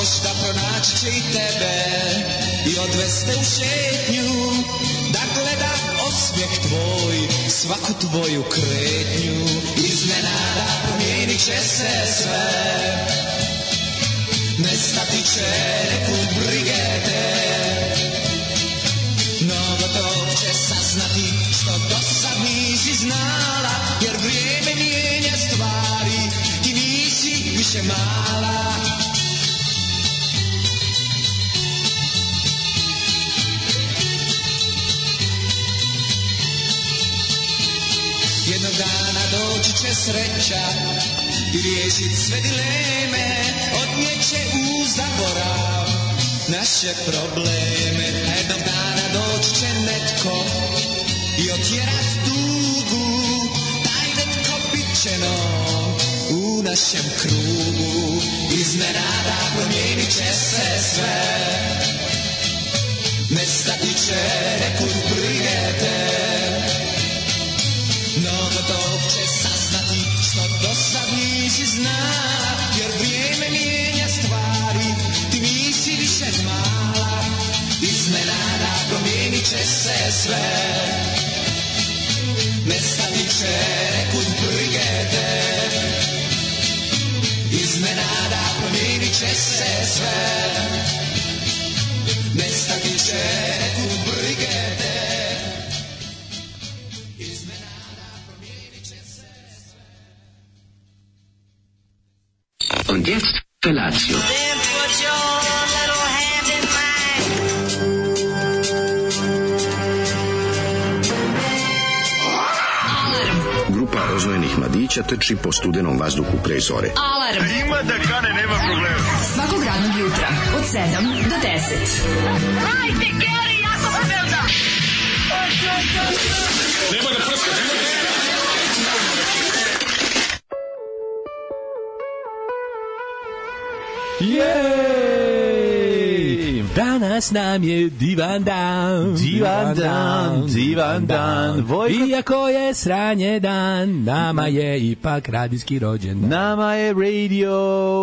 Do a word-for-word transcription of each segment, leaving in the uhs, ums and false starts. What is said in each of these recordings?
možda pronaći će i tebe i odveste u šetnju, da gleda osmijeh tvoj, svaku tvoju kretnju. Iznenada promijenit će se sve, nestati će nekud brige te, no gotov će saznati što do sad nisi znala, jer vrijeme mijenja stvari, ti nisi više mala. Jednog dana doći će sreća i riješit sve dileme, odnijeće u zaborav naše probleme. A jednog dana doći će netko i otjerat tugu, taj netko bit će nom u našem krugu. Iznenada promijenit će se sve, nestati će nekud brige te, no gotov će saznati što do sad nisi znala, jer vrijeme mijenja stvari, ti nisi više mala. Iznenada promijenit će se sve, nestati će nekud brige te, iznenada promijenit će se sve, nestati će nekud brige te. Und jetzt Felatio. Then put your little hand in mine. Grupa rozvojenih mladića trči po studenom vazduhu pre zore. Alarm. Ima da kane, nema problema. Svakog radnog jutra od sedam do deset. Hajde, Geri, jako se velda. Nema da prska, nema da prska. Jej! Danas nam je divan dan, divan dan, divan dan. Vojko... Iako je sranje dan, nama je ipak radijski rođendan. Nama je radio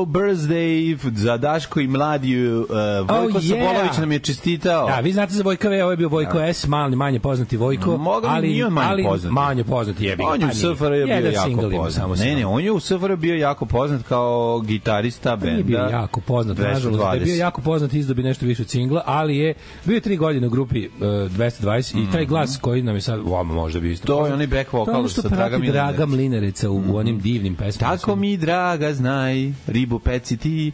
birthday za Daško i Mladiju. Uh, Vojko oh, yeah. Sobolović nam je čestitao. Da, vi znate za Vojka V, ovo je bio Vojko da. S, mali, manje poznati Vojko. Moga ali nije manje ali poznati. Manje poznati je bio. On je u S F R bio jako poznat. Ne, ne, on je u S F R bio jako poznat kao gitarista benda. Nije bio jako poznat, nažalost. Da je bio jako poznat, izdobi nešto više od singla, ali je bio tri godine u grupi uh, dvesta dvadeset mm-hmm. i taj glas koji nam je sad, vama možda bi isto. To je onaj back vocal sa Draga Mlinereca. Draga Mlinereca u, mm-hmm. u onim divnim pesmama. Tako mi Draga znaj, ribu peci ti,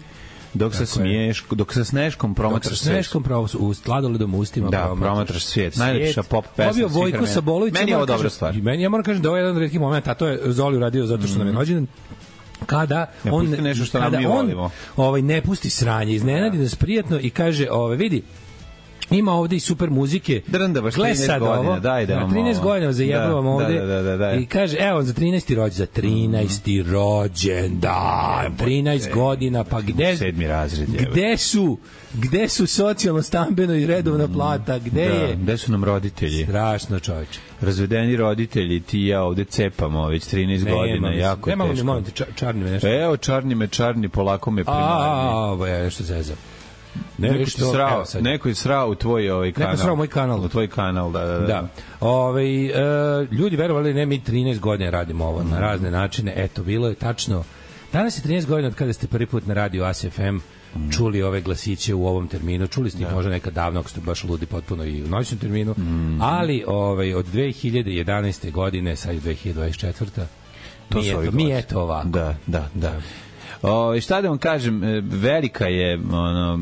dok sa smiješ, dok sa sneškom promatraš svijet. Dok sa sneškom promatraš u sladoledom ustima da, promatraš, promatraš svijet. Najlepša pop pesma. Obio Vojko Sabolović. Meni je ovo dobra stvar. Meni, ja moram kažem da ovo je jedan od retkih momenta, a to je Zoli uradio zato što nam je rođendan. Kada ne on nešto što kada nam mi on volimo. Ovaj ne pusti sranje, iznenadi nas prijatno i kaže, ovaj vidi, ima ovde i super muzike. Drnda baš trinaest godina, daj da vam. trinaest godina zajebavam da, ovde. Da, da, da, da. I kaže, evo za trinaesti rođendan, za trinaesti mm. rođendan, trinaest godina, pa gde sedmi razred je. Gde su? Gde su socijalno stambeno i redovna plata? Gde da, je? Gde su nam roditelji? Strašno, čoveče. Razvedeni roditelji, ti ja ovde cepamo već trinaest ne, godina, imam, jako nemamo teško. Nemamo ti čarni me nešto. Evo, čarni me, čarni, polako me primarni. A, ovo je nešto zezam. Ne, neko, što, srao, neko je srao u tvoj ovaj kanal. Neko je srao moj kanal. U tvoj kanal, da, da, da. da. Ove, e, ljudi verovali ne, mi trinaest godina radimo ovo mm. na razne načine. Eto, bilo je tačno. Danas je trinaest godina od kada ste prvi put na radiju A S F M mm. čuli ove glasiće u ovom terminu. Čuli ste ih da. možda nekad davno, ako ste baš ludi potpuno i u noćnom terminu. Mm. Ali ovaj, od dve hiljade jedanaeste godine, sad je dve hiljade dvadeset četvrta To mi, eto, mi eto ovako. Da, da, da. O, šta da vam kažem, velika je ono,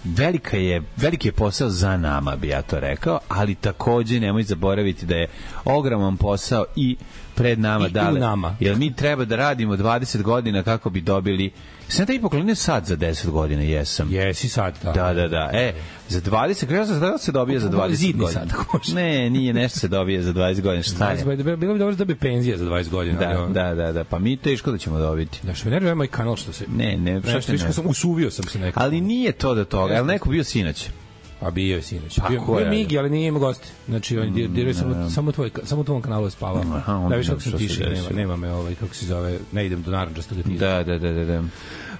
velika je veliki je posao za nama, bi ja to rekao, ali takođe nemoj zaboraviti da je ogroman posao i pred nama, I, dale, i nama. Jer mi treba da radimo dvadeset godina kako bi dobili. Sam te i poklonio sad za deset godina, jesam. Jesi sad, da. Da, da, da. E, za dvadeset, kada se da se dobije za dvadeset godina? Sad, ne, nije nešto se dobije za dvadeset godina. Šta je? Bilo bi dobro da bi penzija za dvadeset godina. Da, da, da, da. Pa mi teško da ćemo dobiti. Da, što me nervira moj kanal što se... Ne, ne, što se ne. Sam usuvio sam se nekako. Ali nije to do toga. Je li neko bio sinoć? Pa bio je sinoć. Bio, bio je Migi, ali nije imao goste. Znači, on mm, dirao samo, samo, tvoj, samo tvojom kanalu je spavao. Da, viš kako sam tiši, nema, nema me, ovaj, kako se zove, ne idem do naranđastog tira. Da, da, da, da.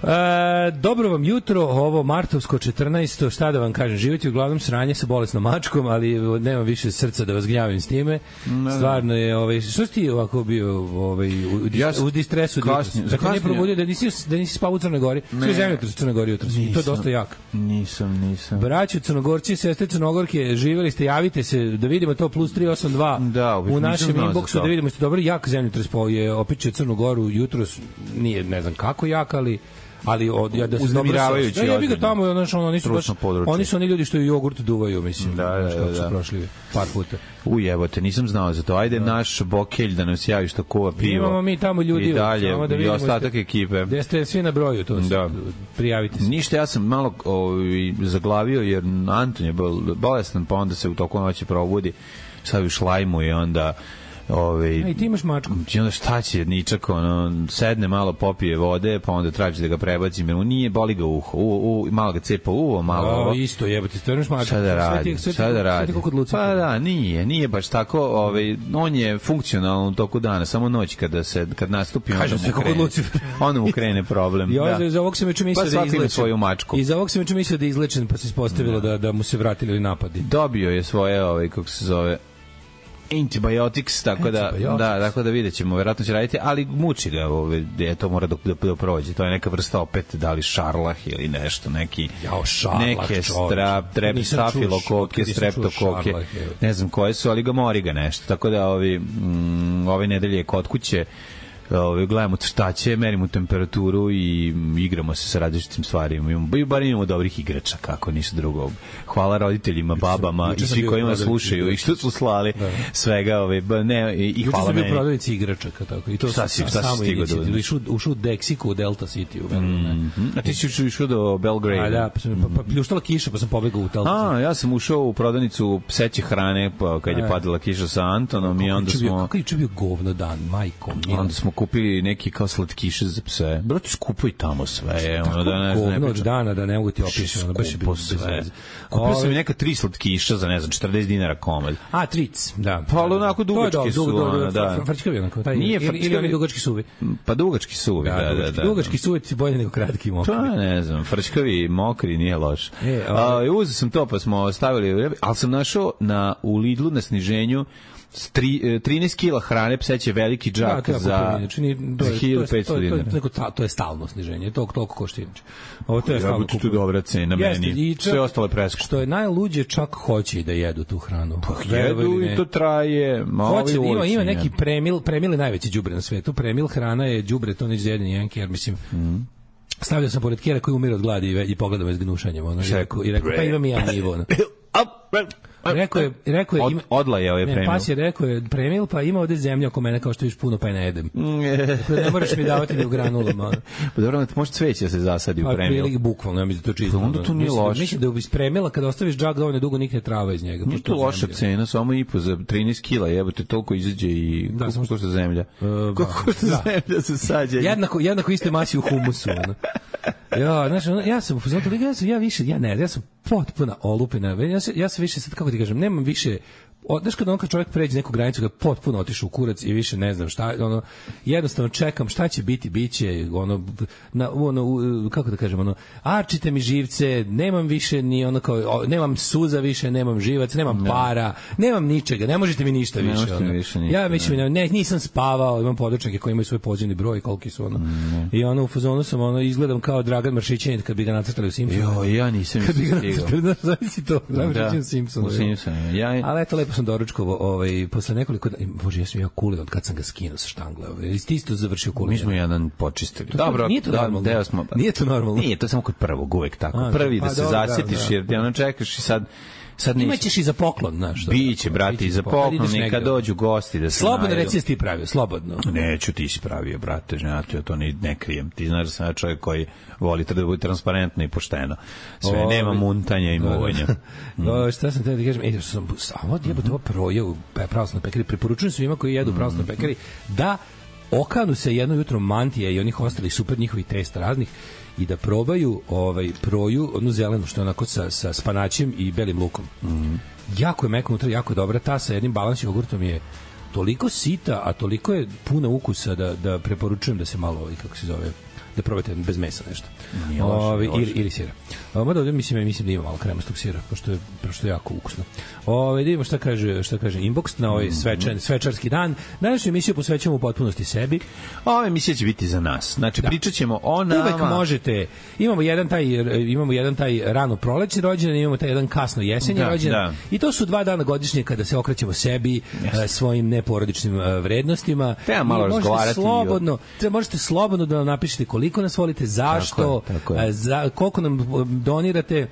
E, dobro vam jutro, ovo martovsko četrnaesto, šta da vam kažem, živite uglavnom sranje sa bolesnom mačkom, ali nema više srca da vas gnjavim s time. Ne, stvarno je, ovaj, što si ti ovako bio ovaj, u, ja u distresu? Kasnije. Dakle, nije probudio da nisi, da nisi spao u Crnoj Gori. Sve zemljotres u Crnoj Gori jutros. I to je dosta jak. Nisam, nisam. Braćo Crnogorci, sestre Crnogorke, živeli ste, javite se da vidimo to plus tri osam dva da, u našem inboxu, da vidimo ste dobro, jak zemljotres po je opičio Crnu Goru jutros, nije ne znam kako jak, ali ali od ja da se uznemiravajući. Ja bih ga tamo, znači oni su baš, oni su oni ljudi što i jogurt duvaju, mislim. Da, da, da, da. Prošli par puta. U jebote, nisam znao za to. Ajde da. Naš Bokelj da nas javi što kuva pivo. Imamo mi tamo ljudi i dalje da i ostatak ste, ekipe. Gde ste svi na broju, to su, da. Prijavite se. Ništa, ja sam malo ovaj, zaglavio jer Anton je bolestan, pa onda se u toku noći probudi, sad u šlajmu i onda Ove, Ej, ti imaš mačku. I onda šta će, ničak, ono, sedne malo, popije vode, pa onda traži da ga prebacim, jer mu nije, boli ga uho, u, u, malo ga cepa uvo, malo ovo. Isto jebate, stvarno imaš mačku. Šta da radi, šta da radi. Pa da, nije, nije baš tako, ovaj, on je funkcionalan u toku dana, samo noć kada se, kad nastupi, onda mu krene, onda mu krene problem. I da. Za ovog sam već mislio pa da je izlečen. Svoju mačku. I za ovog sam već mislio da je izlečen, pa se ispostavilo da. Da, da mu se vratili napadi. Dobio je svoje, ovaj, kako se zove, antibiotics, tako da, da, tako da videćemo, verovatno će raditi, ali muči ga, ovaj, je to mora da, da, da prođe. To je neka vrsta opet, da li šarlah ili nešto, neki, Jao, šarlah, neke strap, trep, stafilokoke, streptokoke, ne znam koje su, ali ga mori ga nešto. Tako da ovi, mm, ove nedelje je kod kuće, Ove, gledamo šta će, merimo temperaturu i igramo se sa različitim stvarima. Imamo, bar imamo dobrih igrača, kako nisu drugo. Hvala roditeljima, babama i svi koji nas slušaju i što su slali da. Svega. Ove, ne, i, i hvala meni. Juče sam bio prodavnici igračaka. Tako. I to šta si, šta si stigo da ušao, ušao u Dexiku, u Delta City. U mm -hmm. A ti si išao do Belgrade. A da, pa, sam, pa, pa pljuštala kiša, pa sam pobegao u Delta City. A, ja sam ušao u prodavnicu pseće hrane, pa kad je padala kiša sa Antonom i onda smo... Kako je juče bio govno dan, majko. Onda smo kupili neki kao slatkiše za pse. Brate, skupo i tamo sve. Ono da ne znam, ne dana da ne mogu ti opisati, ono baš je bilo sve. Kupio sam neka tri slatkiša za ne znam četrdeset dinara komad. A tric, da. Pa onako dugački su, ono, da. Frčkavi onako, taj. Nije ili oni dugački suvi. Pa dugački suvi, da, da, da. Dugački suvi ti bolje nego kratki mokri. Pa ne znam, frčkavi mokri nije loš. A uzeo sam to pa smo stavili, al sam našao na u Lidlu na sniženju trinaest kila hrane, pseće veliki džak da, za hiljadu petsto dinara. To, to je stalno sniženje, to toliko košta inače. Ovo to je stalno kupuju. To je dobra cena meni. Sve ostale preskupo. Što je najluđe, čak hoće da jedu tu hranu. Pa jedu i to traje. Hoće da ima, ima neki premil, premil je najveći đubre na svetu. Premil hrana je đubre, to neće jedan jedan jer mislim... Mm. Stavljao sam pored Kjera koji umire od gladi i, i pogledao me s gnušanjem. Ono, i rekao, i rekao, pa imam i ja nivo. Ono. Rekao je, rekao je, ima, odla je ovaj premil. Pas je rekao je premil, pa ima ovde zemlja oko mene kao što viš puno, pa je ne jedem. Dakle, ne moraš mi davati ni u granulama. Pa dobro, može cveće da se zasadi u premil. Pa bukvalno, ja mislim da to čisto. Onda to nije loše. Mislim da iz premila, kada ostaviš džak dovoljno dugo, nikne trava iz njega. Nije to loša cena, samo i po za trinaest kila, jebote, toliko izađe i da, koliko košta zemlja. Koliko košta zemlja sa sađenjem. Jednako, jednako iste masi u humusu. Ja, znači, ja sam u fazonu, ja sam, ja više, ja ne, ja sam potpuna olupina. Ja se, ja se više sad, kako ti kažem, nemam više, znaš kada on kad čovjek pređe neku granicu, kada potpuno otišu u kurac i više ne znam šta, ono, jednostavno čekam šta će biti, bit će, ono, na, ono, kako da kažem, ono, arčite mi živce, nemam više ni ono kao, nemam suza više, nemam živac, nemam ne. para, nemam ničega, ne možete mi ništa više. Ne ono. više ništa, ja više, ne. Ne, nisam spavao, imam područnike koji imaju svoj pozivni broj, koliki su, ono, ne. I ono, u fazonu sam, ono, izgledam kao Dragan Maršićanin kad bi ga nacrtali u Simpsonu. Jo, ja nisam kad bi ga nacrtali, zavisi to, Dragan Maršićanin u Simpsonu. U Simpsonu, ja. Ali eto, lepo sam doručkovo, ovaj, posle nekoliko, bože, ja sam ja kulio od kad sam ga skinuo sa štangle, ovaj, isti isto završio kulio. Mi smo jedan počistili. To, Dobro, nije to da, normalno. Smo, nije to normalno. Nije, to je samo kod prvog, uvek tako. A, Prvi pa, da se dobro, zasjetiš, da, da. jer ti ono čekaš i sad sad nisi... Imaćeš i za poklon, znaš. Biće, brate, i za poklon, i kad dođu gosti da se slobodno reci da si ti pravio, slobodno. Neću, ti si pravio, brate, znači, ja to ne, ne krijem. Ti znaš da sam ja čovjek koji voli da bude transparentno i pošteno. Sve, o, nema muntanja i muvanja. Mm. O, šta sam te da kažem, e, što sam, a ovo jebote, ovo proje u pravoslavnoj pekari, preporučujem svima koji jedu u pravoslavnoj pekari da okanu se jedno jutro mantije i onih ostalih super njihovih testa raznih i da probaju ovaj proju, onu zelenu što je onako sa, sa spanaćem i belim lukom. Mm. Jako je meko unutra, jako je dobra, ta sa jednim balans jogurtom je toliko sita, a toliko je puna ukusa da, da preporučujem da se malo, ovaj, kako se zove, da probate bez mesa nešto. Ovi, ili, ili sira. Mada ovdje mislim, mislim da ima malo kremastog sira, pošto je, pošto je jako ukusno. Ove, da vidimo šta kaže, šta kaže Inbox na ovaj svečan, svečarski dan. Današnju emisiju posvećujemo u potpunosti sebi. Ova emisija će biti za nas. Znači, da. Pričat ćemo o nama. Uvek možete. Imamo jedan taj, imamo jedan taj rano prolećni rođendan, imamo taj jedan kasno jesenji da, rođendan. Da. I to su dva dana godišnje kada se okrećemo sebi, yes. svojim neporodičnim vrednostima. Treba malo razgovarati. Slobodno, treba, možete slobodno da nam napišete koliko nas volite, zašto, tako je, tako je. Za, koliko nam donirate.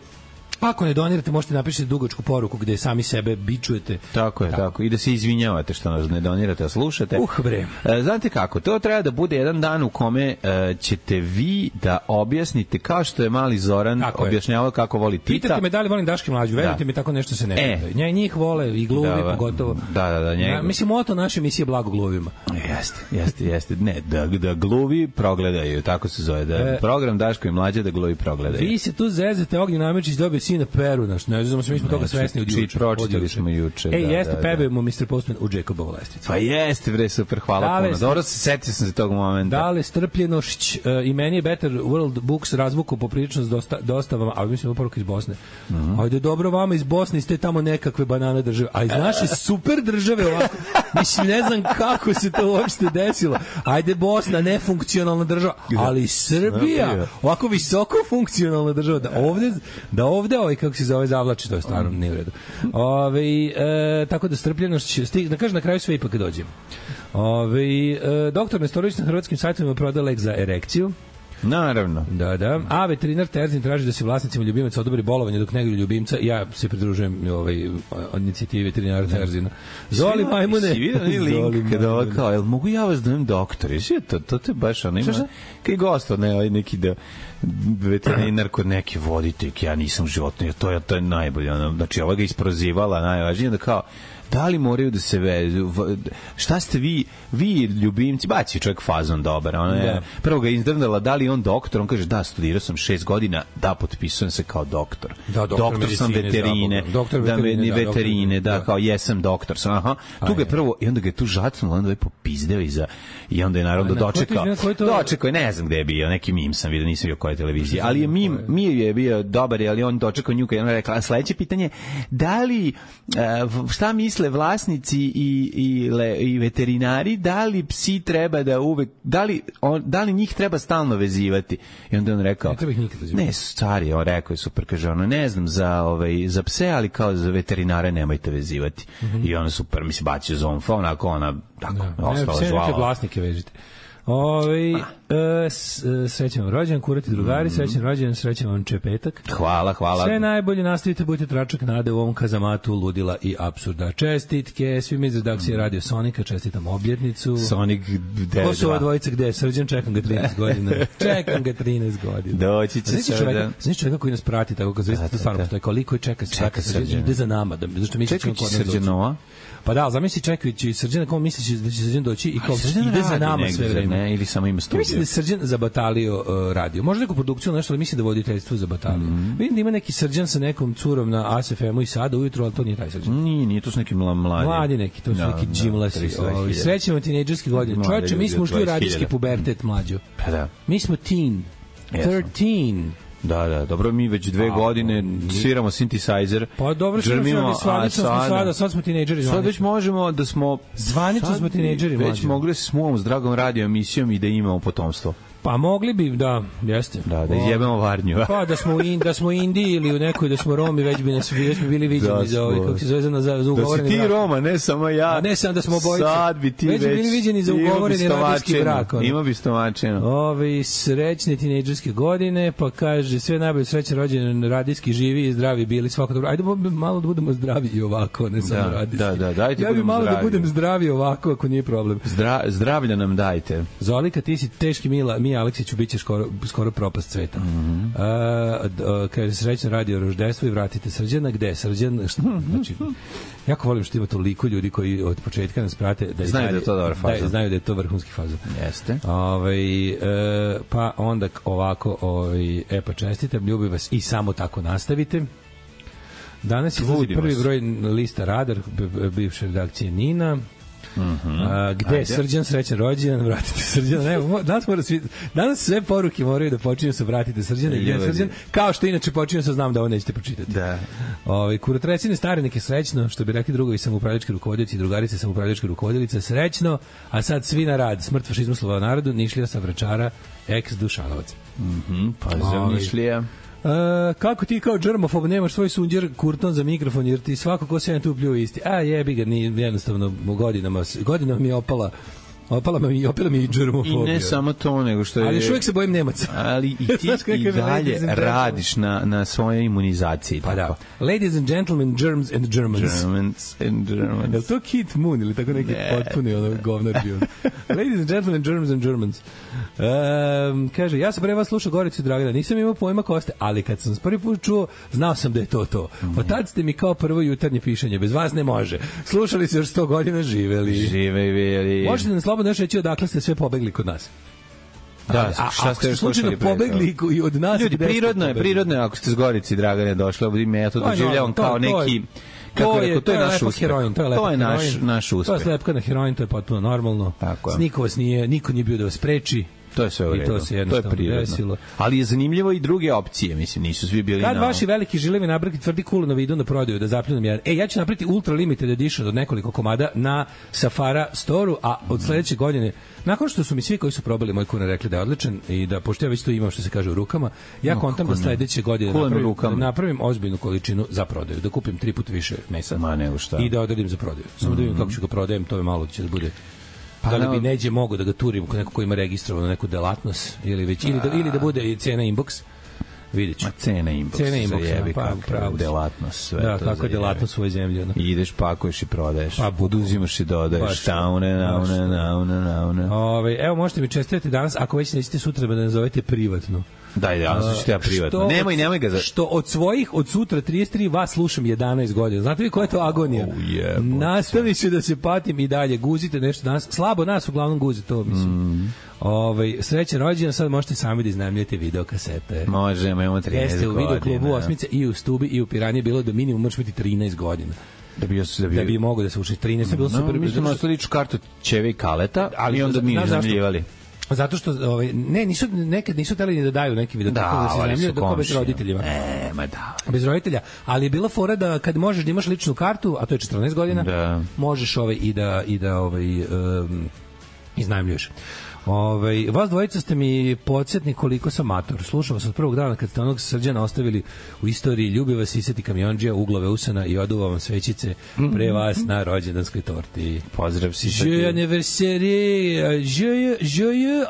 Ako ne donirate, možete napišiti dugačku poruku gde sami sebe bičujete. Tako je, tako. tako. I da se izvinjavate što nas ne donirate, a slušate. Uh, bre. E, znate kako, to treba da bude jedan dan u kome e, ćete vi da objasnite, kao što je mali Zoran tako objašnjavao kako voli Tita. Pitate me da li volim Daške Mlađu, verujte mi, tako nešto se ne e. pita. Njih vole i gluvi, da, pogotovo. Da, da, da. Njeg... Ja, mislim, moto naše emisije blago gluvima. Jeste, jeste, jeste. Ne, da, da gluvi progledaju, tako se zove. Da, e, program Daško i Mlađa da gluvi progledaju. Vi se tu zezete, Ognjen Amidžić dobio sina Peru, naš, ne znamo se, mi smo toga svesni od juče. Pročitali smo juče. Ej, da, jeste, da, pebujemo mister Postman u Jacobovu lestvicu. Pa jeste, bre, super, hvala puno. Dobro se setio sam se tog momenta. Dale, strpljenošć, uh, i meni je Better World Books razvuku poprilično s dosta, dostavama, ali mislim da poruka iz Bosne. Mm -hmm. Ajde, dobro vama iz Bosne, ste tamo nekakve banane države, a iz naše super države ovako, mislim, ne znam kako se to uopšte desilo. Ajde, Bosna, nefunkcionalna država, ali Srbija, ovako visoko funkcionalna država, da ovde, da ovde ovaj, kako se zove, zavlači, to je stvarno nije u redu. Ove, e, tako da strpljenošć će stig, da kažem na kraju sve ipak dođem. Ove, e, doktor Nestorović na hrvatskim sajtovima prodaje lek za erekciju. Naravno. Da, da. A veterinar Terzin traži da se vlasnicima ljubimaca odobri bolovanje dok neguju ljubimca. Ja se pridružujem ovaj inicijativi veterinara Terzina. Zoli majmune. Si vidio ni link kada ovo kao, jel mogu ja vas da imam doktor? Jesi to, to te baš ono ima. Kaj gost, ne, ovaj neki da veterinar kod neke voditeljke, ja nisam životno, to je, to je najbolje. Ono, znači, ova ga isprozivala, najvažnije da kao, da li moraju da se vezu, šta ste vi, vi ljubimci, baci čovjek fazon dobar, ona je, prvo ga izdrndala, da li on doktor, on kaže, da, studirao sam šest godina, da, potpisujem se kao doktor. Da, doktor, doktor sam veterine, doktor da, veterine, da, veterine, da, da, kao, jesam doktor sam, aha, tu ga je prvo, i onda ga je tu žacnulo, onda je popizdeo iza, i onda je naravno dočekao, dočekao je, ne znam gde je bio, neki mim sam vidio, nisam bio koje televizije, ali je mim, mim je bio dobar, ali on dočekao nju, kad je ona rekla, sledeće pitanje, da li, šta misle vlasnici i, i, le, i veterinari, da li psi treba da uvek, da li, on, da li njih treba stalno vezivati? I onda on rekao, ne treba ih nikad vezivati. Ne, stari, on rekao je super, kaže ono, ne znam za, ovaj, za pse, ali kao za veterinare nemojte vezivati. Mm -hmm. I ona super, mi se bacio zonfa, onako ona, tako, da. ostala ne, žvala. Ne, vlasnike vežite. Ove, e, srećan vam rođendan, kurati drugari, srećan rođendan, srećan vam čepetak. Hvala, hvala. Sve najbolje, nastavite, budite tračak nade u ovom kazamatu ludila i apsurda. Čestitke svim iz redakcije Radio Sonika, čestitam obljetnicu. Sonic devet. Ko su ova dvojica, gde je Srđan? Čekam ga trinaest godina. Čekam ga trinaest godina. Doći će Srđan. Znaš čovjeka koji nas prati, tako kao zvezda, to stvarno postoje, koliko je čeka, čeka Srđan, ide za nama, da, zašto misli čekajući Srđanova? Pa da, zamisli čekajući Srđana, kao misliš da će Srđan doći i kao ide za nama sve vreme. Ne, ili samo ima studio. Mislim da je Srđan za Batalio uh, radio. Možda neku produkciju, nešto, ali mislim da voditeljstvo za Batalio. Mm -hmm. Vidim da ima neki Srđan sa nekom curom na A S F M-u i sada ujutru, ali to nije taj Srđan. Nije, nije, to su neki mladi. Mladi neki, to su no, neki džimlasi. No, srećemo tinejdžerske godine. Čovječe, mi smo ušli u radijski pubertet mlađo. Pa da. Mi smo teen. thirteen. Da, da, dobro, mi već dve A, godine sviramo synthesizer. Pa dobro, žrmimo, a sada, sad smo tinejdžeri. Sad već možemo da smo... Zvanično smo tinejdžeri. Već mogli se smuvamo s dragom radio emisijom i da imamo potomstvo. Pa mogli bi, da, jeste. Da, da izjebemo Varnju. Pa da smo u in, da smo u Indiji ili u nekoj da smo Romi, već bi nas već bi bili viđeni da za ovaj kako se zove za za, za ugovoreni brak. Da si ti brak. Roma, ne samo ja. A ne samo da smo obojice. Sad bi ti već, već bili viđeni za ugovoreni radijski brak. Ono. Ima bi stomačeno. Ovi srećne tinejdžerske godine, pa kaže sve najbolje srećan rođendan, radijski živi i zdravi bili, svako dobro. Ajde malo da budemo zdravi i ovako, ne samo da, radijski. Da, da, dajte ja bi malo zdravi. Da budem zdravi ovako ako nije problem. Zdra, zdravlja nam dajte. Zolika, ti si teški Mila, Mija Aleksiću biće skoro skoro propast sveta. Mm -hmm. uh, kaže srećno radio roždestvo i vratite Srđana. Gde je Srđan? Šta, znači, jako volim što ima toliko ljudi koji od početka nas prate da znaju da je to dobar fazon. Da, znaju da je to vrhunski fazon. Jeste. Ovaj uh, pa onda ovako, ovaj e pa čestitam, ljubim vas i samo tako nastavite. Danas je prvi broj lista Radar bivše redakcije Nina. Mm-hmm. A, gde je Srđan, srećan rođendan, vratite Srđana. Ne, danas, mora svi, danas sve poruke moraju da počinju sa vratite Srđana i gde je Srđan, kao što inače počinju sa znam da ovo nećete pročitati. Da. Ovaj kurotrecine stare neke srećno, što bi rekli drugovi samoupravljački rukovodioci i drugarice samoupravljačke rukovodilice, srećno, a sad svi na rad, smrt fašizmu slova narodu, Nišlija sa Vračara, ex Dušanovac. Mhm, pozdrav Nišlija. Uh, kako ti kao džermofob nemaš svoj sunđer kurton za mikrofon, jer ti svako ko se jedan tu pljuje isti. A jebi ga, ni, jednostavno godinama, godinama mi je opala opala mi, opala mi i džermofobija. I ne samo to, nego što je... Ali još uvijek se bojim Nemaca. Ali i ti i dalje radiš na, na svojoj imunizaciji. Pa da. Ladies and gentlemen, germs and Germans. Germans and Germans. Je li to Kit Moon ili tako neki ne. potpuni ono govnar bio? Ladies and gentlemen, germs and Germans. Um, kaže, ja sam pre vas slušao Goricu Dragana, nisam imao pojma ko ste, ali kad sam prvi put čuo, znao sam da je to to. Mm. Od tad ste mi kao prvo jutarnje pišanje, bez vas ne može. Slušali se još sto godina, živeli. Živeli. Možete nam slobodno još reći odakle ste sve pobegli kod nas. Da, a, šta ste još slušali pobegli i od nas? Ljudi, prirodno je, prirodno je ako ste s Gorici Dragane došli, ovdje me ja to doživljavam kao neki... Kako je, to je naš uspeh. Heroin, to je, to je naš, naš uspeh. To je slepka na heroin, to je potpuno normalno. Niko vas nije, niko nije bio da vas spreči. To je sve u redu. To se jednostavno desilo. Ali je zanimljivo i druge opcije, mislim, nisu svi bili Kad na... Kad vaši veliki žilevi nabrati tvrdi kulonovi idu na prodaju da zapljunam jedan. E, ja ću napraviti ultra limited edition od nekoliko komada na Safara Store-u, a od sledeće godine, nakon što su mi svi koji su probali moj kulen rekli da je odličan i da, pošto ja već to imam što se kaže u rukama, ja no, kontam da sledeće godine napravim, da napravim ozbiljnu količinu za prodaju, da kupim tri puta više mesa. Ma nego šta. I da odradim za prodaju. Samo mm-hmm. da vidim kako ću ga prodajem, to je malo će da bude... Pa da li bi neđe mogo da ga turim kod nekog ko ima registrovano neku delatnost ili već ili da ili da bude i cena inbox. Vidjet ću. Ma cena inbox. Cena inbox, jebi, pa pravo. Delatnost, sve da, to. Da, kako je delatnost svoje zemlje. No. I ideš, pakuješ i prodaješ. Pa uzimaš i dodaješ. Taune, naune, naune, naune. Ove, evo, možete mi čestitati danas, ako već nećete sutra da ne nazovete privatno. Daj, danas ću ja privatno. Što nemoj, nemoj ga za... Što od svojih, od sutra trideset tri vas slušam jedanaest godina. Znate vi koja je to agonija? Oh, yeah, nastavit ću da se patim i dalje. Guzite nešto danas. Slabo nas uglavnom guzi to, mislim. Mm. Ovaj, srećan rođendan, sad možete sami da iznajmljujete videokasete. Možemo, imamo trinaest Jeste u videoklubu Osmice i u Stubi i u Piranji bilo da minimum možeš biti trinaest godina. Da bi, da bi, da bi mogo da se uči trinaest. No, bilo super. Mi smo nosili ličnu kartu Ćeve i Kaleta, ali onda mi iznajmljivali. Zato što ovaj ne nisu nekad nisu hteli ni da daju neki video tako da se iznajmljuju da to bez roditeljima. E, ma da. Bez roditelja, ali je bila fora da kad možeš da imaš ličnu kartu, a to je četrnaest godina, da. možeš ovaj i da i da ovaj um, iznajmljuješ. Ovaj vas dvojica ste mi podsjetni koliko sam mator. Slušao sam od prvog dana kad ste onog Srđana ostavili u istoriji, ljubi vas iseti kamionđija, uglove usana i oduva vam svećice pre vas na rođendanskoj torti. Pozdrav si. Je anniversaire, je je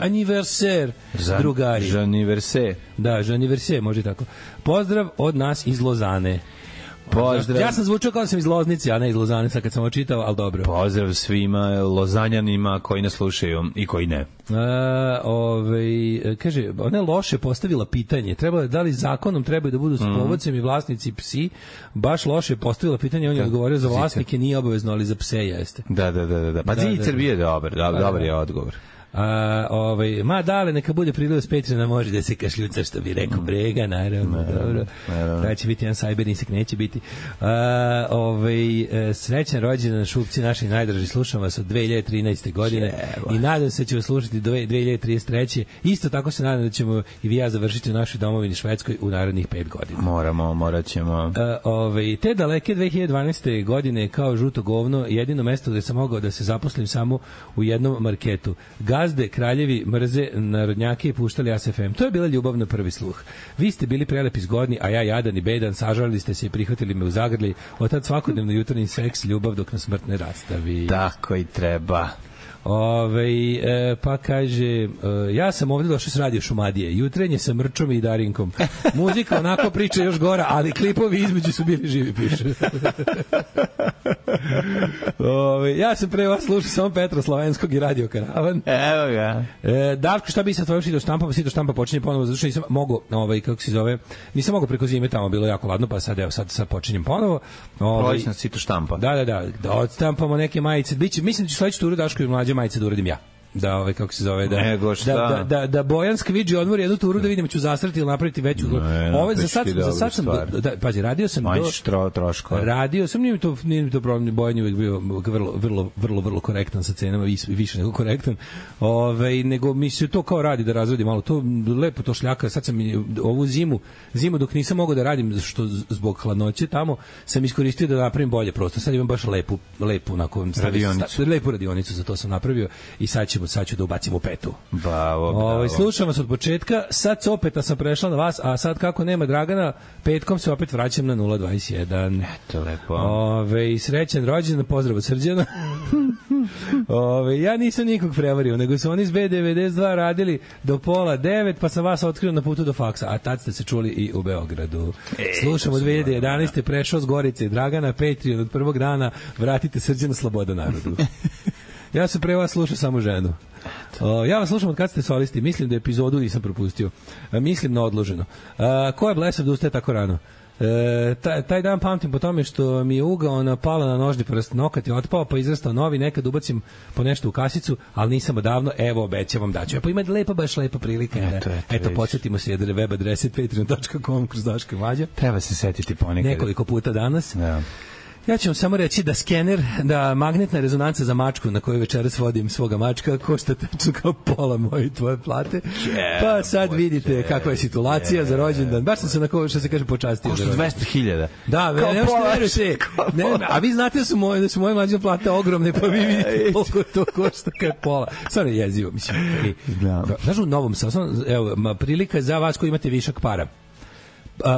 anniversaire, drugari. Je anniversaire. Da, je anniversaire, može tako. Pozdrav od nas iz Lozane. Pozdrav. Ja sam zvučao kao da sam iz Loznice, a ne iz Lozane, sad kad sam očitao, ali dobro. Pozdrav svima Lozanjanima koji nas slušaju i koji ne. A, ovaj, kaže, ona je loše postavila pitanje. Treba, da li zakonom trebaju da budu s povodcem i vlasnici psi? Baš loše postavila pitanje, on je odgovorio za vlasnike, nije obavezno, ali za pse jeste. Da, da, da. da. Pa da, Zicer da, da. bio dobar, da, dobar je odgovor. A, ovaj, ma dale, neka bude prilaz Petrina, može da se kašljuca, što bi rekao Brega, naravno, naravno dobro. Naravno. Da će biti jedan sajber insek, neće biti. A, ovaj, srećan rođendan Šupci, naši najdraži, slušam vas od dve hiljade trinaeste. godine Jeba. I nadam se da ćemo slušati do dve hiljade trideset treće. Isto tako se nadam da ćemo i vi ja završiti u našoj domovini Švedskoj u narednih pet godina. Moramo, morat ćemo. A, ovaj, te daleke dve hiljade dvanaeste. godine kao žuto govno, jedino mesto gde sam mogao da se zaposlim samo u jednom marketu. Gazde, kraljevi mrze narodnjake i puštali A S F M. To je bila ljubav na prvi sluh. Vi ste bili prelepi zgodni, a ja jadan i bedan, sažalili ste se i prihvatili me u zagrli. Od tad svakodnevno jutarnji seks, ljubav dok nas smrt ne rastavi. Tako i treba. Ove, e, pa kaže e, ja sam ovdje došao s radio Šumadije, jutrenje sa Mrčom i Darinkom, muzika onako priča još gora, ali klipovi između su bili živi, piše. Ove, ja sam pre vas slušao samo Petra Slovenskog i Radio Karavan. Evo ga. E, Darko, šta bi sa tvojom Sito štampa, pa Sito štampa počinje ponovo, zato što nisam mogo, ovaj, kako se zove, nisam mogo preko zime, tamo bilo jako ladno, pa sad evo, sad, sad počinjem ponovo. Proći na Sito štampa. Da, da, da, da odstampamo neke majice, biće, mislim da ću sledeću turu Daško i mlađe majice da uradim ja. da ovaj kako se zove da Nego šta? da, da, da, da Bojan skviđi odmori jednu turu da vidimo ću zasrati ili napraviti veću. Ne, Ovo za sad za sad sam do, da pazi radio sam do troškova. Radio sam nije mi to nije mi to problem, Bojan je uvijek bio vrlo vrlo vrlo vrlo korektan sa cenama i više nego korektan. Ovaj nego mi se to kao radi da razradi malo to lepo to šljaka. Sad sam ovu zimu zimu dok nisam mogao da radim što zbog hladnoće tamo sam iskoristio da napravim bolje prostor. Sad imam baš lepu lepu onako radionicu. Lepu radionicu za to sam napravio i sad ćemo sad ću da ubacimo petu. Bravo, bravo. Ovaj slušam vas od početka, sad opet sam prešla na vas, a sad kako nema Dragana, petkom se opet vraćam na nula dvadeset jedan. Eto lepo. Ove, srećan rođendan, pozdrav od Srđana. Ove, ja nisam nikog prevario, nego su oni iz B devedeset dva radili do pola devet, pa sam vas otkrio na putu do faksa, a tad ste se čuli i u Beogradu. E, slušam od dve hiljade jedanaeste. prešao s Gorice i Dragana, Patreon od prvog dana, vratite Srđana, sloboda narodu. Ja sam pre vas slušao samo ženu. O, ja vas slušam od kad ste solisti. Mislim da epizodu nisam propustio. A, mislim na odloženo. A, ko je blesav da ustaje tako rano? E, taj, taj dan pamtim po tome što mi je ugao pala na nožni prst, nokat je otpao, pa izrastao novi, nekad ubacim po nešto u kasicu, ali nisam odavno, evo obećavam da ću. E, pa ima lepa, baš lepa prilika. Eto, eto, eto podsjetimo se jedre web adrese patreon dot com kroz Daška i Mlađa. Treba se setiti ponekad. Nekoliko puta danas. Ja. Ja ću vam samo reći da skener, da magnetna rezonanca za mačku na koju večeras vodim svoga mačka košta tačno kao pola moje tvoje plate. Pa sad vidite kakva je situacija za rođendan. Baš sam se na ko, što se kaže počastio. Košta dvesta hiljada. Da, ne možete verujete. Ne, a vi znate da su moje da su moje mlađe plate ogromne, pa vi vidite koliko to košta kao pola. Stvarno jezivo, mislim. Znaš, u Novom Sadu, evo, prilika za vas koji imate višak para.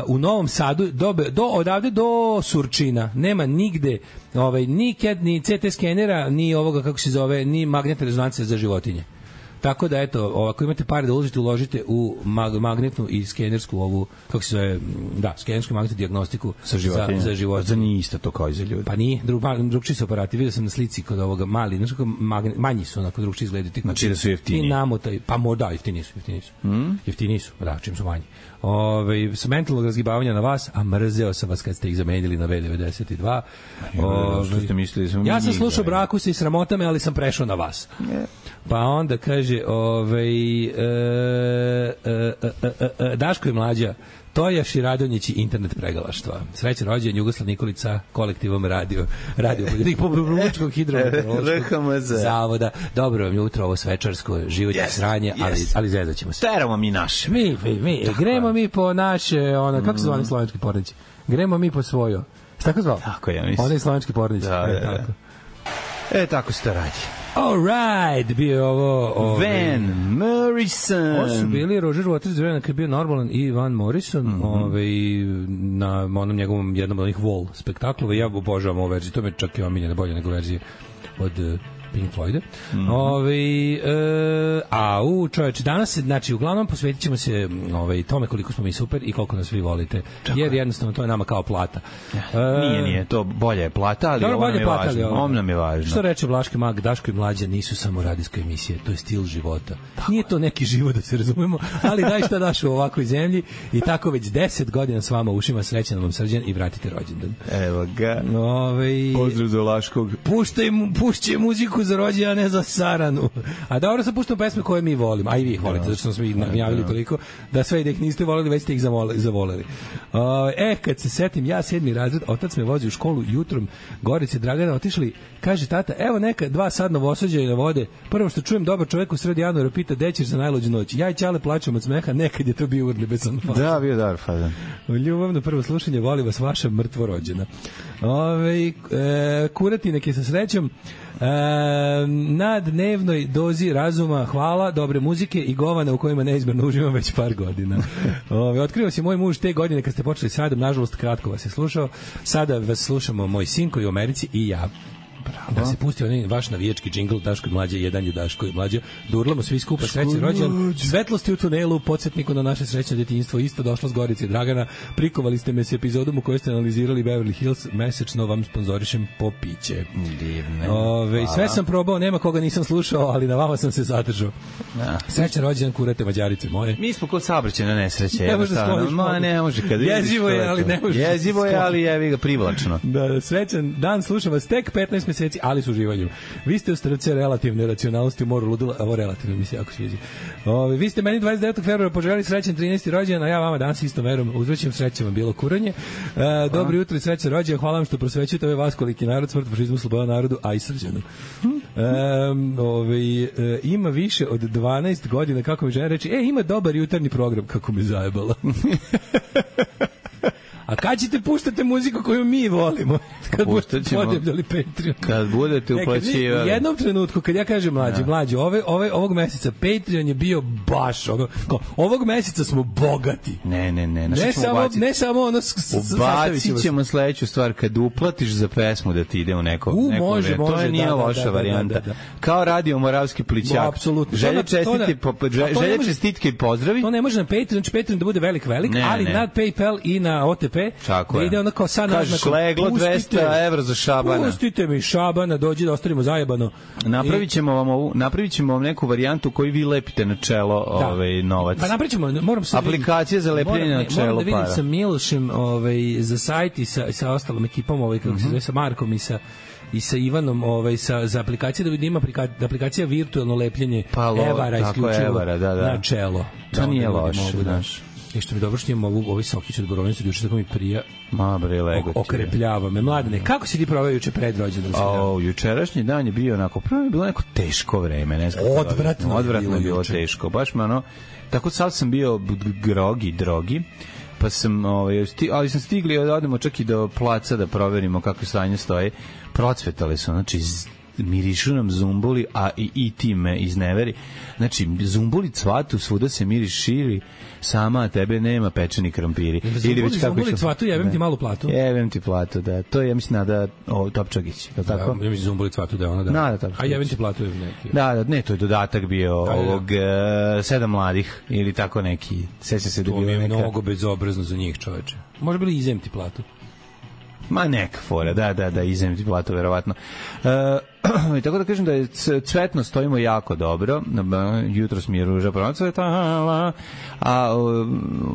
U Novom Sadu do, do odavde do Surčina nema nigde ovaj ni CAD, ni C T skenera, ni ovoga kako se zove, ni magnetne rezonance za životinje. Tako da eto, ako imate pare da uložite, uložite u mag, magnetnu i skenersku ovu, kako se zove, da, skenersku magnetnu dijagnostiku za životinje. Za, za životinje. Za nije isto to kao i za ljudi. Pa nije, drug, drugčiji su aparati. Vidio sam na slici kod ovoga mali, znači magnet, manji su onako drugčiji izgledati. Znači da su jeftini. I namotaj, pa možda jeftini su, jeftini su. Mm? Jeftini su, da, čim su manji. Ove, s mentalnog razgibavanja na vas, a mrzeo sam vas kad ste ih zamenili na V devedeset dva. Ove, što ste mislili? Sam ja sam slušao Brakuse i sramotame, ali sam prešao na vas. Ne. Pa onda kaže, ovaj, e, e, e, e, Daško i Mlađa, Tojaš i Radonjić i internet pregalaštva. Srećan rođendan Jugoslav Nikolica, kolektivom radio, radio Republičkog hidrometeorološkog zavoda. Dobro vam jutro, ovo svečarsko, život je yes, sranje, yes. ali, ali zezat ćemo se. Teramo mi naše. Mi, mi, mi gremo mi po naše, ono, kako se zvali slovenski pornići? Gremo mi po svojo. Tako zvao? Tako ja mislim. Oni slovenski pornići. Da, e, da, tako. E, tako se to radi. All right, bio je ovo... Ove, Van Morrison. Ovo su bili Roger Waters, vremena kad je bio normalan i Van Morrison, mm -hmm. ove, na onom njegovom jednom od onih Wall spektaklova. Ja obožavam ovu verziju, to me čak i omiljena bolje nego verzije od Pink Floyda. Mm -hmm. Ove, e, a u čoveče, danas se, znači, uglavnom posvetit ćemo se ove, tome koliko smo mi super i koliko nas vi volite. Tako. Jer jednostavno to je nama kao plata. E, nije, nije, to bolje je plata, ali ovo nam je plata, važno. Ovo nam je važno. Što reče Vlaški mag, Daško i Mlađa nisu samo radijske emisije, to je stil života. Tako. Nije to neki život, da se razumemo, ali daj šta daš u ovakvoj zemlji i tako već deset godina s vama ušima, srećan vam Srđan i vratite rođendan. Evo ga. Ove, pozdrav za Vlaškog. Puštaj, pušće muziku za rođendan, a ne za saranu. A dobro sam puštao pesme koje mi volimo, a i vi ih volite, zato što smo ih javili toliko, da sve i da ih niste volili, već ste ih zavoleli. E, kad se setim, ja sedmi razred, otac me vozi u školu jutrom, Gorice Dragana, otišli, kaže tata, evo neka dva sad novosađajne vode, prvo što čujem dobar čovjek u sred januara pita, gde ćeš za najluđu noć? Ja i Ćale plačem od smeha, nekad je to bio urnebesan fazan. Da, bio dobar fazan. Ljubavno prvo slušanje, voli vas vaša mrtvo rođena. Ove, e, kuratinek je sa srećom, E, na dnevnoj dozi razuma, hvala, dobre muzike i govana u kojima neizmerno uživam već par godina. Ove, otkrio si moj muž te godine kad ste počeli s radom, nažalost kratko vas je slušao, sada vas slušamo moj sin koji je u Americi i ja. Bravo. Da se pusti onaj vaš navijački džingl Daško i Mlađa, jedan je Daško i Mlađa. Durlamo svi skupa, srećan rođendan. Svetlosti u tunelu, podsjetniku na naše srećno djetinjstvo, isto došlo s Gorice Dragana. Prikovali ste me s epizodom u kojoj ste analizirali Beverly Hills, mesečno vam sponzorišem po piće. Divne. Ove, sve sam probao, nema koga nisam slušao, ali na vama sam se zadržao. Ja. Srećan rođendan, kurate Mađarice moje. Mi smo kod saobraćajne nesreće. Ne može da Ma ne može kad jezivo je, ali ne može. Jezivo je, ali jevi ga privlačno. Da, srećan dan, slušam vas tek petnaest meseci, ali s uživanjem. Vi ste u strce relativne racionalnosti u moru ludila, ovo relativno mi se jako sviđa. Ove, vi ste meni dvadeset devetog februara poželjeli srećan trinaesti rođendan, a ja vama danas isto verujem, uzvraćam srećama bilo kuranje. E, dobro jutro i srećan rođendan, hvala vam što prosvećujete ovaj vaskoliki narod, smrt, fašizmu, sloboda narodu, a i srđanu. E, ove, e, ima više od dvanaest godina, kako mi žena reći, e, ima dobar jutarnji program, kako me zajebala. A kad ćete puštati muziku koju mi volimo? Kad budete podebljali Patreon. Kad budete uplaćivali. U jednom trenutku, kad ja kažem mlađi, ja. mlađi, ove, ove, ovog meseca Patreon je bio baš, ono, kao, ovog meseca smo bogati. Ne, ne, ne. Ne samo, ne samo ono... Ubacit ćemo sledeću stvar, kad uplatiš za pesmu da ti ide u neko... U, neko može, može. To je nije da, loša da, varijanta. Da, da, da. Kao radio Moravski plićak. Apsolutno. Želje čestitke, želje čestitke i pozdravi. To ne može na Patreon, znači Patreon da bude velik, velik, ne, ali ne. Na PayPal i na O T P Tako da ide ono kao sad kažeš leglo dvesta evra za Šabana. Pustite mi Šabana, dođi da ostavimo zajebano. Napravit ćemo vam ovu, napravit ćemo vam neku varijantu koju vi lepite na čelo da. ovaj novac. Pa napravit ćemo, moram se aplikacije za lepljenje na čelo para. Moram da vidim para. Sa Milošem ovaj, za sajt i sa, sa ostalom ekipom, ovaj, kako mm-hmm. se zove, sa Markom i sa i sa Ivanom ovaj sa za aplikacije da vidim aplikacija, aplikacija virtualno lepljenje pa lo, evara isključivo evara, da, da. na čelo. To da, nije da loše, znaš. I što mi dobro što imam ovu, ovaj sokić od borovnice, juče tako mi prija. Ma bre, lego. Okrepljava me. Mladene, kako si ti proveo juče pred rođendan? O, jučerašnji dan je bio onako, prvo je bilo neko teško vreme, ne znam. Odvratno, odvratno je bilo teško. Baš me ono, tako sad sam bio grogi, drogi. Pa sam, ovaj, sti, ali sam stigli da odemo čak i do placa da proverimo kako stanje stoji. Procvetali su, znači mirišu nam zumbuli, a i, i ti me izneveri. Znači, zumbuli cvatu, svuda se miris širi, sama tebe nema pečeni krampiri. Zumbuli, Ili već kako zumbuli cvatu, jebem ti malu platu. Jebem ti platu, da. To je, ja mislim, Nada o, Topčagić, je li tako? Ja mislim, zumbuli cvatu da je ona, da. Nada Topčagić. A jebem ti platu je neki. Da, da, ne, to je dodatak bio da, ovog da. Uh, sedam mladih, ili tako neki. Seća se da to bio mi je neka... mnogo bezobrazno za njih, čoveče. Može bili izem ti platu. Ma neka fora, da, da, da, izem ti platu, verovatno. E, tako da kažem da je cvetno stojimo jako dobro, jutros mi je ruža procvetala, a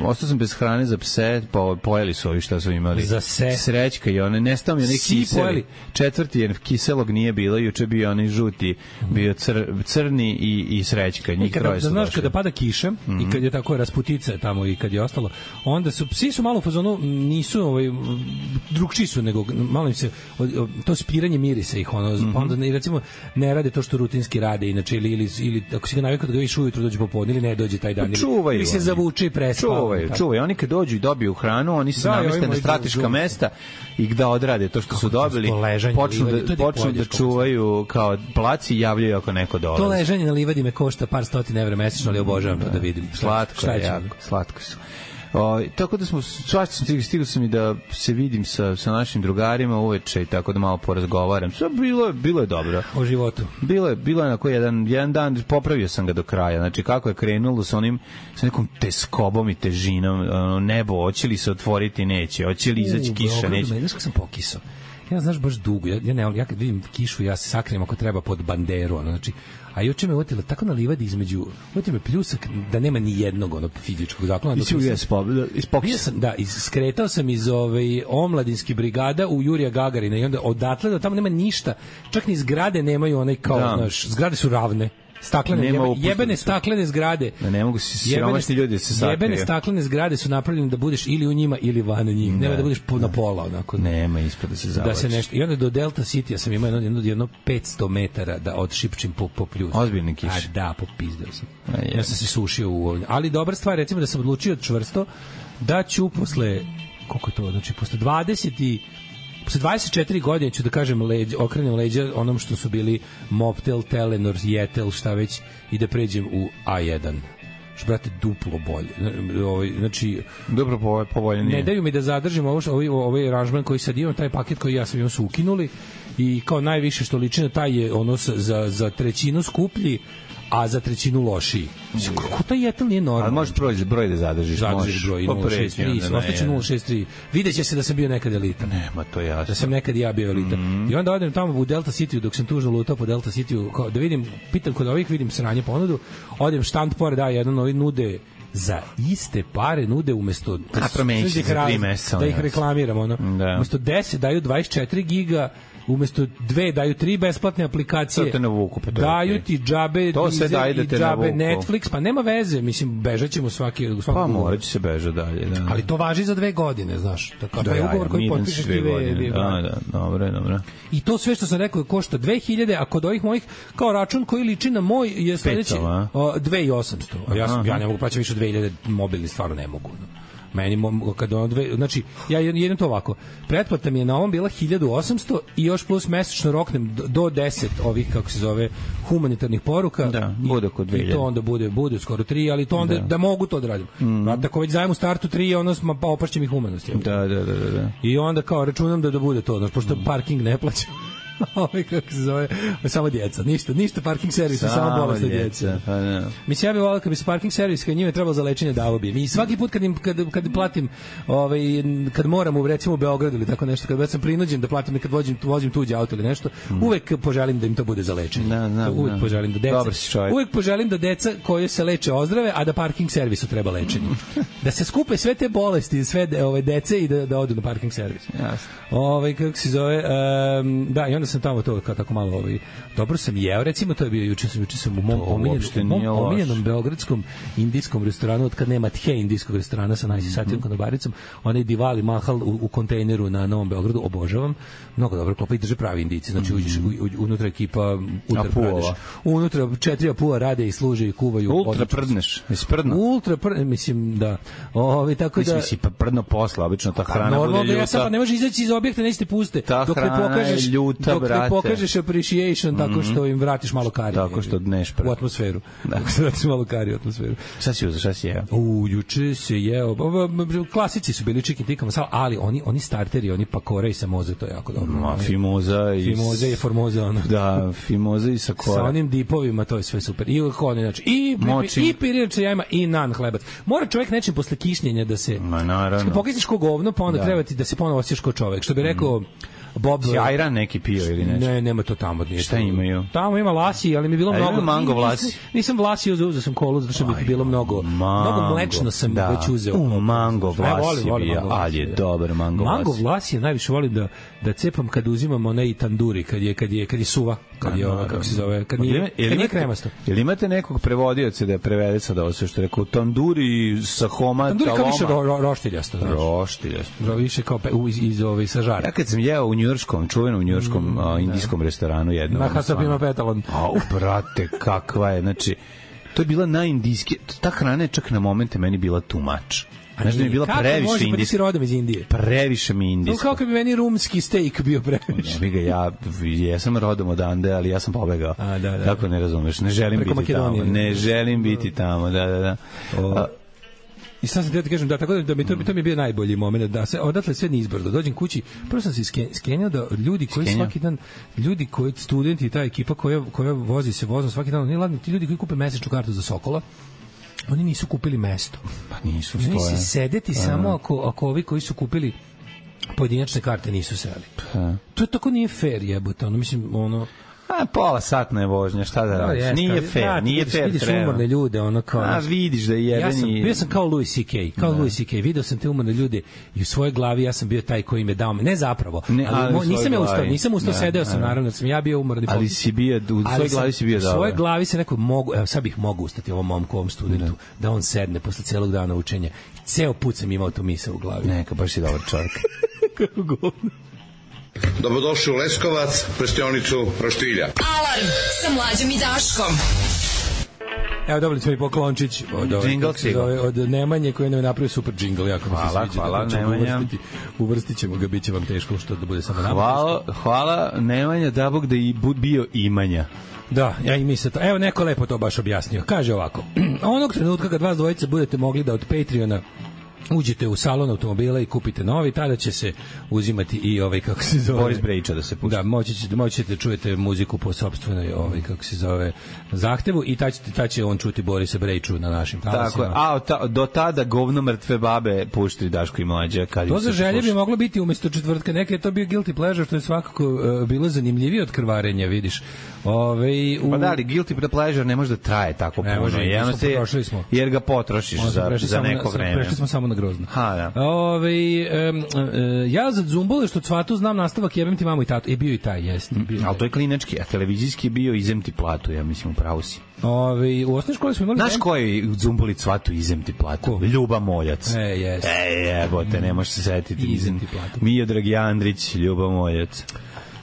ostao sam bez hrane za pse, po, pojeli su ovi šta su imali. Za se. Srećka i one, nestao mi onaj kiseli. Četvrti je kiselog nije bilo, juče bio onaj žuti, bio cr, crni i, i srećka, njih kada, troje su da, znaš, došli. kada pada kiša mm-hmm. i kad je tako rasputice tamo i kad je ostalo, onda su, psi su malo u fazonu, nisu ovaj, drugčiji su, nego malo im se, to spiranje mirisa ih, ono, mm-hmm. onda ne, recimo, ne rade to što rutinski rade, inače, ili, ili, ili ako si ga navikao da ga viš ujutru dođe popodne, ili ne dođe taj dan, ili, ili se zavuče i prespava. Čuvaju, čuvaju. Oni kad dođu i dobiju hranu, oni se da, nameste na strateška mesta i da odrade to što kako su dobili, počnu da, počnu da čuvaju kao placi i javljaju ako neko dolazi. To ležanje na livadi me košta par stotina evra mesečno, ali obožavam to da vidim. Slatko je, jako, slatko su. O, tako da smo, svašta sam stigao, stigao sam i da se vidim sa, sa našim drugarima uveče i tako da malo porazgovaram. Sve bilo, bilo je dobro. O životu. Bilo je, bilo je onako jedan, jedan dan, popravio sam ga do kraja. Znači kako je krenulo sa onim, sa nekom teskobom i težinom, ono, nebo, hoće li se otvoriti, neće, hoće li izaći kiša, neće. Znaš kako sam pokisao? Ja znaš baš dugo, ja, ja, ne, ja kad vidim kišu, ja se sakrijem ako treba pod banderu, ono, znači, a juče me uvotila tako na livadi između, uvotila me pljusak da nema ni jednog ono fizičkog zaklona. I si uvijek ispokisao. Sam, da, iz, skretao sam iz ove omladinskih brigada u Jurija Gagarina i onda odatle da tamo nema ništa, čak ni zgrade nemaju onaj kao, da. Znaš, zgrade su ravne. Staklene, jebene, jebene staklene zgrade. Da ne mogu se siromašni ljudi se sakriju. Jebene staklene zgrade su napravljene da budeš ili u njima ili van njih. Ne. Nema da budeš po, na pola onako. Nema ispod da se zavlači. Da se nešto. I onda do Delta City ja sam imao jedno, jedno, jedno petsto metara da odšipčim po, po pljusu. Ozbiljni kiš. A da, popizdeo sam. A, ja sam se sušio u ovdje. Ali dobra stvar, recimo da sam odlučio čvrsto da ću posle, koliko je to, znači posle dvadeset i posle dvadeset četiri godine ću da kažem leđ, okrenem leđa onom što su bili Mobtel, Telenor, Jetel, šta već, i da pređem u A jedan. Što, brate, duplo bolje. Ovaj, znači, dobro povolje nije. Ne daju mi da zadržim ovo, ovaj, ovaj aranžman koji sad imam, taj paket koji ja sam imam su ukinuli i kao najviše što liči na taj je ono za, za trećinu skuplji, a za trećinu lošiji. Kako taj Jetel nije normalno? Ali možeš broj, broj da zadržiš. Zadržiš broj, nula šest tri, ostaće nula šest tri. Videće se da sam bio nekad elita. Nema, to jasno. Da sam nekad ja bio elita. Mm. I onda odem tamo u Delta City, dok sam tužno lutao po Delta City, da vidim, pitam kod ovih, vidim sranje ponudu, odem štand pored, da, jedan ovi nude za iste pare nude umesto a promenit će za tri meseca da ih reklamiram ono. Da. Umesto deset daju dvadeset četiri giga umesto dve daju tri besplatne aplikacije. To te navuku, pa to daju je ti džabe to sve Deezer daje da i te džabe navuku. Netflix, pa nema veze, mislim, bežaćemo svaki, u svakom Pa ugovoru. morat će se beža dalje, da. Ali to važi za dve godine, znaš. Tako Da, pa je ja, ugovor ja, koji miran potpišeš sve ti ve- godine. ve- Da, da, dobro, dobro. I to sve što sam rekao košta dve hiljade, a kod ovih mojih kao račun koji liči na moj je sledeći petsto, a? o, dve hiljade i osamsto. A ja sam ja ne mogu plaćati više od dve hiljade, mobilni stvarno ne mogu. No. Meni mo- kad on dve, znači ja jedem to ovako. Pretplata mi je na ovom bila hiljadu osamsto i još plus mesečno roknem do- do deset ovih kako se zove humanitarnih poruka. Da, I- bude oko dve I hiljade. to onda bude bude skoro tri, ali to onda da, da mogu to da radim. Mm. Ako već zajem u startu tri, ono smo pa opašće mi humanost. Da, da, da, da, da. I onda kao računam da da bude to, znači pošto parking ne plaćam. Ovaj kako se zove, samo djeca, ništa, ništa parking servis, samo, samo bolesna djeca. Pa ne. Mislim ja bih voleo kad bi se parking servis kad njime trebalo za lečenje davo bi. Mi svaki put kad im kad kad platim, ovaj kad moram u recimo u Beogradu ili tako nešto, kad već sam prinuđen da platim kad vozim vozim tuđe auto ili nešto, mm. uvek poželim da im to bude za lečenje. Da, da, uvek da. poželim da deca. Uvek poželim da deca koje se leče ozdrave, a da parking servisu treba lečenje. Da se skupe sve te bolesti, sve de, ove dece i da da odu na parking servis. Jasno. Ovaj kako se zove, um, da, i onda sam tamo to kao tako malo ovaj dobro sam jeo, recimo to je bio juče sam juče sam u mom omiljenom, mom omiljenom beogradskom indijskom restoranu od kad nema tje indijskog restorana sa najsisatijom konobaricom, onaj Diwali Mahal u, u kontejneru na Novom Beogradu, obožavam. Mnogo dobro klopa i drže pravi Indijci, znači uđeš u, u, unutra ekipa Ultra Pradeš. Unutra četiri apua rade i služe i kuvaju. Ultra prdneš, isprdno. Ultra pr, mislim da. Ovaj tako da mislim si prdno posla, obično ta hrana bude ljuta. Ja sam pa ne može izaći iz objekta, nećete puste. Ta dok ne pokažeš ljuta, dok ne pokažeš appreciation mm -hmm. tako što im vratiš malo kari. Tako što dneš u atmosferu. Da. Tako što vratiš malo kari u atmosferu. Šta si uzeo, šta si jeo? U, juče se jeo. Klasici su bili chicken tikka masala, ali oni oni starteri, oni pakora i samoza, to je jako dobro. Ma, fimoza i fimoza i formoza ono. Da, fimoza i sakora. Sa onim dipovima, to je sve super. I oni znači i Močim. i pirinač jajima i nan hlebac. Mora čovjek nečim posle kišnjenja da se Ma naravno. Pokisniš ko govno, pa onda da. treba ti da se ponovo osjećaš kao čovjek. Što bi rekao Bob Ajran neki pio ili nešto. Ne, nema to tamo, nije. Šta imaju? Tamo ima lasi, ali mi je bilo A mnogo mango vlasi. Nisam, nisam vlasio, uzeo sam kolu zato što bi bilo mnogo. Mango, mnogo mlečno sam da. već uzeo. U, mango vlasi, volim, volim bio, ali je dobar mango vlasi. Mango vlasi je najviše volim da da cepam kad uzimam onaj tanduri, kad je kad je kad je suva, kad je ova kako se zove, kad nije, kad nije kremasto. Jel imate nekog prevodioca da prevede sad ovo sve što rekao tanduri sa homa tanduri taloma? Tanduri kao više ro, roštiljasto, znači. Roštiljasto. Više kao pe, iz iz ove sa žara. Ja kad sam jeo u njujorškom, čuvenom njujorškom mm, a, indijskom restoranu jednom. Na Hasapima Petalon. A, brate, kakva je, znači to je bila najindijski, ta hrana je čak na momente meni bila too much. Znaš da mi je bila previše indijska. Kako može, pa rodom iz Indije? Previše mi indijska. Kako bi meni rumski steak bio previše? Ne bi ga, ja jesam rodom odande, ali ja sam pobegao. A, da, da. Kako ne razumeš? Ne želim Preko biti Makedonije. Tamo. Ne želim biti tamo, da, da, da. O, I sad sam te da kažem, da, tako da, da mi to, to mi je bio najbolji moment, da se odatle sve nizbrdo, dođem kući, prvo sam se skenjao da ljudi koji Skenja. svaki dan, ljudi koji, studenti i ta ekipa koja, koja vozi se vozom svaki dan, nije ladni, ti ljudi koji kupe mesečnu kartu za Sokola, oni nisu kupili mesto. Pa nisu stoje. Oni se sedeti pa, samo ako, ako ovi koji su kupili pojedinačne karte nisu seli. Pa. To je tako nije fair jebote, ono, mislim, ono... A pola satna je vožnja, šta da radiš? No, nije fair, da, nije vidiš, fair. Vidiš treba. umorne ljude, ono kao... A vidiš da je jebeni... Ja sam, bio sam kao Louis C K, kao da. Louis C K, video sam te umorne ljude i u svojoj glavi ja sam bio taj koji im je dao, ne zapravo, ne, ali, ali mo, nisam ja ustao, nisam ustao, da, sedeo sam, naravno, sam ja bio umorni. Ali si bio, u svojoj glavi si bio dobro. U svojoj glavi se neko mogu, evo sad bih mogu ustati ovom momku, ovom studentu, ne. da on sedne posle celog dana učenja. Ceo put sam imao tu misao u glavi. Neka, baš si dobar čovjek. Kako govno. Dobrodošli u Leskovac, prštionicu Roštilja. Alarm sa Mlađom i Daškom. Evo dobili smo i poklončić od, od, od Nemanje koji nam je napravio super džingl. Jako hvala, mi se sviđa. Hvala, da Nemanja. Uvrstit, uvrstit ćemo ga, bit će vam teško što da bude samo nama. Hvala, hvala Nemanja, da Bog da i bio imanja. Da, ja i mislim to. Evo neko lepo to baš objasnio. Kaže ovako, onog trenutka kad vas dvojice budete mogli da od Patreona uđete u salon automobila i kupite novi, tada će se uzimati i ovaj kako se zove Boris Brejča da se pušta. Da, moći ćete, moći ćete čujete muziku po sopstvenoj ovaj kako se zove zahtevu i ta ćete ta će on čuti Borisa Brejču na našim talasima. Tako, a ta, do tada govno mrtve babe pušti Daško i Mlađa kad to za želje bi moglo biti umesto četvrtka, neke je to bio guilty pleasure, što je svakako uh, bilo zanimljivije od krvarenja, vidiš. Ove, u... Pa da li, guilty pleasure ne može da traje tako ne puno, može, jer, se, potrošili smo. jer ga potrošiš za, za neko na, vreme. Prešli smo samo na grozno. Ha, da. Ove, um, uh, ja za Zumbole što cvatu znam nastavak jebem ti mamu i tatu. Je bio i taj, jeste. Bio Ali to je klinački, a televizijski je bio izem ti platu, ja mislim, upravo si. Ove, u osnovnoj školi smo imali... Znaš ko je u Zumboli cvatu izem ti platu? Ko? Ljuba Moljac. E, jeste. E, jebote, ne možeš se setiti. Izem ti platu. Miodrag Jandrić, Ljuba Moljac.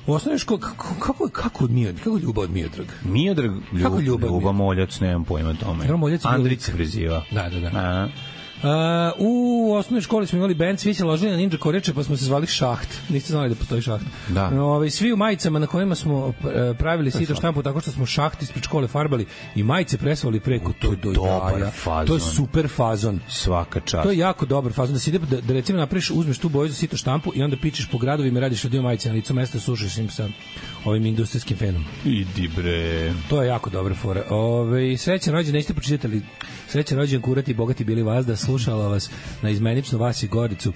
U osnovnoj školi, kako, kako, kako od Miodrag? Kako Ljuba od Miodrag? Miodrag, Ljub, Kako Ljuba, Ljuba Moljac, nemam pojma tome. Ljuba Moljac je Andrić bio- se preziva. Da, da, da. A, Uh, u osnovnoj školi smo imali bend, svi se ložili na Ninja Koreče, pa smo se zvali Šaht. Niste znali da postoji Šaht. Da. Ove, svi u majicama na kojima smo uh, pravili sito štampu tako što smo šaht ispred škole farbali i majice presvali preko. To je do dobar jaja. fazon. To je super fazon. svaka čast. To je jako dobar fazon da se ide da, da recimo napraviš, uzmeš tu boju za sito štampu i onda pičeš po gradovima i radiš dio majice na licu mesta, sušiš im sa ovim industrijskim fenom. Idi bre. To je jako dobra fora. Ove, srećan rođendan, niste pročitali Srećan rođendan kurati i bogati bili vazda, slušala vas na izmenično vas i Goricu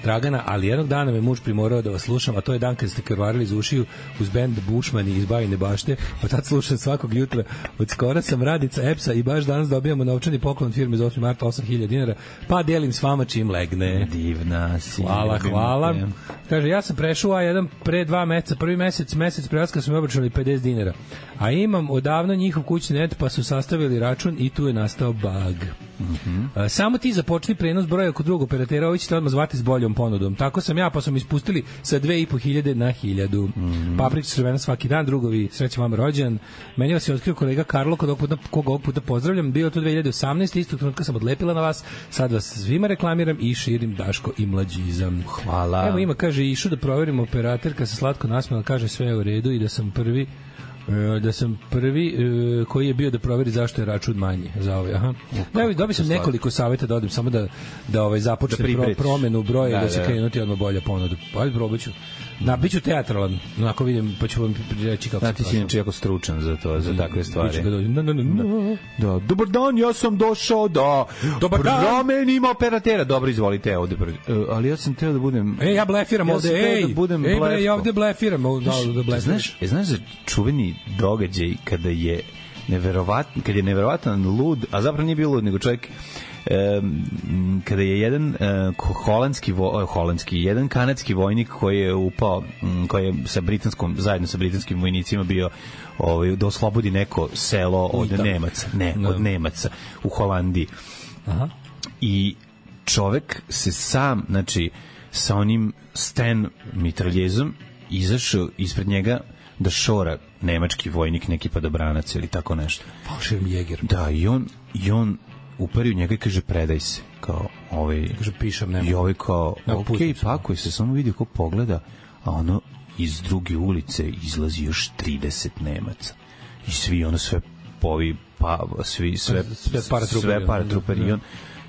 Dragana, ali jednog dana me muž primorao da vas slušam, a to je dan kad ste krvarili iz ušiju uz bend Bušmani iz Bajine Bašte, pa tad slušam svakog jutra. Od skora sam radica EPS-a i baš danas dobijamo novčani poklon od firme za osmi marta osam hiljada dinara, pa delim s vama čim legne. Divna si. Hvala, ljubim hvala. te. Kaže, ja sam prešao A jedan pre dva meseca, prvi mesec, mesec prelaska su mi obračunali pedeset dinara. A imam odavno njihov kućni net, pa su sastavili račun i tu je nastao bug. Mhm. A, samo ti započni prenos broja kod drugog operatera, ovi ćete odmah zvati s boljom ponudom. Tako sam ja, pa sam ispustili sa dve i po hiljade na hiljadu. Mhm. Paprika crvena svaki dan, drugovi, srećan vam rođendan. Meni vas je otkrio kolega Karlo, kod ovog puta, koga ovog puta pozdravljam. Bilo to dve hiljade osamnaeste. Istog trenutka sam odlepila na vas. Sad vas svima reklamiram i širim Daško i mlađizam. Hvala. Evo ima, kaže, išu da proverimo operaterka se slatko nasmela, kaže sve je u redu i da sam prvi e, da sam prvi e, koji je bio da proveri zašto je račun manji za ovaj. Aha. Da, evo, dobio sam nekoliko saveta da odem samo da da ovaj započne Da pro, promenu broja da, Da, da se da. krenuti odmah bolja ponuda. Ajde, probat ću. Na, bit ću teatralan, onako vidim, pa ću vam reći kako Da, ti si inače jako stručan za to, za takve stvari. Biću ga dođem. Na, na, na, na. Da, dobar dan, ja sam došao da Dobar dan. promenim operatera. Dobro, izvolite, ovde. Uh, ali ja sam teo da budem... E, ja blefiram Ja ovde, sam teo ej, da budem ej, bre, ja blefko. ovde blefiram, ovde, da, da blefiram. Znaš, e, znaš za čuveni događaj kada je neverovatno, kad je neverovatan lud, a zapravo nije bio lud, nego čovjek um, kada je jedan uh, holandski vo, holandski jedan kanadski vojnik koji je upao um, koji je sa britanskom zajedno sa britanskim vojnicima bio ovaj da oslobodi neko selo od Uitam. Nemaca, ne, No. od Nemaca u Holandiji. Aha. I čovek se sam, znači, sa onim Sten mitraljezom izašao ispred njega da šora nemački vojnik, neki padobranac ili tako nešto. Falšivim jeger. Da, i on, i on upari u njega i kaže predaj se. Kao, ovaj, Kaže, pišem, nema. i ovaj kao, Ne, ok, pustim se. pakuj se, samo vidi ko pogleda, a ono iz druge ulice izlazi još trideset Nemaca. I svi, ono sve povi, pa, svi, sve, Sve paratruperi, sve paratruperi. da. I on,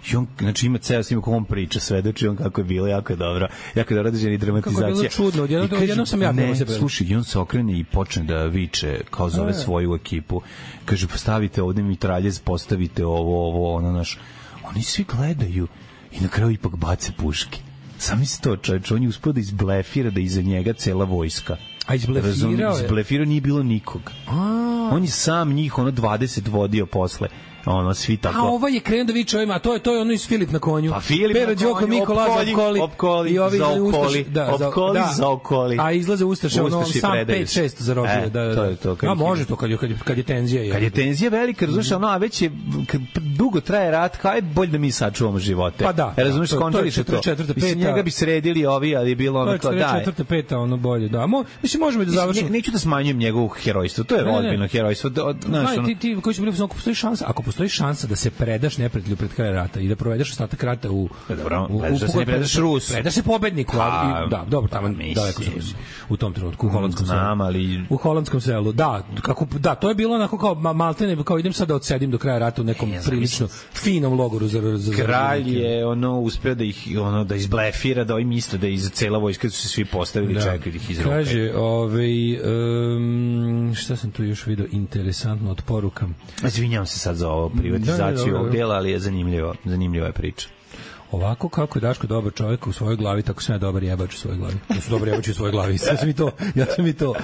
i on, znači ima ceo snim kako on priča, svedoči on kako je bilo, jako je dobro, jako je dobro određena i dramatizacija. Kako je bilo čudno, odjednom- I kaže, odjednom sam ja ne, prvo se predajem. slušaj, i on se okrene i počne da viče, kao zove A. svoju ekipu, kaže, postavite ovde mitraljez, postavite ovo, ovo, ono, naš, oni svi gledaju i na kraju ipak bace puške. Sami se to, čovječ, on je uspio da izblefira da iza njega cela vojska. A izblefirao Razumiješ? je? Izblefirao, nije bilo nikog. A, On je sam njih, ono, dvadeset vodio posle. Ono, svi tako... a ovaj je krenuo da viče ovima, a to je, to je ono iz Filip na konju. Pa Filip Pero na Đoko, konju, Miko Laza, opkoli, opkoli, opkoli, i ovi zaokoli, Ustaši- da, za- opkoli, da. zaokoli. A izlaze Ustaše, ono, Ustaši sam predaju pet se. šest zarobio. E, da, da, da. to je to, kad A ih može ima. to, kad je, kad je, kad je tenzija. Kad je tenzija velika, razumiješ, ono, a već je, kad dugo traje rat, kao je bolje da mi sačuvamo živote. Pa da, E, razumiješ, to- to je končali su to. četrdeset četvrta, Mislim, peta. njega bi sredili ovi, ali je bilo ono, kao, To je da. četvrta, peta, ono bolje, da. Mo, mislim, možemo i da Mislim, završimo. ne, neću da smanjujem njegovo herojstvo, to je Ne, ne, ne. ozbiljno herojstvo. Da, od- znaš, Znaš, ono, ti, ti koji su bili u fazonu, ako postoji šansa, ako postoji šansa da se predaš neprijatelju pred kraj rata i da provedeš ostatak rata u Pa dobro, u, predaš da se ne predaš Rusu. Predaš se pobedniku, ali, Pa, da, dobro, tamo mislim. daleko su Rusi. U tom trenutku u holandskom selu. znam, ali... U holandskom selu, da, kako, da, to je bilo onako kao ma- maltene, kao idem sad da odsedim do kraja rata u nekom Ne znam, prilično finom logoru za, za, za Kralj zarobljenike. je ono uspeo da ih ono da izblefira, da ovi misle da iz cela vojska su se svi postavili, čekaju da ih izrope. Kaže, ovaj, um, šta sam tu još video interesantno od porukam. Izvinjavam se sad za ovo privatizaciju Da, da, da, da. ovog dela, ali je zanimljivo, zanimljiva je priča. Ovako kako je Daško dobar čovjek u svojoj glavi, tako sam ja dobar jebač u svojoj glavi. Ja sam dobar jebač u svojoj glavi. Ja sam i to. Ja sam i to.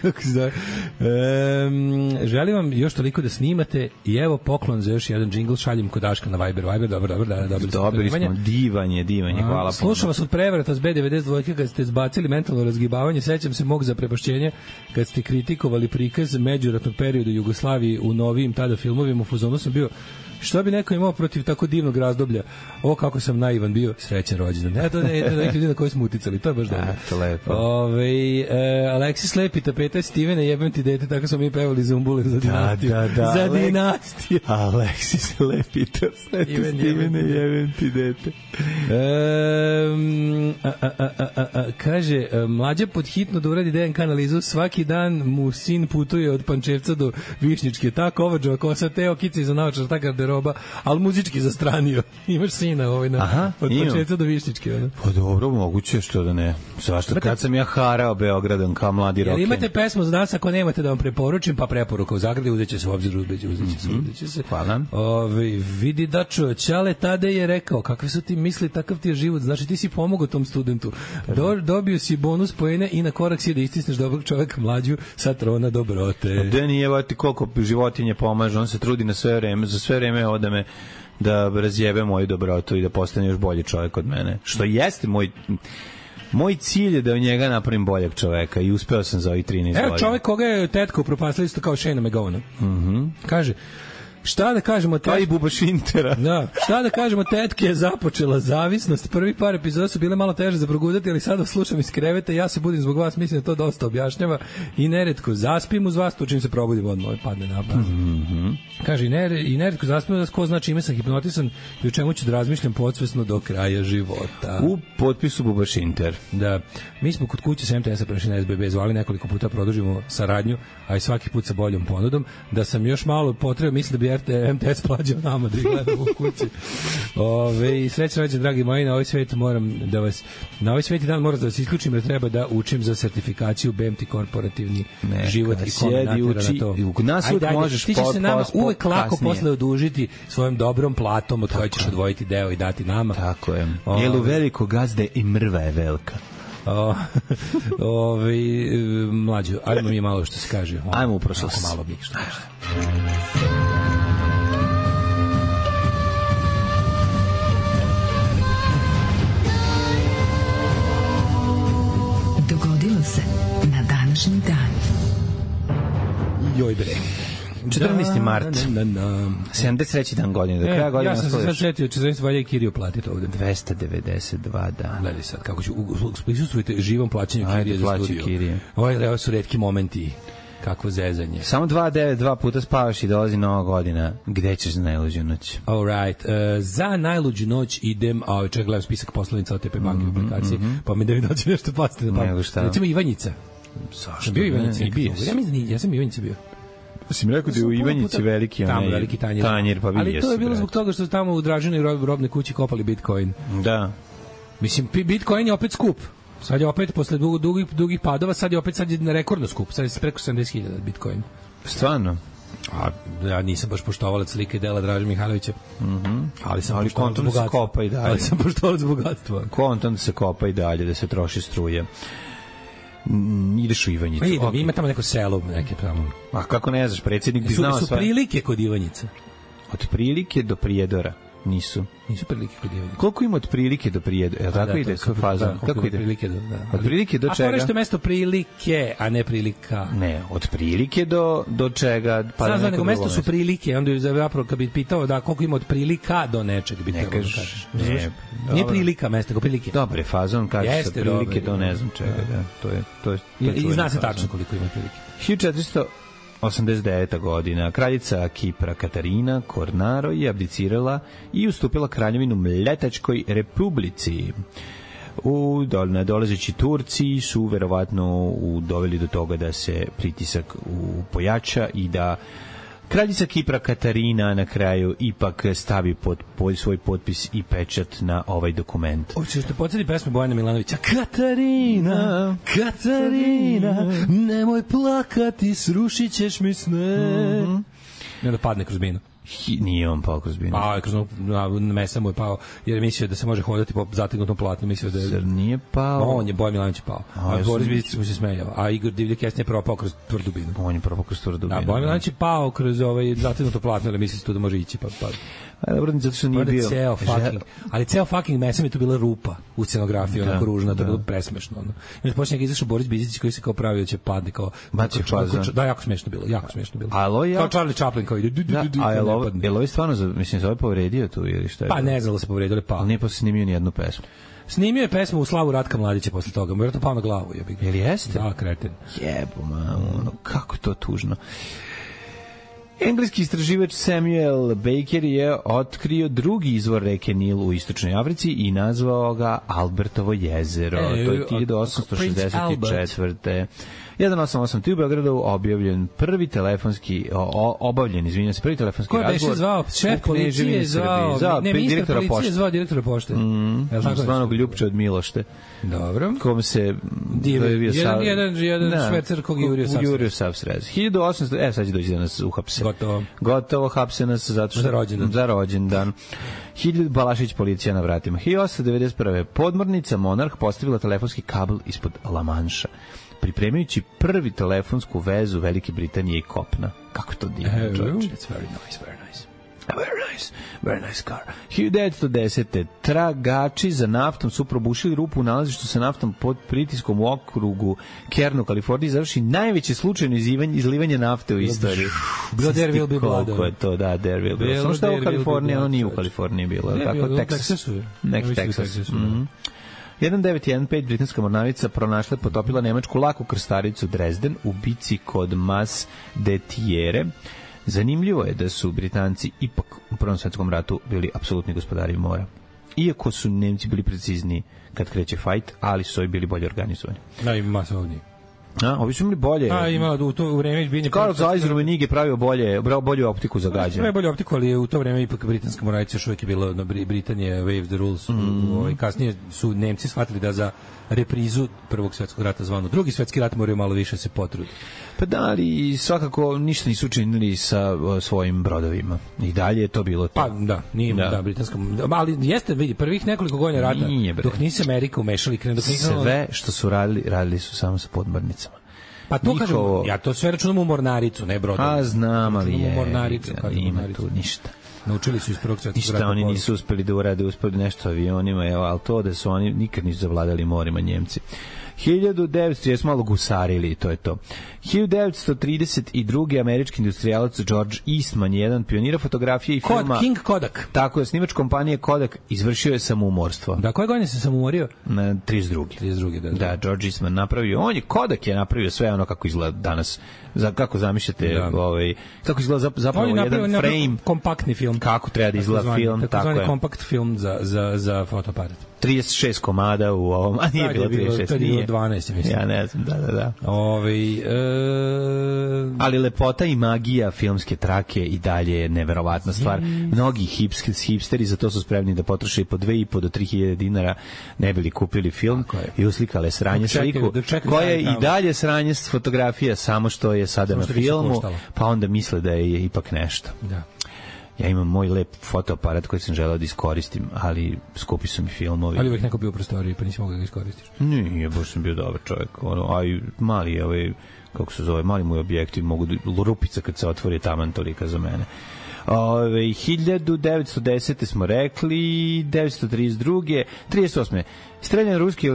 Kako se zove? Um, želim vam još toliko da snimate i evo poklon za još jedan džingl, šaljem kod Daška na Viber. Viber, dobro, dobro, da, dobili smo. Dobili smo, divanje, divanje, hvala. Slušam vas od prevrata s B devedeset dva kad ste zbacili mentalno razgibavanje, sećam se mog zaprepašćenja kad ste kritikovali prikaz međuratnog perioda Jugoslavije u novijim tada filmovima. U fazonu sam bio, šta bi neko imao protiv tako divnog razdoblja? O, kako sam naivan bio, srećan rođendan. Eto, ne, ne, neki ljudi na koji smo uticali, to je baš dobro. To lepo. Ove, e, Aleksis Lepi tapeta Stivene, jebem ti dete, tako smo mi pevali Zumbule za dinastiju. Da, da, da. Za dinastiju. Aleksis Lepi tapeta Stivene, jebem ti dete. E, a, a, a, a, a, kaže, mlađa pod hitno da uradi D N K analizu, svaki dan mu sin putuje od Pančevca do Višnjičke, ta kovađova kosa, te okice iza naočar, ta garderoba, ali muzički zastranio. Imaš sina ovaj na, Aha, od Pančevca do Višnjičke. Ono. Pa dobro, moguće, što da ne. Zašto? Imate, kad sam ja harao Beogradom kao mladi roken. Imate pesmu za nas, ako nemate da vam preporučim, pa preporuka u Zagradi, uzet će se u obzir, uzet će se, uzet će se. Hvala. Ove, vidi Dačo, Ćale Tade je rekao, kakve su ti misli, takav ti je život, znači ti si pomogao tom studentu. Do, dobio si bonus poene i na korak si da istisneš dobrog čoveka mlađu sa trona dobrote. Da nije, ti koliko životinje pomaže, on se trudi na sve vreme, za sve vreme ode me da razjebe moju dobrotu i da postane još bolji čovjek od mene. Što jeste moj moj cilj je da od njega napravim boljeg čoveka i uspeo sam za ovih trinaest godina. Evo čovjek koga je tetka upropastila isto kao Shane McGowan. Mhm. Kaže, šta da kažemo tetke? Aj bubaš Intera. Da, šta da kažemo, tetke je započela zavisnost. Prvi par epizoda su bile malo teže za progudati, ali sada slušam iz kreveta, ja se budim zbog vas, mislim da to dosta objašnjava i neretko zaspim uz vas, to čim se probudim odmah padne na pas. Mhm. Kaže, i, ner, i neretko zaspim uz vas, ko znači ime sam hipnotisan i o čemu ću da razmišljam podsvesno do kraja života. U potpisu bubaš Inter. Da, mi smo kod kuće sa M T S-a prešli na S B B, zvali nekoliko puta, produžimo saradnju, a i svaki put sa boljom ponudom. Da sam još malo potrebao, mislim da bi M T S plađao nama da ih gledamo u kući. Ove, i srećan rođendan, dragi moji, na ovaj svet moram da vas, na ovaj sveti dan moram da vas isključim, jer treba da učim za sertifikaciju B M T korporativni ne, život i kombinatora na to. U nas uvijek ajde, možeš ti ćeš se nama po, uvek lako kasnije. Posle odužiti svojom dobrom platom od koje ćeš odvojiti deo i dati nama. Tako je. Jelu veliko gazde i mrva je velika. O, ove, mlađo, ajmo mi malo što se kaže. O, ajmo u prošlost. Malo mi što kaže. Dogodilo se na današnji dan. Joj bre. četrnaesti mart. Na, na, na. sedamdeset treći dan godine. Do kraja godine. Ja sam se sad setio, četrnaesti valja i Kirio platiti ovde. dvesta devedeset dva dana. Gledaj sad, kako ću, prisustvujte živom plaćanju Kirije za studio. Kirije. Ovo, ovo su retki momenti. Kakvo zezanje. Samo dva devet dva puta spavaš i dolazi nova godina. Gde ćeš za najluđu noć? All right. Uh, za najluđu noć idem, a čekaj, gledam spisak poslovnica O T P banke mm -hmm, u aplikaciji, mm -hmm. pa mi da mi dođe nešto pasti na pamet. Recimo Ivanjica. Zašto? Bio Ivanjica. I bio. Ja mislim, ja sam Ivanjica bio. Si mi rekao da je u Ivanjici veliki onaj tamo veliki tanjir. tanjir pa ali to je bilo zbog toga što su tamo u Draženoj robnoj kući kopali Bitcoin. Da. Mislim, Bitcoin je opet skup. Sad je opet, posle dugih, dugih, dugih padova, sad je opet sad je rekordno skup. Sad je preko sedamdeset hiljada Bitcoin. Stvarno? A ja nisam baš poštovalac slike i dela Draže Mihajlovića. Mhm. Mm ali sam ali kontom da se kopa i dalje. Ali sam poštovalac bogatstva. Kontom da se kopa i dalje, da se troši struje. Mm, ideš u Ivanjicu. Idem, okay. Ima tamo neko selo, neke tamo. A kako ne znaš, predsjednik bi su, znao su sve. Su prilike kod Ivanjice? Od prilike do Prijedora. Nisu. Nisu prilike kod Ivanjice. Koliko ima od prilike do Prijedora? Je tako da, ide sa fazom? Da, kako ide? Od prilike do, da. Od prilike do a čega? A što je mesto prilike, a ne prilika. Ne, od prilike do, do čega? Pa Znam, znam, nego mesto su prilike, onda je zapravo kad bi pitao da koliko ima od prilika do nečeg bi trebalo da kažeš. Ne, nije prilika mesto, nego prilike. Dobre, fazon kaže sa prilike do ne znam čega. Da. To je, to je, to je I zna se tačno koliko ima prilike. hiljadu četiristo osamdeset deveta godina. Kraljica Kipra Katarina Kornaro je abdicirala i ustupila kraljevinu Mletačkoj republici. U nadolazeći Turci su verovatno doveli do toga da se pritisak pojača i da kraljica Kipra Katarina na kraju ipak stavi pod, pod svoj potpis i pečat na ovaj dokument. Hoćeš da podsjeti pesmu Bojana Milanovića? Katarina, Katarina, nemoj plakati, srušit ćeš mi sne. Mm-hmm. I onda padne kroz binu. Hi, nije on pao kroz binu. Pao je kroz na, na mesa mu je pao, jer je mislio da se može hodati po zategnutom platnu, mislio da je... Zar nije pao? On je, Bojan Milanović je pao. A, a Boris Bizić mu se smejao. A Igor Divljak Kesnije je propao kroz tvrdu binu. On je propao kroz tvrdu binu. Da, Bojan Milanović je pao kroz ovaj zategnuto platno, ali misli se tu da može ići, pa... pa. A dobro, zato što nije bio... Ceo fucking, ali ceo fucking mesa mi tu bila rupa u scenografiji, da, onako ružna, to je bilo presmešno. Ono. I poslije njega izašao Boris Bizić koji se kao pravio da će padne, kao... Baci fazan. Da, jako smešno bilo, jako smešno bilo. Alo, ja... Kao Charlie Chaplin koji ide... Da, a je li ovo, je li ovo stvarno, za, mislim, se ovaj povredio tu ili šta je? Pa ne znam da se povredio, ali pao. Ali nije posle snimio ni jednu pesmu. Snimio je pesmu u slavu Ratka Mladića posle toga, vjerojatno pao na glavu. Je li jeste? Da, kreten. Jebo, mamu, ono, kako je to tužno. Engleski istraživač Samuel Baker je otkrio drugi izvor reke Nil u istočnoj Africi i nazvao ga Albertovo jezero. E, to je hiljadu osamsto šezdeset četvrte jedan osam osam tri u Beogradu objavljen prvi telefonski o, obavljen, izvinjavam se, prvi telefonski ko razgovor. Ko je zvao? Šef policije zvao, zvao ne, ministar policije zvao direktora pošte. Mm, zvanog Ljupče od Milošte. Dobro. Kom se Divi, jedan, sav... jedan, jedan da, švecer kog je Jurio Savsrez. Jurio Savsrez. hiljadu osamsto, e sad će doći da nas uhapse. Gotovo. Gotovo, hapse nas zato što... Za rođendan. Za rođendan. Hiljadu Balašić policija na vratima. hiljadu osamsto devedeset prve podmornica Monarh postavila telefonski kabel ispod La Manša, pripremajući prvi telefonsku vezu Velike Britanije i kopna. Kako to divno, uh, čovječe. It's very nice, very nice. Very nice, very nice car. hiljadu devetsto desete tragači za naftom su probušili rupu u nalazištu sa naftom pod pritiskom u okrugu Kernu, Kaliforniji, završi najveće slučajno izlivanje nafte u istoriji. Bilo there will be blood. Koliko je to, da, there will be blood. Samo što je u Kaliforniji, ono nije u Kaliforniji bilo. Tako, Texas. Nek Texas. Mhm. jedan devet jedan pet britanska mornarica pronašla i potopila nemačku laku krstaricu Dresden u bici kod Mas de Thiere. Zanimljivo je da su Britanci ipak u Prvom svetskom ratu bili apsolutni gospodari mora. Iako su Nemci bili precizniji kad kreće fajt, ali su ovi bili bolje organizovani. Da, i masovniji. A, ovi su imali bolje. A, ima u to vreme izbinje. Karl Zeiser u Nige pravio bolje, bolju optiku za gađanje. Ne bolju optiku, ali u to vreme ipak britanska mornarica još uvijek je bila na Britanije wave the rules. Mm. Ovaj kasnije su Nemci shvatili da za reprizu Prvog svetskog rata zvano Drugi svetski rat moraju malo više se potruditi. Pa da, ali svakako ništa nisu učinili sa uh, svojim brodovima. I dalje je to bilo to. Pa da, nije da, da britanska, ali jeste, vidi, prvih nekoliko godina rata, nije, dok nisi Amerika umešali, krenu dok nisi sve što su radili, radili su samo sa podmornicama. Pa to kažem, ja to sve računam u mornaricu, ne brodovi. A znam, ali je. Mornaricu, kažem, ima tu ništa. Naučili su iz Prvog svetskog rata. Ništa oni nisu uspeli da urade, uspeli nešto avionima, evo, ali to da su oni nikad nisu zavladali morima Njemci. hiljadu devetsto jesmo malo gusarili, to je to. hiljadu devetsto trideset druge američki industrijalac George Eastman je jedan pionira fotografije i filma. Kod, King Kodak. Tako je, snimač kompanije Kodak izvršio je samoumorstvo. Da, koje godine se samoumorio? Na trideset druge trideset druge da, da. Da, George Eastman napravio, on je, Kodak je napravio sve ono kako izgleda danas. Za, kako zamišljate, da. ovaj, kako izgleda zapravo napravio, jedan frame. Kompaktni film. Kako treba da izgleda zvani, film, tako, tako je. Kompakt film za, za, za fotoaparat. trideset šest komada u ovom, a nije da, bilo trideset šest. To je bilo dvanaest, mislim. Ja ne znam, da, da, da. Ove, e... Ali lepota i magija filmske trake i dalje je neverovatna stvar. Mnogi hips, hipsteri za to su spremni da potroše i po dve i po do tri hiljade dinara ne bili kupili film i uslikale sranje sliku, koja je i dalje sranje fotografija, samo što je sada samo na filmu, pa onda misle da je ipak nešto. Da. Ja imam moj lep fotoaparat koji sam želeo da iskoristim, ali skupi su mi filmovi. Ali uvijek neko bio u prostoriji, pa nisi mogao da ga iskoristiš. Nije, baš sam bio dobar čovjek. Ono, a i mali, ovaj, kako se zove, mali moj objektiv, mogu da, rupica kad se otvori taman tolika za mene. Ove, hiljadu devetsto desete smo rekli, devetsto trideset druge, trideset osme streljan ruski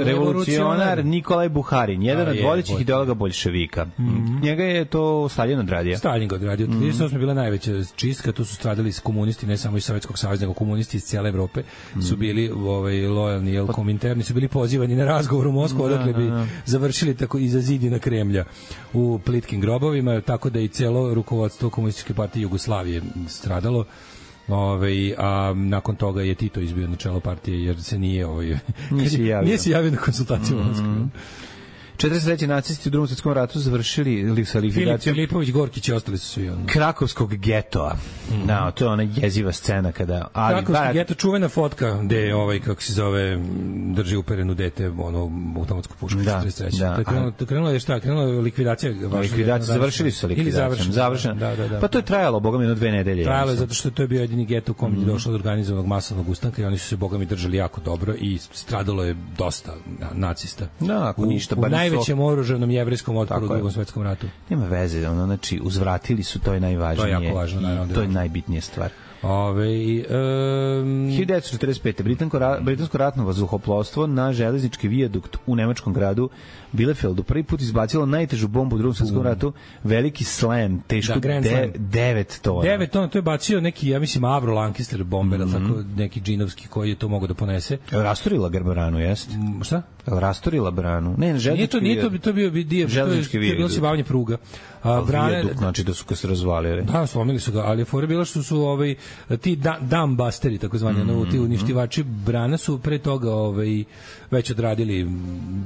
revolucionar Nikolaj Buharin, jedan od vodećih ideologa boljševika. Mm-hmm. Njega je to Stalin odradio. Stalin ga odradio. Mm-hmm. trideset osme bila najveća čistka, tu su stradali komunisti, ne samo iz Sovjetskog saveza, nego komunisti iz cijele Evrope mm-hmm. su bili ovaj, lojalni, jel, kominterni, su bili pozivani na razgovor u Moskvu, odakle bi završili tako iza zidina Kremlja u plitkim grobovima, tako da i cijelo rukovodstvo komunističke partije Jugoslavije stradalo. Ove, a nakon toga je Tito izbio na čelo partije jer se nije ovaj, nije se javio, nije se javio na konsultaciju u Moskvi. Mm-hmm. četrdeset treće nacisti u Drugom svetskom ratu završili li sa Filip likvidacijom Filipović, Gorkić i ostali su svi ono. Krakovskog getoa. Mm. Da, to je ona jeziva scena kada... Ali, Krakovski bar... geto, čuvena fotka gde je ovaj, kako se zove, drži uperenu dete, ono, automatsku pušku. Da, četrdeset treće. da. To je krenulo, to krenulo je šta? Krenulo je likvidacija. Likvidacija, završili su sa likvidacijom. Završeno. Da, da, da. Pa to je trajalo, boga mi, jedno dve nedelje. Trajalo je zato što to je bio jedini geto u kom je mm. došlo do organizovanog masovnog ustanka i oni su se, boga mi, držali jako dobro i stradalo je dosta nacista. Da, ako u, ništa. U najvećem oružanom jevrejskom otporu u Drugom svetskom ratu. Nema veze, ono, znači, uzvratili su, to je najvažnije. To je jako važno, naravno. To je najbitnija stvar. Ove, um... hiljadu devetsto četrdeset pete. Britansko, ra, britansko ratno vazduhoplovstvo na železnički vijadukt u nemačkom gradu Bielefeldu prvi put izbacilo najtežu bombu u Drugom svetskom ratu, veliki slam, teško da, de, devet tona. devet tona, to je bacio neki, ja mislim, Avro Lancaster bomber, mm -hmm. tako, neki džinovski koji je to mogao da ponese. Rasturila branu, jest? Mm, šta? Rasturila branu. Ne, ne, železnički nije to, nije to, to bio dio, železnički vijadukt. To je bilo se bavanje pruga. A brane, vijadukt, znači da su ga se razvalili. Da, slomili su ga, ali je fora bila što su ovaj, ti da, dumbusteri, tako zvani, mm -hmm. ti uništivači brana su pre toga ovaj, već odradili,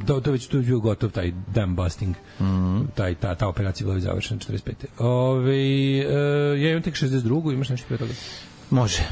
to, to već tu je bio gotov taj dam busting, mm -hmm. taj, ta, ta operacija bila završena četrdeset pete. Ove, uh, ja imam tek šezdeset drugu, imaš nešto pre toga? Može.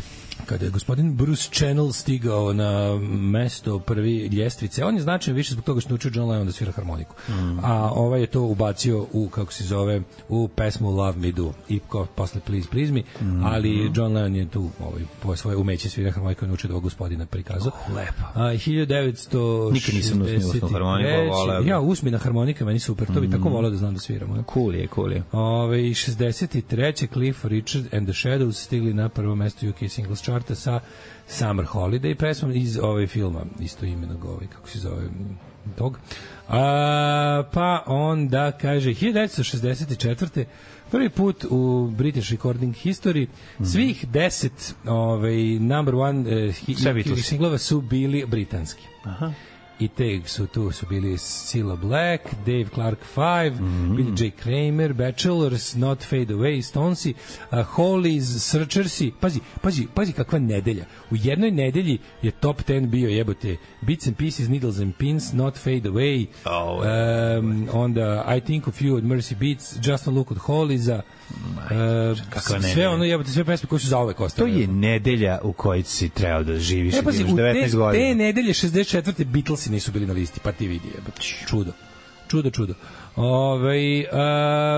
Kada je gospodin Bruce Channel stigao na mesto prvi ljestvice, on je značajan više zbog toga što naučio John Lennon da svira harmoniku. Mm. A ovaj je to ubacio u, kako se zove, u pesmu Love Me Do i ko, posle Please Please Me, mm. ali John Lennon je tu ovaj, po svoje umeće svira harmoniku i naučio da ovog gospodina prikazao. Oh, lepo. A, hiljadu devetsto Nikad nisam usmio harmoniku, voleo. Ja, usmina harmonika, meni super, to bi mm. tako voleo da znam da sviramo. Ja. Cool je, cool je. Ove, šezdeset treće Cliff Richard and the Shadows stigli na prvo mesto U K Singles Charta sa Summer Holiday pesmom iz ove filma isto imenog ovaj, kako se zove tog. A, pa onda kaže hiljadu devetsto šezdeset četvrte prvi put u British Recording History svih deset ovaj, number one uh, singlova su bili britanski. Aha. I te su tu su bili Cilla Black, Dave Clark Five, mm-hmm. Billy J. Kramer, Bachelors, Not Fade Away, Stonesi, uh, Hollies, Searchersi. Pazi, pazi, pazi kakva nedelja. U jednoj nedelji je top ten bio, jebote, Bits and Pieces, Needles and Pins, Not Fade Away, oh, um, onda I Think of You od Mercy Beats, Just a Look od Holliesa, uh, sve ono, jebote, sve pesme koje su zauvek ostale. To je nedelja u kojoj si trebao da živiš e, pazi, u devetnaest godina. Te nedelje šezdeset četvrte Beatlesi nisu bili na listi, pa ti vidi, jebote, čudo. Čudo, čudo. Ove,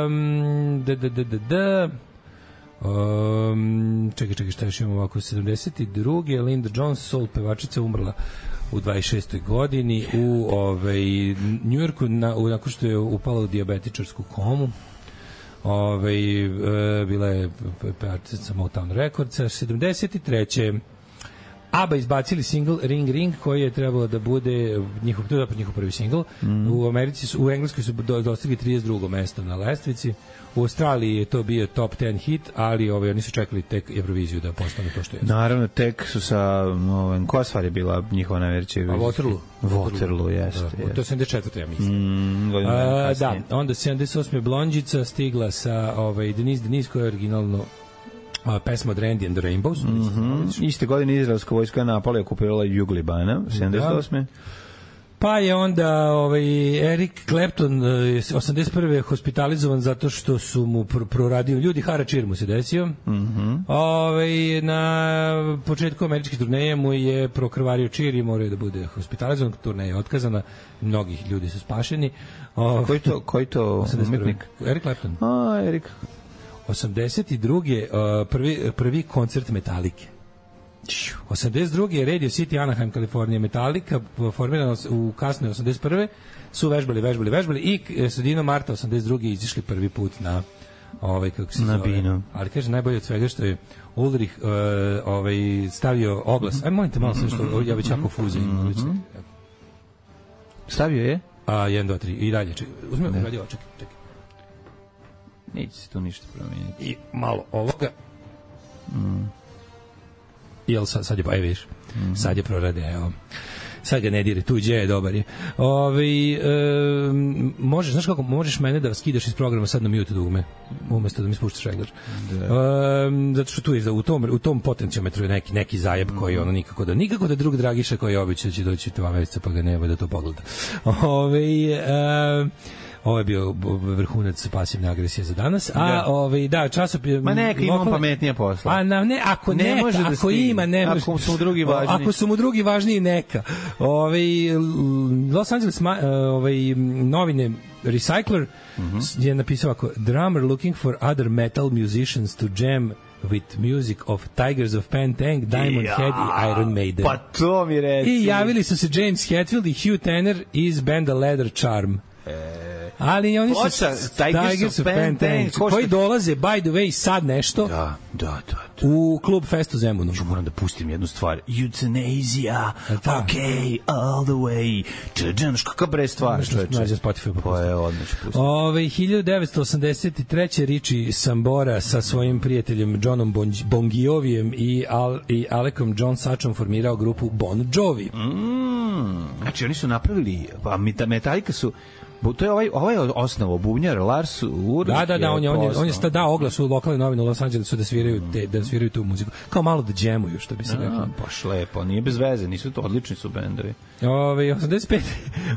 um, da, da, da, da, da. Um, čekaj, čekaj, šta još imamo ovako, sedamdeset druge Linda Jones, soul pevačica, umrla u dvadeset šestoj godini u ovaj, Njujorku, na, u, nakon što je upala u dijabetičarsku komu. Ove, e, bila je pevačica Motown Recordsa. sedamdeset treće ABBA izbacili single Ring Ring koji je trebalo da bude njihov, to je njihov prvi single. Mm. U Americi su, u Engleskoj su do, dostigli trideset drugo mesto na lestvici. U Australiji je to bio top ten hit, ali ovaj, oni su čekali tek Euroviziju da postane to što je. Naravno, tek su sa ovim, koja stvar je bila njihova najveća Eurovizija? A Waterloo. Waterloo, jeste. Da, jest. To je sedamdeset četvrte ja mislim. Mm, A, da, onda sedamdeset osme Blondjica stigla sa ovaj, Denise Denise koja je originalno a, pesma od Randy and the Rainbows. Mm -hmm. Iste godine izraelska vojska napala i okupirala jug Libana, sedamdeset osme. Pa je onda ovaj, Eric Clapton osamdeset prve hospitalizovan zato što su mu pr proradio ljudi, haračir mu se desio. Mm -hmm. Ovaj, na početku američke turneje mu je prokrvario čir i morao da bude hospitalizovan, turneja je otkazana, mnogih ljudi su spašeni. Ovaj, koji to, koji to umetnik? Eric Clapton. A, Eric. osamdeset druge prvi, prvi koncert Metalike. osamdeset druge je Radio City Anaheim, Kalifornija, Metallica, formirano u kasnoj osamdeset prve su vežbali, vežbali, vežbali i sredinom marta osamdeset druge izišli prvi put na ovaj, kako se na zove. Binu. Ali kaže, najbolje od svega što je Ulrich uh, ovaj, stavio oglas. Mm -hmm. Aj, molim te malo sve što, ja već jako fuzim. Mm -hmm. Stavio je? A, jedan, dva, tri, i dalje. Uzmi ovdje radio, čekaj, čekaj. Neće se tu ništa promijeniti. I malo ovoga. Mm. Jel sad, sad je, pa je viš, mm -hmm. sad je prorade, evo. sad ga ne dire, tuđe je, dobar je. Ove, e, možeš, znaš kako, možeš mene da skidaš iz programa sad na mute dugme, umesto da mi spuštaš regler. Da. E, zato što tu je, u tom, u tom potencijometru je neki, neki zajeb koji ono nikako da, nikako da drug Dragiša koji je običao će doći dva meseca pa ga nema da to pogleda. Ove, e, ovo je bio vrhunac pasivne agresije za danas. A da. ovaj da, časopis Ma neka ima lokalne... pametnija posla. A na, ne, ako ne neka, može da ako stigne. Ima, ne može. Ako su mu drugi važniji. Ako su mu drugi važniji neka. Ovaj Los Angeles ovaj novine Recycler mm-hmm. je napisao ako drummer looking for other metal musicians to jam with music of Tigers of Pantang, Diamond ja, Head i Iron Maiden. Pa to mi reci. I javili su se James Hetfield i Hugh Tanner iz benda Leather Charm. E... Ali oni su Oča, Tigers of Pantang koji dolaze, by the way, sad nešto da, da, da, da. u klub Festu Zemunu. Ću moram da pustim jednu stvar. Euthanasia, ok, all the way. Čeđanaš, kakav bre stvar. Nađe Spotify pa pustim. Odmah ću pustim. Ove, hiljadu devetsto osamdeset treće Richie Sambora sa svojim prijateljem Johnom Bongiovijem i, Al, i Alekom John Sachom formirao grupu Bon Jovi. Mm, znači, oni su napravili, pa Metallica su to je ovaj ovaj osnovo bubnjar Lars Ulrich. Da, da, da, on je on je on je sta dao oglas u lokalnoj novini u Los Angelesu da sviraju te, da sviraju tu muziku. Kao malo da džemuju, što bi se reklo. Baš lepo, nije bez veze, nisu to odlični su bendovi. Ove osamdeset pete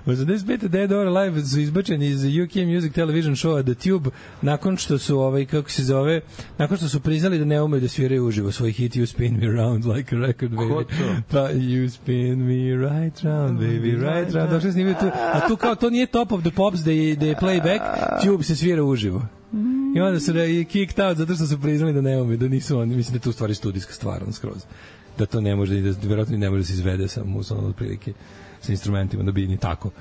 osamdeset pete Dead or Alive su izbačeni iz U K Music Television showa The Tube nakon što su ovaj kako se zove, nakon što su priznali da ne umeju da sviraju uživo svoj hit You Spin Me Round Like a Record Baby. Pa You Spin Me Right Round Baby Right Round. Došli snimaju tu, a tu kao to nije Top of the Pops da je, da je playback, Tube se svira uživo. I onda su je kicked out zato što su priznali da ne umeju, da nisu oni, mislim da je tu stvari studijska stvar, on skroz. Da to ne može, da verovatno ne može da se izvede sa musom od prilike sa instrumentima, da bi ni tako.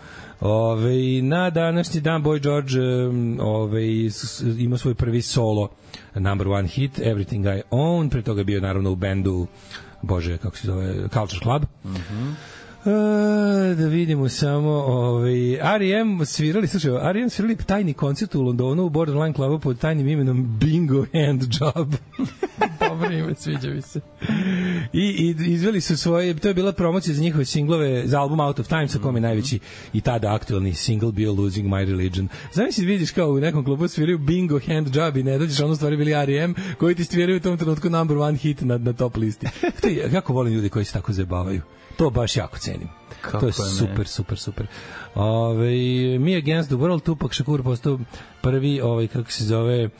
Ove, na današnji dan Boy George ove, ima svoj prvi solo number one hit, Everything I Own, pre toga je bio naravno u bendu, bože, kako se zove, Culture Club. Mhm. Uh, da vidimo samo ovaj R E M svirali, slušaj, R E M svirali tajni koncert u Londonu u Borderline Clubu pod tajnim imenom Bingo Hand Job. Dobro ime, sviđa mi se. I, i izveli su svoje, to je bila promocija za njihove singlove, za album Out of Time, sa kom je najveći i tada aktualni single bio Losing My Religion. Zamisli vidiš kao u nekom klubu sviraju Bingo Hand Job i ne dođeš, ono stvari bili R E M koji ti sviraju u tom trenutku number one hit na, na top listi. To je, kako volim ljudi koji se tako zabavaju. To baš jako cenim. Kako to je super, ne? super, super. Ove, Me Against the World, Tupac Shakur postao prvi, ovaj, kako se zove, uh,